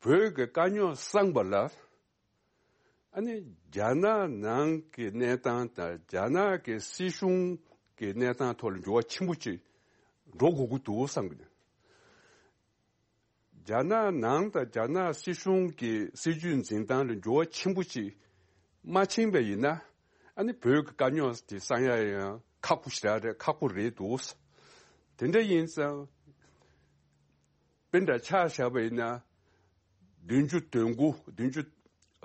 བོད་ཀྱི་དཀའ་རྙོག་སངས་པ་ལ། ཨ་ནི་རྒྱ་ནག་ནང་གི་གནས་སྟངས་དང་རྒྱ་ནག་གི་སྲིད་གཞུང་གི་གནས་སྟངས་ཐོག་ལ་འགྱུར་བ་ཆེན་པོ་ཅིག་འགྲོ་དགོས་ཀྱི་འདུག་བསམ་གྱི་འདུག་རྒྱ་ནག་ནང་དང་རྒྱ་ནག་སྲིད་གཞུང་གི་སྲིད་ཇུས་འཛིན་སྟངས་ལ་འགྱུར་བ་ཆེན་པོ་ཅིག་མ་ཕྱིན་པ་ཡིན་ན་ཨ་ནི་བོད་ཀྱི་དཀའ་རྙོག་དེ་སངས་ཡ་ཡང་ཁག་པོ་ཞེ་དྲག་རེད། ཁག་པོ་རེད་འདུག་དེ་འདྲ་ཡིན་ཙང་དཔེ་འདྲ་ཆ་བཞག་པ་ཡིན་ན། བདུན་ཅུ་དོན་དགུ། བདུན་ཅུ་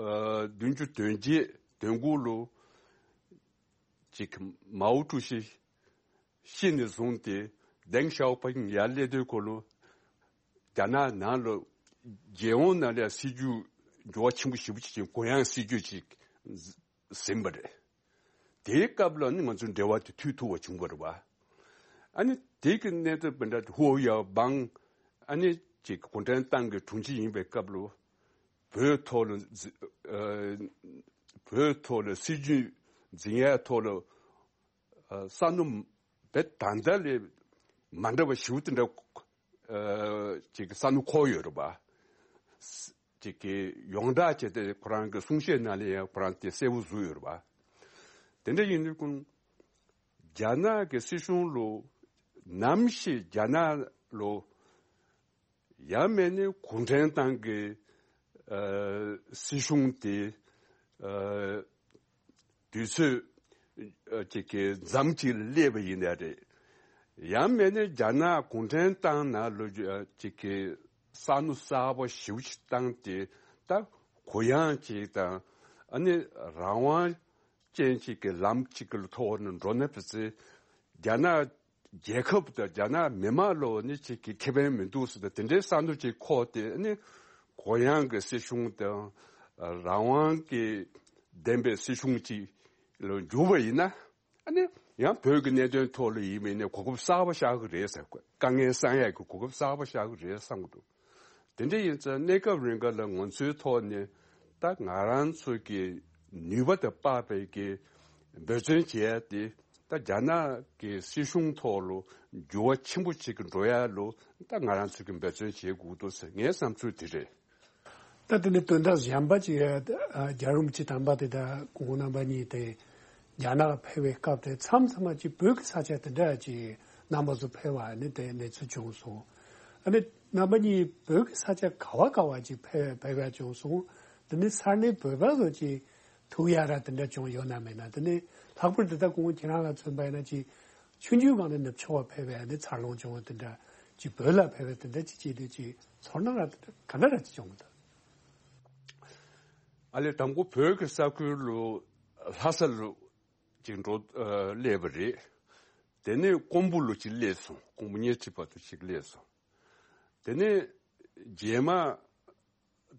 ཨ་བདུན་ཅུ་དོན་བརྒྱད་དོན་དགུ་ལོ་ཅིག་མའོ་ཀྲུའུ་ཞི་ཤི་ནས་བཟུང་སྟེ་ཌེང་ཞའོ་ཕིང་ཡར་སླེབས་དུས་སྐོར་ལ་རྒྱ་ནག་ནང་ལ་རྒྱལ་ཡོངས་ནང་ལ་སྲིད་ཇུས་འགྱུར་བ་ཆེན་པོ་ཞེ་པོ་ཅིག་ཕྱིན། གུ་ཡངས་སྲིད་ཇུས་ཅིག་ཟིན་པ་རེད། དེའི་སྐབས་ལ་ནི་ང་ཚོའི་འབྲེལ་བ་དེ་མཐུད་ཐུབ་པ་བྱུང་བ་རེད་བ། ཨ་ནི་དེ་གི་གནད་དོན་སྤུན་ཟླ་ཧུའུ་ཡའོ་པང་ཨ་ནི་ཅིག་གུང་ཁྲན་ཏང་གི་དྲུང་ཆེ་ཡིན་པའི་སྐབས་ལ་བོད་ཐོག་ལ་འཛི་ཨ་བོད་ཐོག་ལ་སྲིད་ཇུས་འཛིན་ཡའི་ཐོག་ལ་ཨ་བསམ་བློ་དཔེ་ད་ལྟ་ལས་མ་འདྲ་བ་ཞེ་པོ་དེ་འདྲ་ཨ་ཅིག་བསམ་བློ་འཁོར་ཡོད་རེད་བ། ཅིག་གི་ཡོངས་གྲགས་བྱས་ཏེ་ཁོ་རང་གི་གསུང་བཤད་ནང་ལ་ཡང་ཁོ་རང་དེ་གསལ་པོ་བཟོས་ཡོད་རེད་བ། དེ་འདྲ་ཡིན་དུས་ཀུན་རྒྱ་ནག་གི་སྲིད་གཞུང་ལོ་ནམ་ཞིག་རྒྱ་ནག་ལོ་ཡང་མེད་ནས་གུང་ཁྲན་ཏང་གི་ཨ་སྲིད་གཞུང་དེ་ཨ་དུས་ཚོད་ཨ་ཅིག་གི་མཚམས་ཅིག་ལ་སླེབས་པ་ཡིན་ནའི་རེད། ཡང་མེད་ནས་རྒྱ་ནག་གུང་ཁྲན་ཏང་ནང་ལོ་ཨ་ཅིག་གི་བསམ་བློ་གསར་པ་ཞེ་པོ་ཅིག་བཏང་སྟེ་ད་གུ་ཡངས་ཅིག་དང་ཨ་ནི་རང་དབང་ཅན་ཅིག་གི་ལམ་ཅིག་གི་ཐོག་ནས་འགྲོ་ན་ཕི་ཚེ་རྒྱ་ནག་རྒྱལ་ཁབ་དང་རྒྱ་ནག་མི་དམངས་ལོ་ནི་ཅིག་གི་ཁེ་ཕན་མི་འདུག་ཟེར་ཏེ་དེ་འདྲའི་བསམ་བློ་ཅིག་འཁོར་ཏེ་ཨ་ནི་གུ་ཡངས་ཀྱི་སྲིད་གཞུང་དང་རང་དབང་གི་ལྡན་པའི་སྲིད་གཞུང་ཅིག་ལ་འགྱུར་བ་ཡིན་ན། ཨ་ནི་ཡང་བོད་ཀྱི་གནད་དོན་ཐོག་ལ་ཡིན་མིན་ནས་གོ་སྐབས་གསར་པ་ཤར་གི་རེད་ཟེར། དཀའ་ངལ་སེལ་ཡག་གི་གོ་སྐབས་གསར་པ་ཤར་གི་རེད་བསམ་གི་འདུག་དེ་འདྲ་ཡིན་ཙང་གནས་སྐབས་རིང་ག་ལ་ང་ཚོའི་ཐོག་ནས་ད་ང་རང་ཚོ་གི་ནུས་པ་དང་དཔག་པའི་གི་འབད་བརྩོན་བྱས་ཏེ་ད་རྒྱ་ནག་གི་སྲིད་གཞུང་ཐོག་ལ་འགྱུར་བ་ཆེན་པོ་ཅིག་གི་འགྲོ་ཡ་ལ་ད་ང་རང་ཚོ་གི་འབད་བརྩོན་བྱེད་དགོས་འདུག་ཟེར་ངའི་བསམ་ཚུལ་དེ་རེད། ད་དེ་ནི་དོན་དག་གཞན་པ་ཅིག་ཨ་རྒྱལ་བ་རིན་པོ་ཆེ་དམ་པ་དེ་དང་སྐུ་ངོ་རྣམ་པ་གཉིས་དེ་རྒྱ་ནག་ཕེབས་པའི་སྐབས་དེ་མཚམས་མཚམས་ཅིག་བོད་ཀྱི་ས་ཆ་དེ་འདྲ་ཅིག་རྣམ་པ་ཚོ་ཕེབས་པ་ནི་དེ་གནས་ཚུལ་བྱུང་སོང་། ཨ་ནི་རྣམ་པ་གཉིས་བོད་ཀྱི་ས་ཆ་ག་བ་ག་བ་ཅིག་ཕེབས་ཕེབས་ཡ་བྱུང་སོང་། དེ་ནི་ས་གནས་བོད་པ་ཚོ་ཅིག་ཐུག་ཡ་ར་དེ་འདྲ་བྱུང་ཡོད་ན་མེད་ན། དེ་ནི་ལྷག་པར་དུ་ད་སྐུ་ངོ་ཁྱེད་རང་ལ་མཚོན་པ་ཡིན་ན་ཅིག་ཆུང་ཆུང་སྒང་ནས་ནུབ་ཕྱོགས་པ་ཕེབས་པའི་ཨ་ནི་འཚར་ལོངས་བྱུང་བ་དེ་འདྲ་ཅིག་བོད་ལ་ཕེབས་པའི་དེ་འདྲ་ཅིག་བྱེད་དུས་ཅིག་ཚོར་སྣང་ར་དེ་འདྲ་ག་འདྲ་ར་ཅིག་བྱུང་གི་འདུག་ཨ་ལས་དང་པོ་བོད་ཀྱི་ས་ཁུལ་ལོ་ལྷ་ས་ལོ་ཅིག་འགྲོ་ཨ་སླེབས་པ་རེད། དེ་ནས་ཀོང་པོ་ལོ་ཅིག་སླེབས་སོང་། ཀོང་པོ་ཉེ་འཁྲིས་བར་དུ་ཅིག་སླེབས་སོང་། དེ་ནས་རྗེས་མ་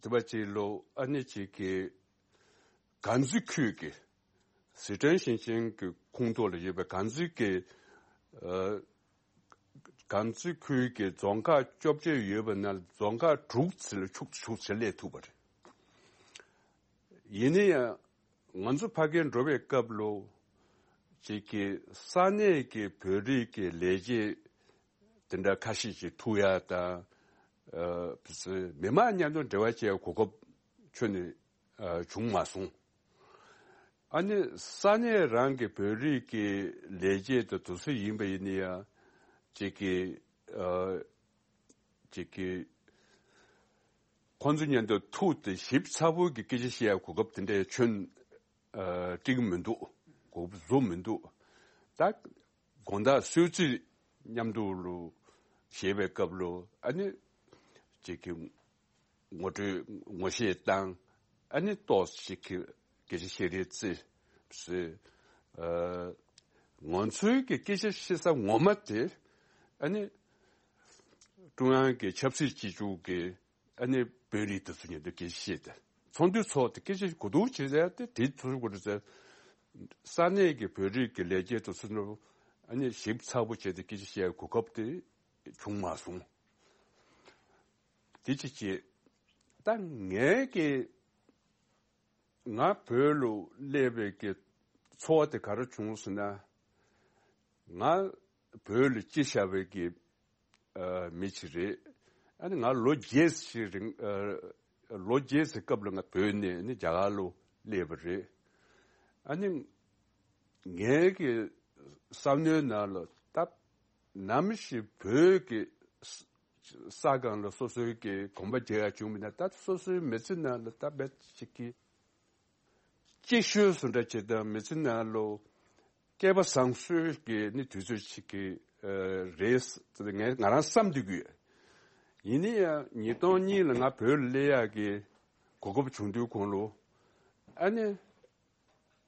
དེ་བ་ཅིག་ལོ་ཨ་ནི་ཅིག་གི་དཀར་མཛེས་ཁུལ་གྱི་ཟི་ཁྲོན་ཞིང་ཆེན་གྱི་ཁོངས་གཏོགས་ལ་ཡོད་པའི་དཀར་མཛེས་ཀྱི་ཨ་དཀར་མཛེས་ཁུལ་གྱི་རྫོང་ཁག་བཅོ་བརྒྱད་ཡོད་པ་ན་རྫོང་ཁག་དྲུག་ཙམ་ལ་ཆུག་ཆུག་ཙམ་སླེབས་ཐུབ་པ་རེད། ཡིན་ན་ཡང་ང་ཚོ་ཕ་གིར་འགྲོ་བའི་སྐབས་ལོ་ ཅིག་གི་ས་གནས་ཀྱི་བོད་རིགས་ཀྱི་ལས་བྱེད་དེ་འདྲ་ཁ་ཤས་ཅིག་ཐུག་ཡ་དང་། ཨ་མི་མང་མཉམ་དུ་འབྲེལ་བ་བྱེད་ཡ་གོ་སྐབས་ཁྱོན་ནས་ཨ་བྱུང་མ་སོང་། ཨ་ནི་ས་གནས་རང་གི་བོད་རིགས་ཀྱི་ལས་བྱེད་དང་དེ་ཚོ་ཡིན་པ་ཡིན་ན་ཡང་ཅིག་གི་ཨ་ཅིག་གི་ཁོང་ཚོ་མཉམ་དུ་ཐུག་སྟེ་ཞིབ་ཚགས་པོ་གི་སྐད་ཆ་བཤད་ཡ་གོ་སྐབས་དེ་འདྲ་ཁྱོན་ཨ་སྤྲད་ཀྱི་མི་འདུག་གོ་སྐབས་བཟོ་མི་འདུག་ད་དགོང་དག་གསོལ་ཚིགས་མཉམ་དུ་ལོ་བཞེས་པའི་སྐབས་ལོ། ཨ་ནི་ཅིག་གི་ངོ་སྤྲོད་ངོ་ཤེས་བཏང་། ཨ་ནི་ཏོག་ཙམ་ཅིག་གི་སྐད་ཆ་བཤད་རེས་རྩེ་ཟེར། ཨ་ང་ཚོའི་གི་སྐད་ཆ་བཤད་ས་ངོ་མ་དེ་ཨ་ནི་ཀྲུང་དབྱང་གི་ཆབ་སྲིད་སྤྱི་ཁྱབ་ཀྱི་ཨ་ནི་བོད་རིགས་དེ་ཚོ་མཉམ་དུ་སྐད་ཆ་བཤད་དེ། ཚོགས་འདུ་ཚོགས་ཏེ་སྐད་ཆ་གོ་བསྡུར་བྱེད་ཟེར་ཏེ་དེ་ཚོ་གོ་བསྡུར་ཟེར། ས་གནས་ཀྱི་བོད་རིགས་ཀྱི་ལས་བྱེད་དེ་ཚོ་ནོ་ཨ་ནི་ཞིབ་ཚགས་པོ་བྱས་ཏེ་སྐད་ཆ་བཤད་གོ་སྐབས་དེ་བྱུང་མ་སོང་། དེ་ཅི་བྱེད། ད་ངས་ཀྱི་ང་བོད་ལ་སླེབས་པའི་གི་ཚོར་བ་དེ་ག་རེ་བྱུང་ཟེར་ན། ང་བོད་ལ་སྐྱེས་བཞག་པའི་གི་ཨ་མི་ཞིག་རེད། ཨ་ནི་ང་ལོ་བརྒྱད་ཅིག་རིང་ཨ་ལོ་བརྒྱད་ཅིག་སྐབས་ལ་ང་བོད་ནས་ནི་རྒྱ་གར་ལ་སླེབས་པ་རེད། ཨ་ནི་ངའི་གི་བསམ་བློའི་ནང་ལ་ད་ནམ་ཞིག་བོད་ཀྱི་ས་ས་སྒང་ལ་སོ་སོའི་གི་གོམ་པ་རྒྱག་ཡ་བྱུང་མིན་ན། ད་སོ་སོའི་མི་ཚེ་ནང་ལ་ད་བེད་ཅིག་གི་གཅིག་ཤོས་སུ་འདྲ་བྱེད་དང་མི་ཚེ་ནང་ལོ་སྐལ་པ་བཟང་སོས་ཀྱི་ནི་དུས་ཚོད་ཅིག་གི་ཨ་རེད་ངས་ང་རང་བསམ་སྡོད་ཀྱི་ཡོད། ཡིན་ན་ཡང་ཉིས་སྟོང་གཉིས་ལ་ང་བོད་ལ་སླེབས་ཡག་གི་གོ་སྐབས་བྱུང་དུས་གོང་ལོ་ཨ་ནི་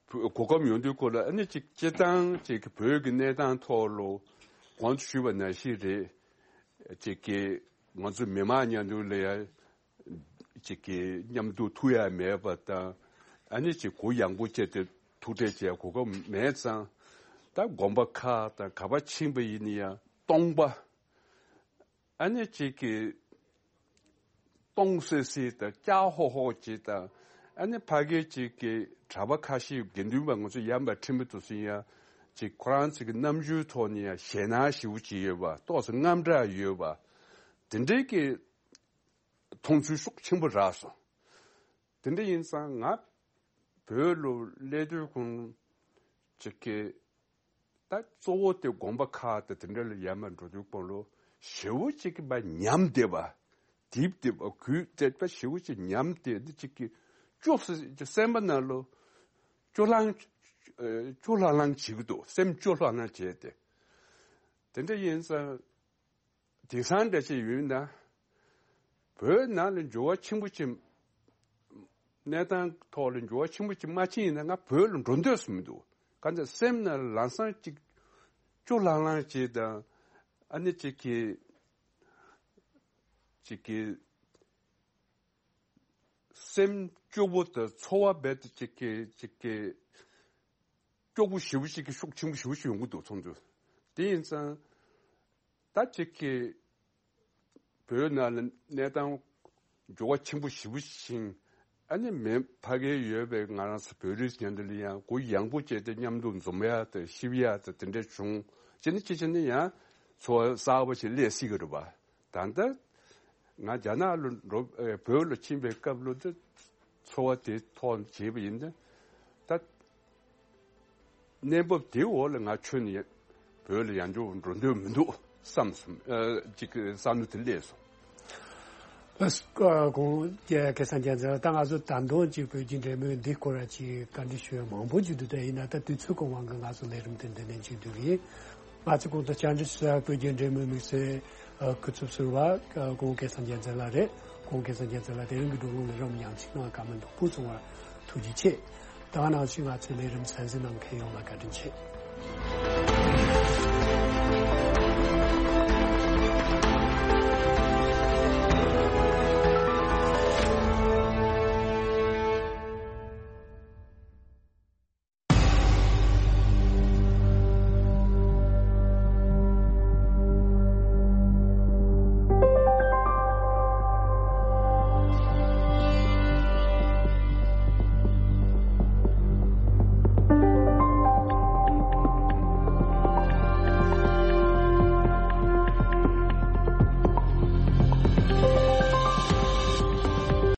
གོ་སྐབས་ཡོང་དུས་གོང་ལ་ཨ་ནི་ཅིག་སྤྱིར་བཏང་ཅིག་གི་བོད་ཀྱི་གནས་སྟངས་ཐོག་ལོ་གོང་དུ་ཞུས་པ་ནང་བཞིན་རེད། ཅིག་གི་ང་ཚོ་མི་མང་མཉམ་དུ་ལ་ཡ་ཅིག་གི་མཉམ་དུ་ཐུག་ཡ་མེད་པ་དང་། ཨ་ནི་ཅིག་གུ་ཡངས་པོ་བྱས་ཏེ་ཐུག་འཕྲད་བྱས་གོ་སྐབས་མེད་ཙང་། ད་དགོན་པ་ཁག་དང་ག་པར་ཕྱིན་པ་ཡིན་ན་ཡང་སྟོང་པ། ཨ་ནི་ཅིག་གི་སྟོང་སེ་སེ་དང་སྐྱ་ཧོ་ཧོ་ཅིག་དང་། ཨ་ནི་ཕ་གི་ཅིག་གི་གྲྭ་པ་ཁ་ཤས་དགེ་འདུན་པ་ང་ཚོ་ཡན་པ་ཁྲིམས་དུ་སུན་ཡ་ཅིག་ཁོ་རང་ཚོ་གི་རྣམ་འགྱུར་ཐོག་ནས་ཡང་ཞེད་སྣང་ཞེ་པོ་ཅིག་ཡོད་པ། ཏོག་ཙམ་དངངས་སྐྲག་ཡོད་པ། དེ་འདྲའི་གི་མཐོང་ཚུལ་ཤུགས་ཆེན་པོ་རག་སོང་། དེ་འདྲ་ཡིན་ཙང་ང་བོད་ལ་སླེབས་དུས་ཁོང་ཅིག་གི་ད་གཙོ་བོ་དེ་དགོན་པ་ཁག་དང་དེ་འདྲ་ལ་ཡར་མར་འགྲོ་དུས་ཁོང་ལོ་ཞེ་པོ་ཅིག་གི་བ་ཉམས་བསྡད་པ། རྡིབ་བསྡད་པ། གུད་བསྡད་པ། ཞེ་པོ་ཅིག་ཉམས་བསྡད་དེ་ཅིག་གི་སྐྱོ་སེ་སེམས་པ་ནང་ལོ་སྐྱོ་ལང་སྐྱོ་ལྷང་ལྷང་བྱེད་ཀྱི་འདུག་སེམས་སྐྱོ་ལྷང་ལྷང་བྱས་ཏེ། དེ་འདྲ་ཡིན་ཙང་། དེང་སང་འདྲ་ཅིག་ཡོད་ན། བོད་ནང་ལ་འགྱུར་བ་ཆེན་པོ་ཅིག་གནས་སྟངས་ཐོག་ལ་འགྱུར་བ་ཆེན་པོ་ཅིག་མ་ཕྱིན་ཡིན་ན་ང་བོད་ལ་འགྲོ་འདོད་སུ་མི་འདུག་གང་ལྟར་སེམས་ནང་ལ་ལམ་སང་ཅིག་སྐྱོ་ལྷང་ལྷང་ཅིག་དང་། ཨ་ནི་ཅིག་གི་ཅིག་གི་སེམས་སྐྱོ་པོ་དང་ཚོར་བ་རྦད་དེ་ཅིག་གི་ཅིག་གི་སྐྱོ་པོ་ཞེ་པོ་ཞིག་གི་ཤུགས་ཆེན་པོ་ཞེ་པོ་ཞིག་ཡོང་གི་འདུག་ཚོགས་འདུ། དེ་ཡིན་ཙང་ད་ཅིག་གི་བོད་ནང་ལ་གནས་སྟངས་འགྱུར་བ་ཆེན་པོ་ཞེ་པོ་ཕྱིན། ཨ་ནི་མི་ཕ་གིར་ཡོད་པའི་ང་རང་ཚོ་བོད་རིགས་མཉམ་དུ་ལ་ཡང་གུ་ཡངས་པོ་བྱས་ཏེ་མཉམ་དུ་འཛོམས་ཡ་དང་གཤིབ་ཡ་དང་དེ་འདྲ་བྱུང་། ཅི་ནི་ཅི་བྱས་ནི་ཡང་འཚོ་བ་གསར་པ་ཞིག་སླེབས་སྲིད་ཀྱི་རེད་པ། ད་ལྟ་ང་རྒྱ་ནག་ལ་འགྲོ་ཨེ་བོད་ལ་ཕྱིན་པའི་སྐབས་ལ་དེ་ཚོར་བ་དེ་ཐོག་བྱས་པ་ཡིན་ན། ད་གནས་བབ་དེའི་འོག་ལ་ང་ཁྱོན་ནས་བོད་ལ་ཡང་འགྲོ་འགྲོ་འདོད་མི་འདུག་བསམ་སོང་། ཨ་ཅིག་བསམ་བློ་དེ་སླེབས་སོང་། ཨ་ཁོང་སྐལ་བཟང་རྒྱལ་མཚན་ལགས། ད་ང་ཚོ་ད་དུང་ཅིག་བོད་ཀྱི་འབྲེལ་མོལ་འདི་སྐོར་ལ་ཅིག་བཀའ་འདྲི་ཞུ་ཡ་མང་པོ་ཅིག་འདུག་ད་ཡིན་ན་ད་དུས་ཚོད་གི་དབང་གིས་ང་ཚོ་ལས་རིམ་དེ་འདི་ནས་མཇུག་བསྡུ་གི་ཡིན། ང་ཚོ་གོང་དུ་བཅར་འདྲི་ཞུ་ཡ་བོད་ཀྱི་འབྲེལ་མོལ་དམིགས་བསལ་ཨ་སྐུ་ཚབ་ཟུར་པ་ཨ་ཁོང་སྐལ་བཟང་རྒྱལ་མཚན་ལགས་རེད། ཁོང་སྐལ་བཟང་རྒྱལ་མཚན་ལགས་དེ་རིང་གི་བགྲོ་གླེང་ལ་རོགས་ཉམས་ཞིབ་གནང་བར་བཀའ་མོལ་ཡག་པོ་གསུངས་པར་ཐུགས་རྗེ་ཆེ། ད་ག་ནང་བཞིན་ང་ཚོའི་ལས་རིམ་གསན་གཟིགས་གནང་མཁན་ཡོངས་ལ་བཀའ་དྲིན་ཆེ།